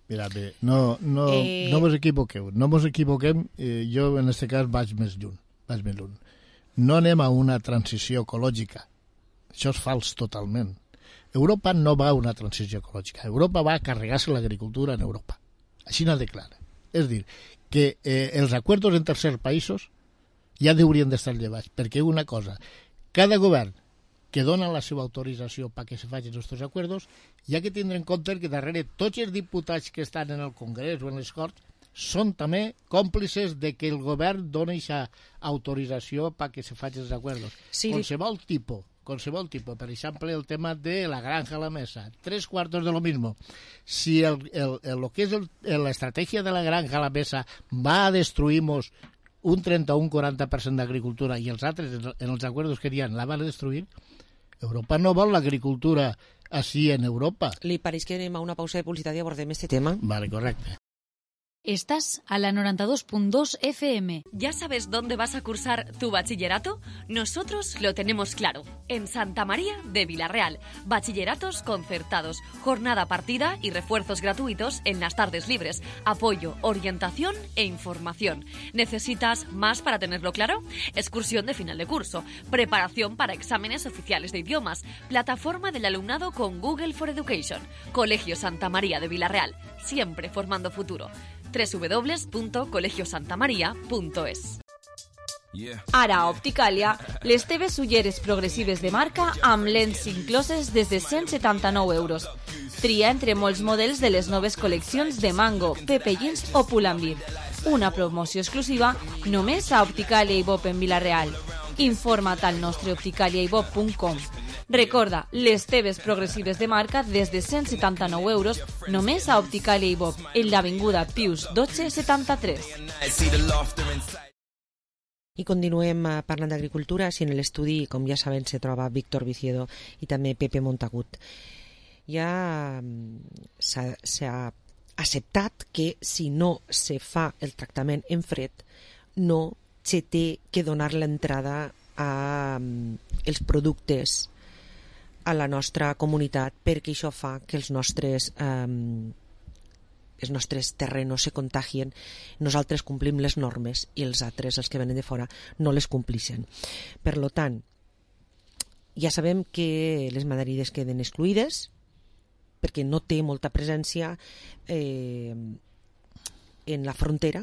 Mira, bé, no, no, eh... no vos equivoqueu, no vos equivoquem, eh, jo en aquest cas vaig més lluny, vaig més lluny. No anem a una transició ecològica, això és fals totalment. Europa no va a una transició ecològica, Europa va a carregar-se l'agricultura en Europa, així n'ha de clara. És dir, que eh, els acords en tercers països ja haurien d'estar llevats, perquè una cosa, cada govern que dona la seva autorització perquè se facin aquests acords, hi ha que tindre en compte que darrere tots els diputats que estan en el Congrés o en les Corts són també còmplices de que el govern doni aquesta autorització perquè se facin els acords. Sí. Qualsevol tipus, qualsevol tipus, per exemple, el tema de la granja a la mesa, tres cuartos de lo mismo. Si el, el, el, lo que és l'estratègia de la granja a la mesa va a destruir-nos un trenta o un quaranta per cent d'agricultura i els altres, en els acords que hi ha, la van a destruir, Europa no vol l'agricultura així en Europa. Li pareix que anem a una pausa de publicitat i abordem este tema? Vale, correcte. Estás a la noventa y dos punto dos F M. ¿Ya sabes dónde vas a cursar tu bachillerato? Nosotros lo tenemos claro. En Santa María de Vilarreal. Bachilleratos concertados, jornada partida y refuerzos gratuitos en las tardes libres. Apoyo, orientación e información. ¿Necesitas más para tenerlo claro? Excursión de final de curso. Preparación para exámenes oficiales de idiomas. Plataforma del alumnado con Google for Education. Colegio Santa María de Vilarreal. Siempre formando futuro. doble u doble u doble u punto colegio santa maria punto es. Ara a Opticàlia, les teves ulleres progressives de marca amb lents incloses des de cent setanta-nou euros. Tria entre molts models de les noves col·leccions de Mango, Pepe Jeans o Pull&Bear. Una promoció exclusiva només a Opticàlia i Bob en Vilareal. Informa't al nostre opticàlia i bob punt com. Recorda, les teves progressives de marca des de cent setanta-nou euros només a Opticàlia i Bob, en l'avinguda Pius dotze setanta-tres. I continuem parlant d'agricultura. Si en l'estudi, com ja saben, se troba Víctor Viciedo i també Pepe Montagut. Ja s'ha acceptat que si no se fa el tractament en fred, no se té que donar l'entrada a els productes a la nostra comunitat, perquè això fa que els nostres eh, els nostres terrenos se contagien, nosaltres complim les normes i els altres, els que venen de fora, no les complixen. Per lo tant, ja sabem que les maderides queden excluïdes perquè no té molta presència eh, en la frontera,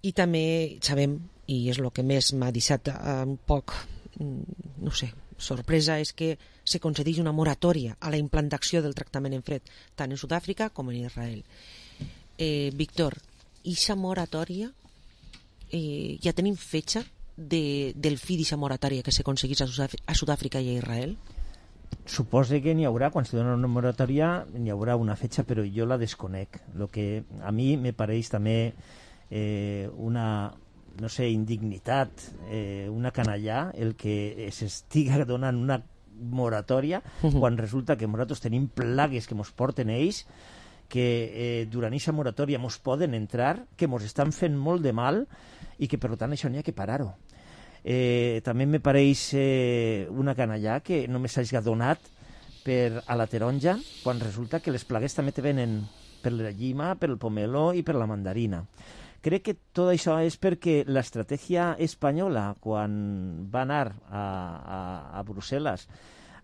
i també sabem i és el que més m'ha deixat un poc, no sé, sorpresa, és que se concedeix una moratòria a la implantació del tractament en fred, tant en Sud-àfrica com en Israel. Eh, Víctor, ixa moratòria, eh, ja tenim fetge de, del fi d'ixa moratòria que s'aconseguís a Sud-àfrica i a Israel? Suposo que n'hi haurà, quan se dona una moratòria n'hi haurà una fetge, però jo la desconec. Lo que a mi me pareix també eh, una, no sé, indignitat, eh, una canallà, el que s'estiga donant una moratòria uh-huh. quan resulta que nosaltres tenim plagues que mos porten ells, que eh, durant aquesta moratòria mos poden entrar, que mos estan fent molt de mal i que per tant això n'hi ha que parar-ho. Eh, també me pareix eh, una canallà que només s'hagi donat per a la taronja, quan resulta que les plagues també te venen per la llima, per el pomelo i per la mandarina. Crec que tot això és perquè l'estratègia espanyola, quan va anar a, a, a Brussel·les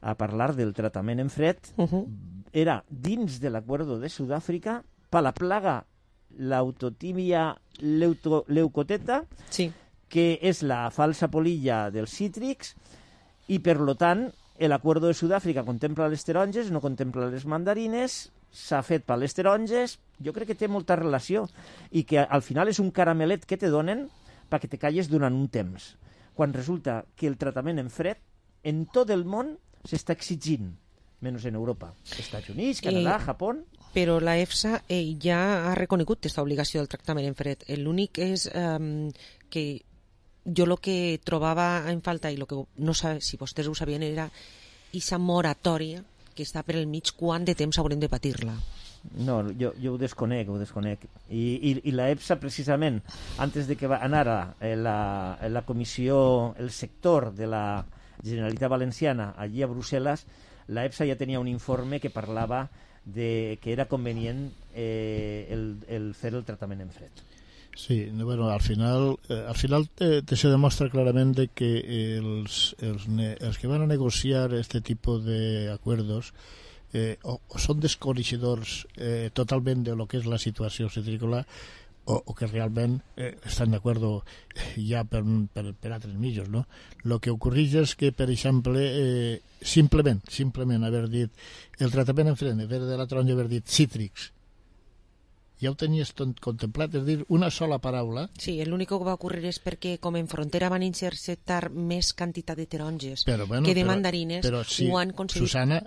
a parlar del tractament en fred, uh-huh. era dins de l'acuerdo de Sud-àfrica per la plaga l'autotímia leuto, leucoteta, sí. que és la falsa polilla dels cítrics, i per lo tant l'acuerdo de Sud-àfrica contempla les taronges, no contempla les mandarines, s'ha fet per les taronges. Jo crec que té molta relació i que al final és un caramelet que te donen perquè te calles durant un temps, quan resulta que el tractament en fred en tot el món s'està exigint, menys en Europa, Estats Units, Canadà, eh, Japó. Però la EFSA eh, ja ha reconegut aquesta obligació del tractament en fred. L'únic és eh, que jo el que trobava en falta, i lo que no sé si vostès ho sabien, era aquesta moratòria que està per el mig, quant de temps haurem de patir-la. No, jo, jo ho desconec, ho desconec. I, i, i la EFSA, precisament, antes de que va anar a la, a la comissió, el sector de la Generalitat Valenciana, allí a Brussel·les, la EFSA ja tenia un informe que parlava de que era convenient eh, el, el fer el tractament en fred. Sí, bueno, al final, eh, al final te, te se demuestra claramente que els, els, els que van a negociar este tipo de acuerdos eh, o, o son desconeixedors eh, totalment de lo que és la situació citrícola, o, o que realment eh, estan d'acord ja per, per, per altres mitjos, no? Lo que ocorreix és que, per exemple, eh, simplement, simplement haver dit el tractament en fred, haver de la taronja haver dit cítrics, ja ho tenies contemplat, és dir, una sola paraula. Sí, l'únic que va ocórrer és perquè com en frontera van interceptar més quantitat de taronges però, bueno, que de però, mandarines, però si, ho han aconseguit. Susana,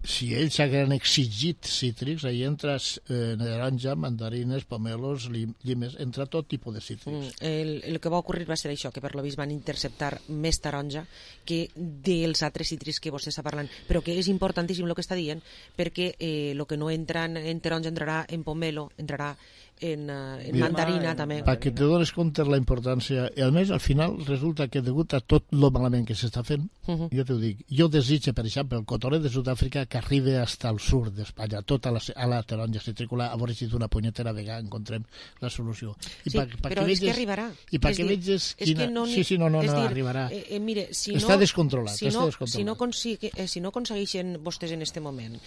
si ells hagueren exigit cítrics, ahí entras eh, taronja, mandarines, pomelos, llimes, entra tot tipus de cítrics. Mm, el, el que va ocórrer va ser això, que per lo vist van interceptar més taronja que dels altres cítrics que vostè està parlant, però que és importantíssim el que està dient, perquè el eh, que no entra en taronja entrarà en pomelo, entrarà en, uh, en Mira, mandarina eh, també. Perquè te dones compte la importància, i a més al final resulta que degut a tot lo malament que s'està fent, uh -huh. jo t'ho dic, jo desitge, per exemple, el cotonet de Sud-àfrica que arribi fins al sud d'Espanya, tota la, a la taronja citrícola, a veure si d'una punyetera vegada encontrem la solució. I sí, pa, pa però que és veges, que arribarà. I perquè veges quina... No, sí, sí, no, no, no, dir, arribarà. Eh, eh, mire, si està no, descontrolat. Si, està no, descontrolat. si, no consigue, eh, si no aconsegueixen vostès en este moment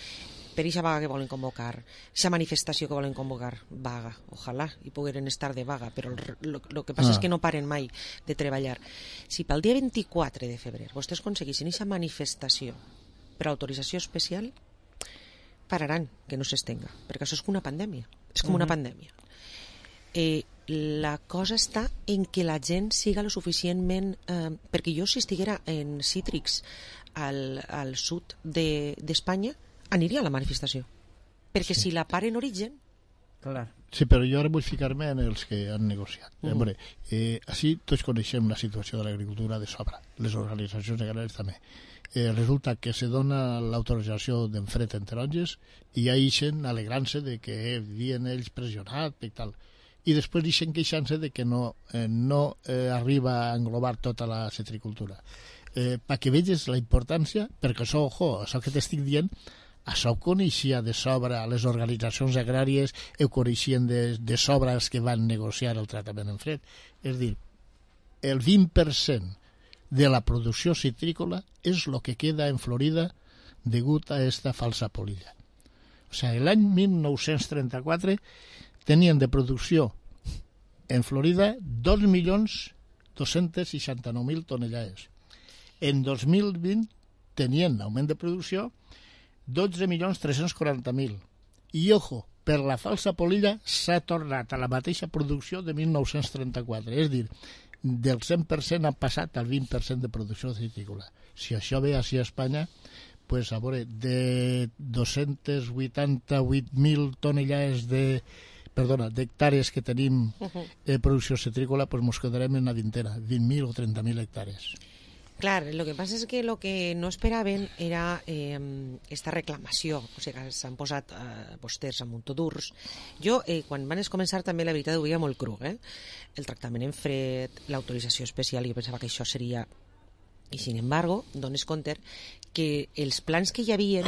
per aquesta vaga que volen convocar, aquesta manifestació que volen convocar, vaga, ojalà, i pogueren estar de vaga, però el que passa ah. és que no paren mai de treballar. Si pel dia vint-i-quatre de febrer vostès aconseguissin aquesta manifestació per autorització especial, pararan que no s'estenga, perquè això és com una pandèmia, és com uh-huh. una pandèmia. Eh, la cosa està en que la gent siga lo suficientment... Eh, perquè jo, si estiguera en cítrics al, al sud d'Espanya, de, aniria a la manifestació, perquè sí. si la part en origen... Clar. Sí, però jo ara vull ficar-me en els que han negociat. Uh -huh. eh, eh, així tots coneixem la situació de l'agricultura de sobre, les organitzacions agràries també. Eh, resulta que se dona l'autorització d'enfred en taronges i ja ixen alegrant-se de que havien ells pressionat i tal. I després ixen queixant-se de que no, eh, no eh, arriba a englobar tota la citricultura. Eh, perquè veges la importància, perquè això, ojo, això que t'estic dient, això ho coneixia de sobre les organitzacions agràries, ho coneixien de, de sobre els que van negociar el tractament en fred. És a dir, el vint per cent de la producció citrícola és el que queda en Florida degut a esta falsa polilla. O sigui, l'any mil nou-cents trenta-quatre tenien de producció en Florida dos milions dos-cents seixanta-nou mil tonellades. En dos mil vint tenien augment de producció dotze milions tres-cents quaranta mil. I, ojo, per la falsa polilla s'ha tornat a la mateixa producció de mil nou-cents trenta-quatre. És a dir, del cent per cent ha passat al vint per cent de producció citrícola. Si això ve així a Espanya, pues, a veure, de dos-cents vuitanta-vuit mil tonellades de, perdona, d'hectàrees que tenim de producció citrícola, pues mos quedarem en una vintena, vint mil o trenta mil hectàrees. Clar, lo que passa és que el que no esperaven era eh, esta reclamació, o sigui, s'han posat eh, posters a muntó durs. Jo, eh, quan van començar, també la veritat ho veia molt cru, eh? El tractament en fred, l'autorització especial, jo pensava que això seria... I, sin embargo, dones compte que els plans que hi havia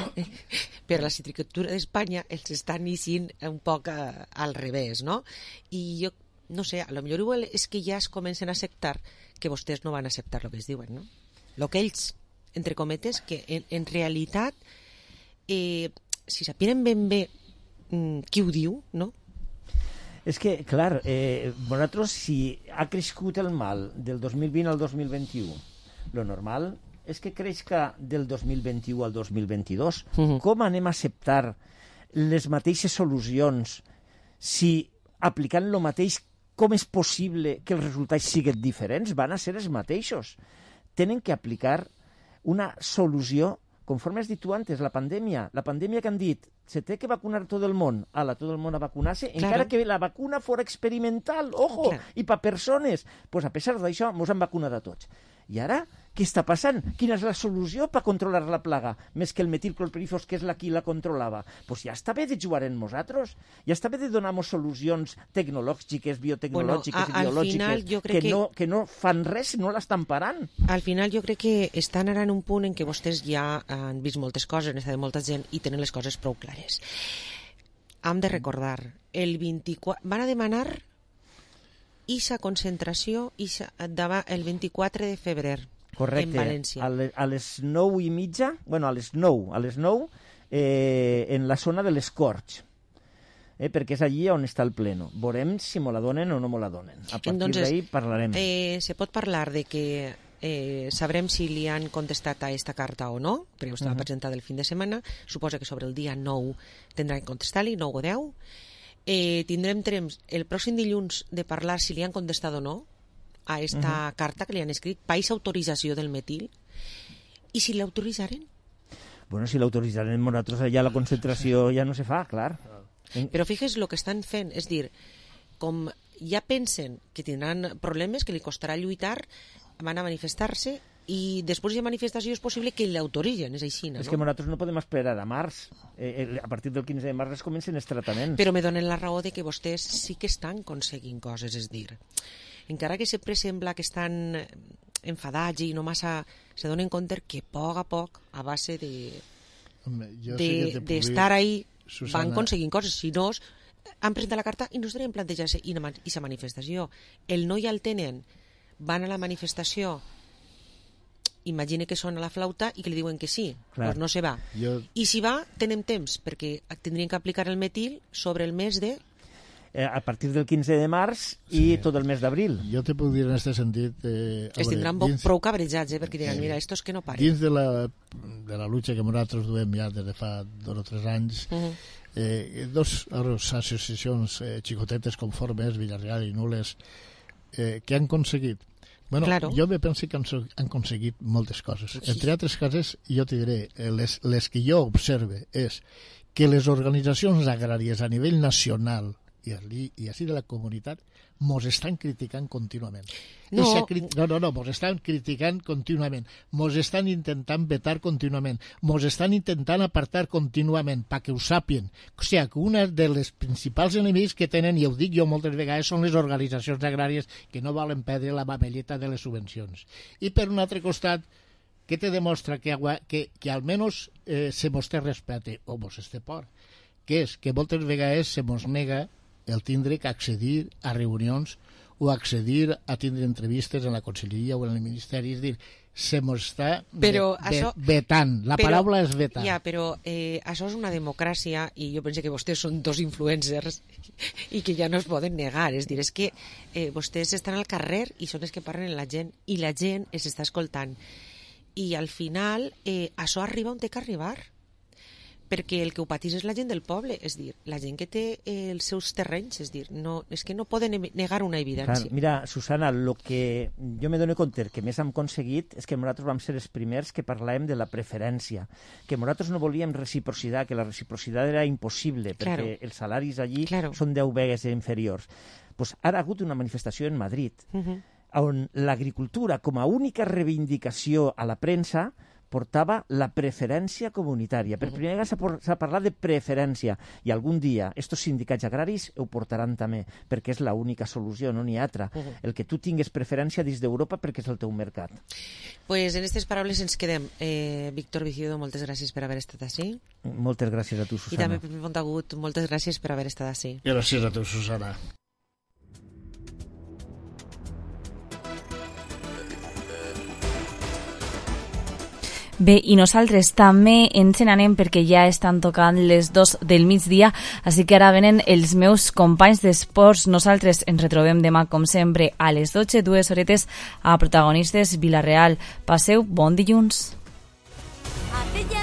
per la citricultura d'Espanya els estan iniciant un poc a, al revés, no? I jo, no sé, a lo millor igual és que ja es comencen a acceptar que vostès no van acceptar el que es diuen, no? El que ells, entre cometes, que en, en realitat, eh, si sapien ben bé mm, qui ho diu, no? És que, clar, eh, vosaltres, si ha crescut el mal del dos mil vint al dos mil vint-i-u, lo normal és que creixca del dos mil vint-i-u al dos mil vint-i-dos. Uh-huh. Com anem a acceptar les mateixes solucions si aplicant lo mateix, com és possible que els resultats siguin diferents? Van a ser els mateixos. Tenen que aplicar una solució, conforme has dit tu antes, la pandèmia. La pandèmia que han dit, se té que vacunar tot el món, ala, tot el món a vacunar-se, claro. Encara que la vacuna fora experimental, ojo, claro. I per persones. Pues a pesar d'això, ens han vacunat a tots. I ara, què està passant? Quina és la solució per controlar la plaga? Més que el metilclorpirifos, que és la qui la controlava. Pues ja està bé de jugar en nosaltres. Ja està bé de donar-nos solucions tecnològiques, biotecnològiques bueno, a, i biològiques que, que... No, que no fan res, no l'estan parant. Al final jo crec que estan ara en un punt en què vostès ja han vist moltes coses, han estat molta gent i tenen les coses prou clares. Hem de recordar, el vint-i-quatre... van a demanar ixa concentració ixa, el vint-i-quatre de febrer. Correcte. En València. A, le, a les nou i mitja, bueno, a les nou, a les nou, eh, en la zona de les Corts, eh, perquè és allí on està el pleno. Veurem si me la donen o no me la donen. A partir Entonces, d'ahí parlarem. Eh, se pot parlar de que eh, sabrem si li han contestat a esta carta o no, perquè estava uh-huh. presentada el fin de setmana. Suposa que sobre el dia nou tindrà que contestar-li, nou o deu. Eh, tindrem temps el pròxim dilluns de parlar si li han contestat o no a esta uh-huh. carta que li han escrit, país autorització del metil, i si l'autoritzaren? Bueno, si l'autoritzaren nosaltres allà la concentració ja no se fa, clar. Però fixes el que estan fent, és dir, com ja pensen que tindran problemes, que li costarà lluitar, van a manifestar-se i després de manifestació és possible que l'autoritzen, és així, no? És que nosaltres no podem esperar a març. Eh, a partir del quinze de març es comencen els tractaments. Però me donen la raó de que vostès sí que estan aconseguint coses, és dir, encara que sempre sembla que estan enfadats i no massa se donen compte que a poc a poc, a base de d'estar de, de ahí, Susana... van aconseguint coses. Si no, han presentat la carta i no estarien plantejant-se i aquesta manifestació. El no ja el tenen, van a la manifestació, imagine que sona la flauta i que li diuen que sí, doncs no se va. Jo... I si va, tenem temps, perquè tindrien que aplicar el metil sobre el mes de... Eh, a partir del quinze de març i sí. tot el mes d'abril. Jo te puc dir en aquest sentit... Eh, es tindran dins... prou cabrejats, eh, perquè diran, eh, mira, estos que no paren. Dins de la, de la lucha que nosaltres duem ja des de fa dos o tres anys, uh-huh. eh, dos associacions eh, xicotetes conformes, Villarreal i Nules, eh, que han aconseguit Bueno, claro. Jo me penso que han, han aconseguit moltes coses. Sí. Entre altres coses, jo te diré, les, les que jo observe és que les organitzacions agràries a nivell nacional i, i així de la comunitat mos estan criticant contínuament. No, cri... no, no, no, mos estan criticant contínuament, mos estan intentant vetar contínuament, mos estan intentant apartar contínuament, perquè ho sàpien. O sigui, que una de les principals enemics que tenen, i ho dic jo moltes vegades, són les organitzacions agràries que no volen perdre la mamelleta de les subvencions. I per un altre costat, què te demostra? Que, que, que almenys eh, se mos té respecte, o mos té por, que és que moltes vegades se mos nega el tindre que accedir a reunions o accedir a tindre entrevistes en la conselleria o en el ministeri. És dir, se m'ho està però ve, això, ve, vetant. La però, paraula és vetant. Ja, però eh, això és una democràcia i jo penso que vostès són dos influencers i que ja no es poden negar. És dir, és que eh, vostès estan al carrer i són els que parlen amb la gent i la gent els està escoltant. I al final eh, això arriba on té que arribar, perquè el que ho patís és la gent del poble, és dir, la gent que té eh, els seus terrenys, és dir, no, és que no poden negar una evidència. Clar, mira, Susana, el que jo me dono compte que més hem aconseguit és que nosaltres vam ser els primers que parlàvem de la preferència, que nosaltres no volíem reciprocitat, que la reciprocitat era impossible, perquè claro. els salaris allí claro. són deu vegades inferiors. Pues ara ha hagut una manifestació en Madrid, uh-huh. on l'agricultura, com a única reivindicació a la premsa, portava la preferència comunitària. Per primera vegada s'ha parlat de preferència i algun dia estos sindicats agraris ho portaran també, perquè és l'única solució, no n'hi ha altra. Uh-huh. El que tu tingues preferència dins d'Europa perquè és el teu mercat. Pues en aquestes paraules ens quedem. Eh, Víctor Viciudo, moltes gràcies per haver estat així. Moltes gràcies a tu, Susana. I també Pepe Montagut, moltes gràcies per haver estat així. Gràcies a tu, Susana. Bé, i nosaltres també ens n'anem perquè ja estan tocant les dos del migdia, així que ara venen els meus companys d'esports. Nosaltres ens retrobem demà, com sempre, a les dotze, dues horetes a Protagonistes Vila-real. Passeu bon dilluns. Hace ya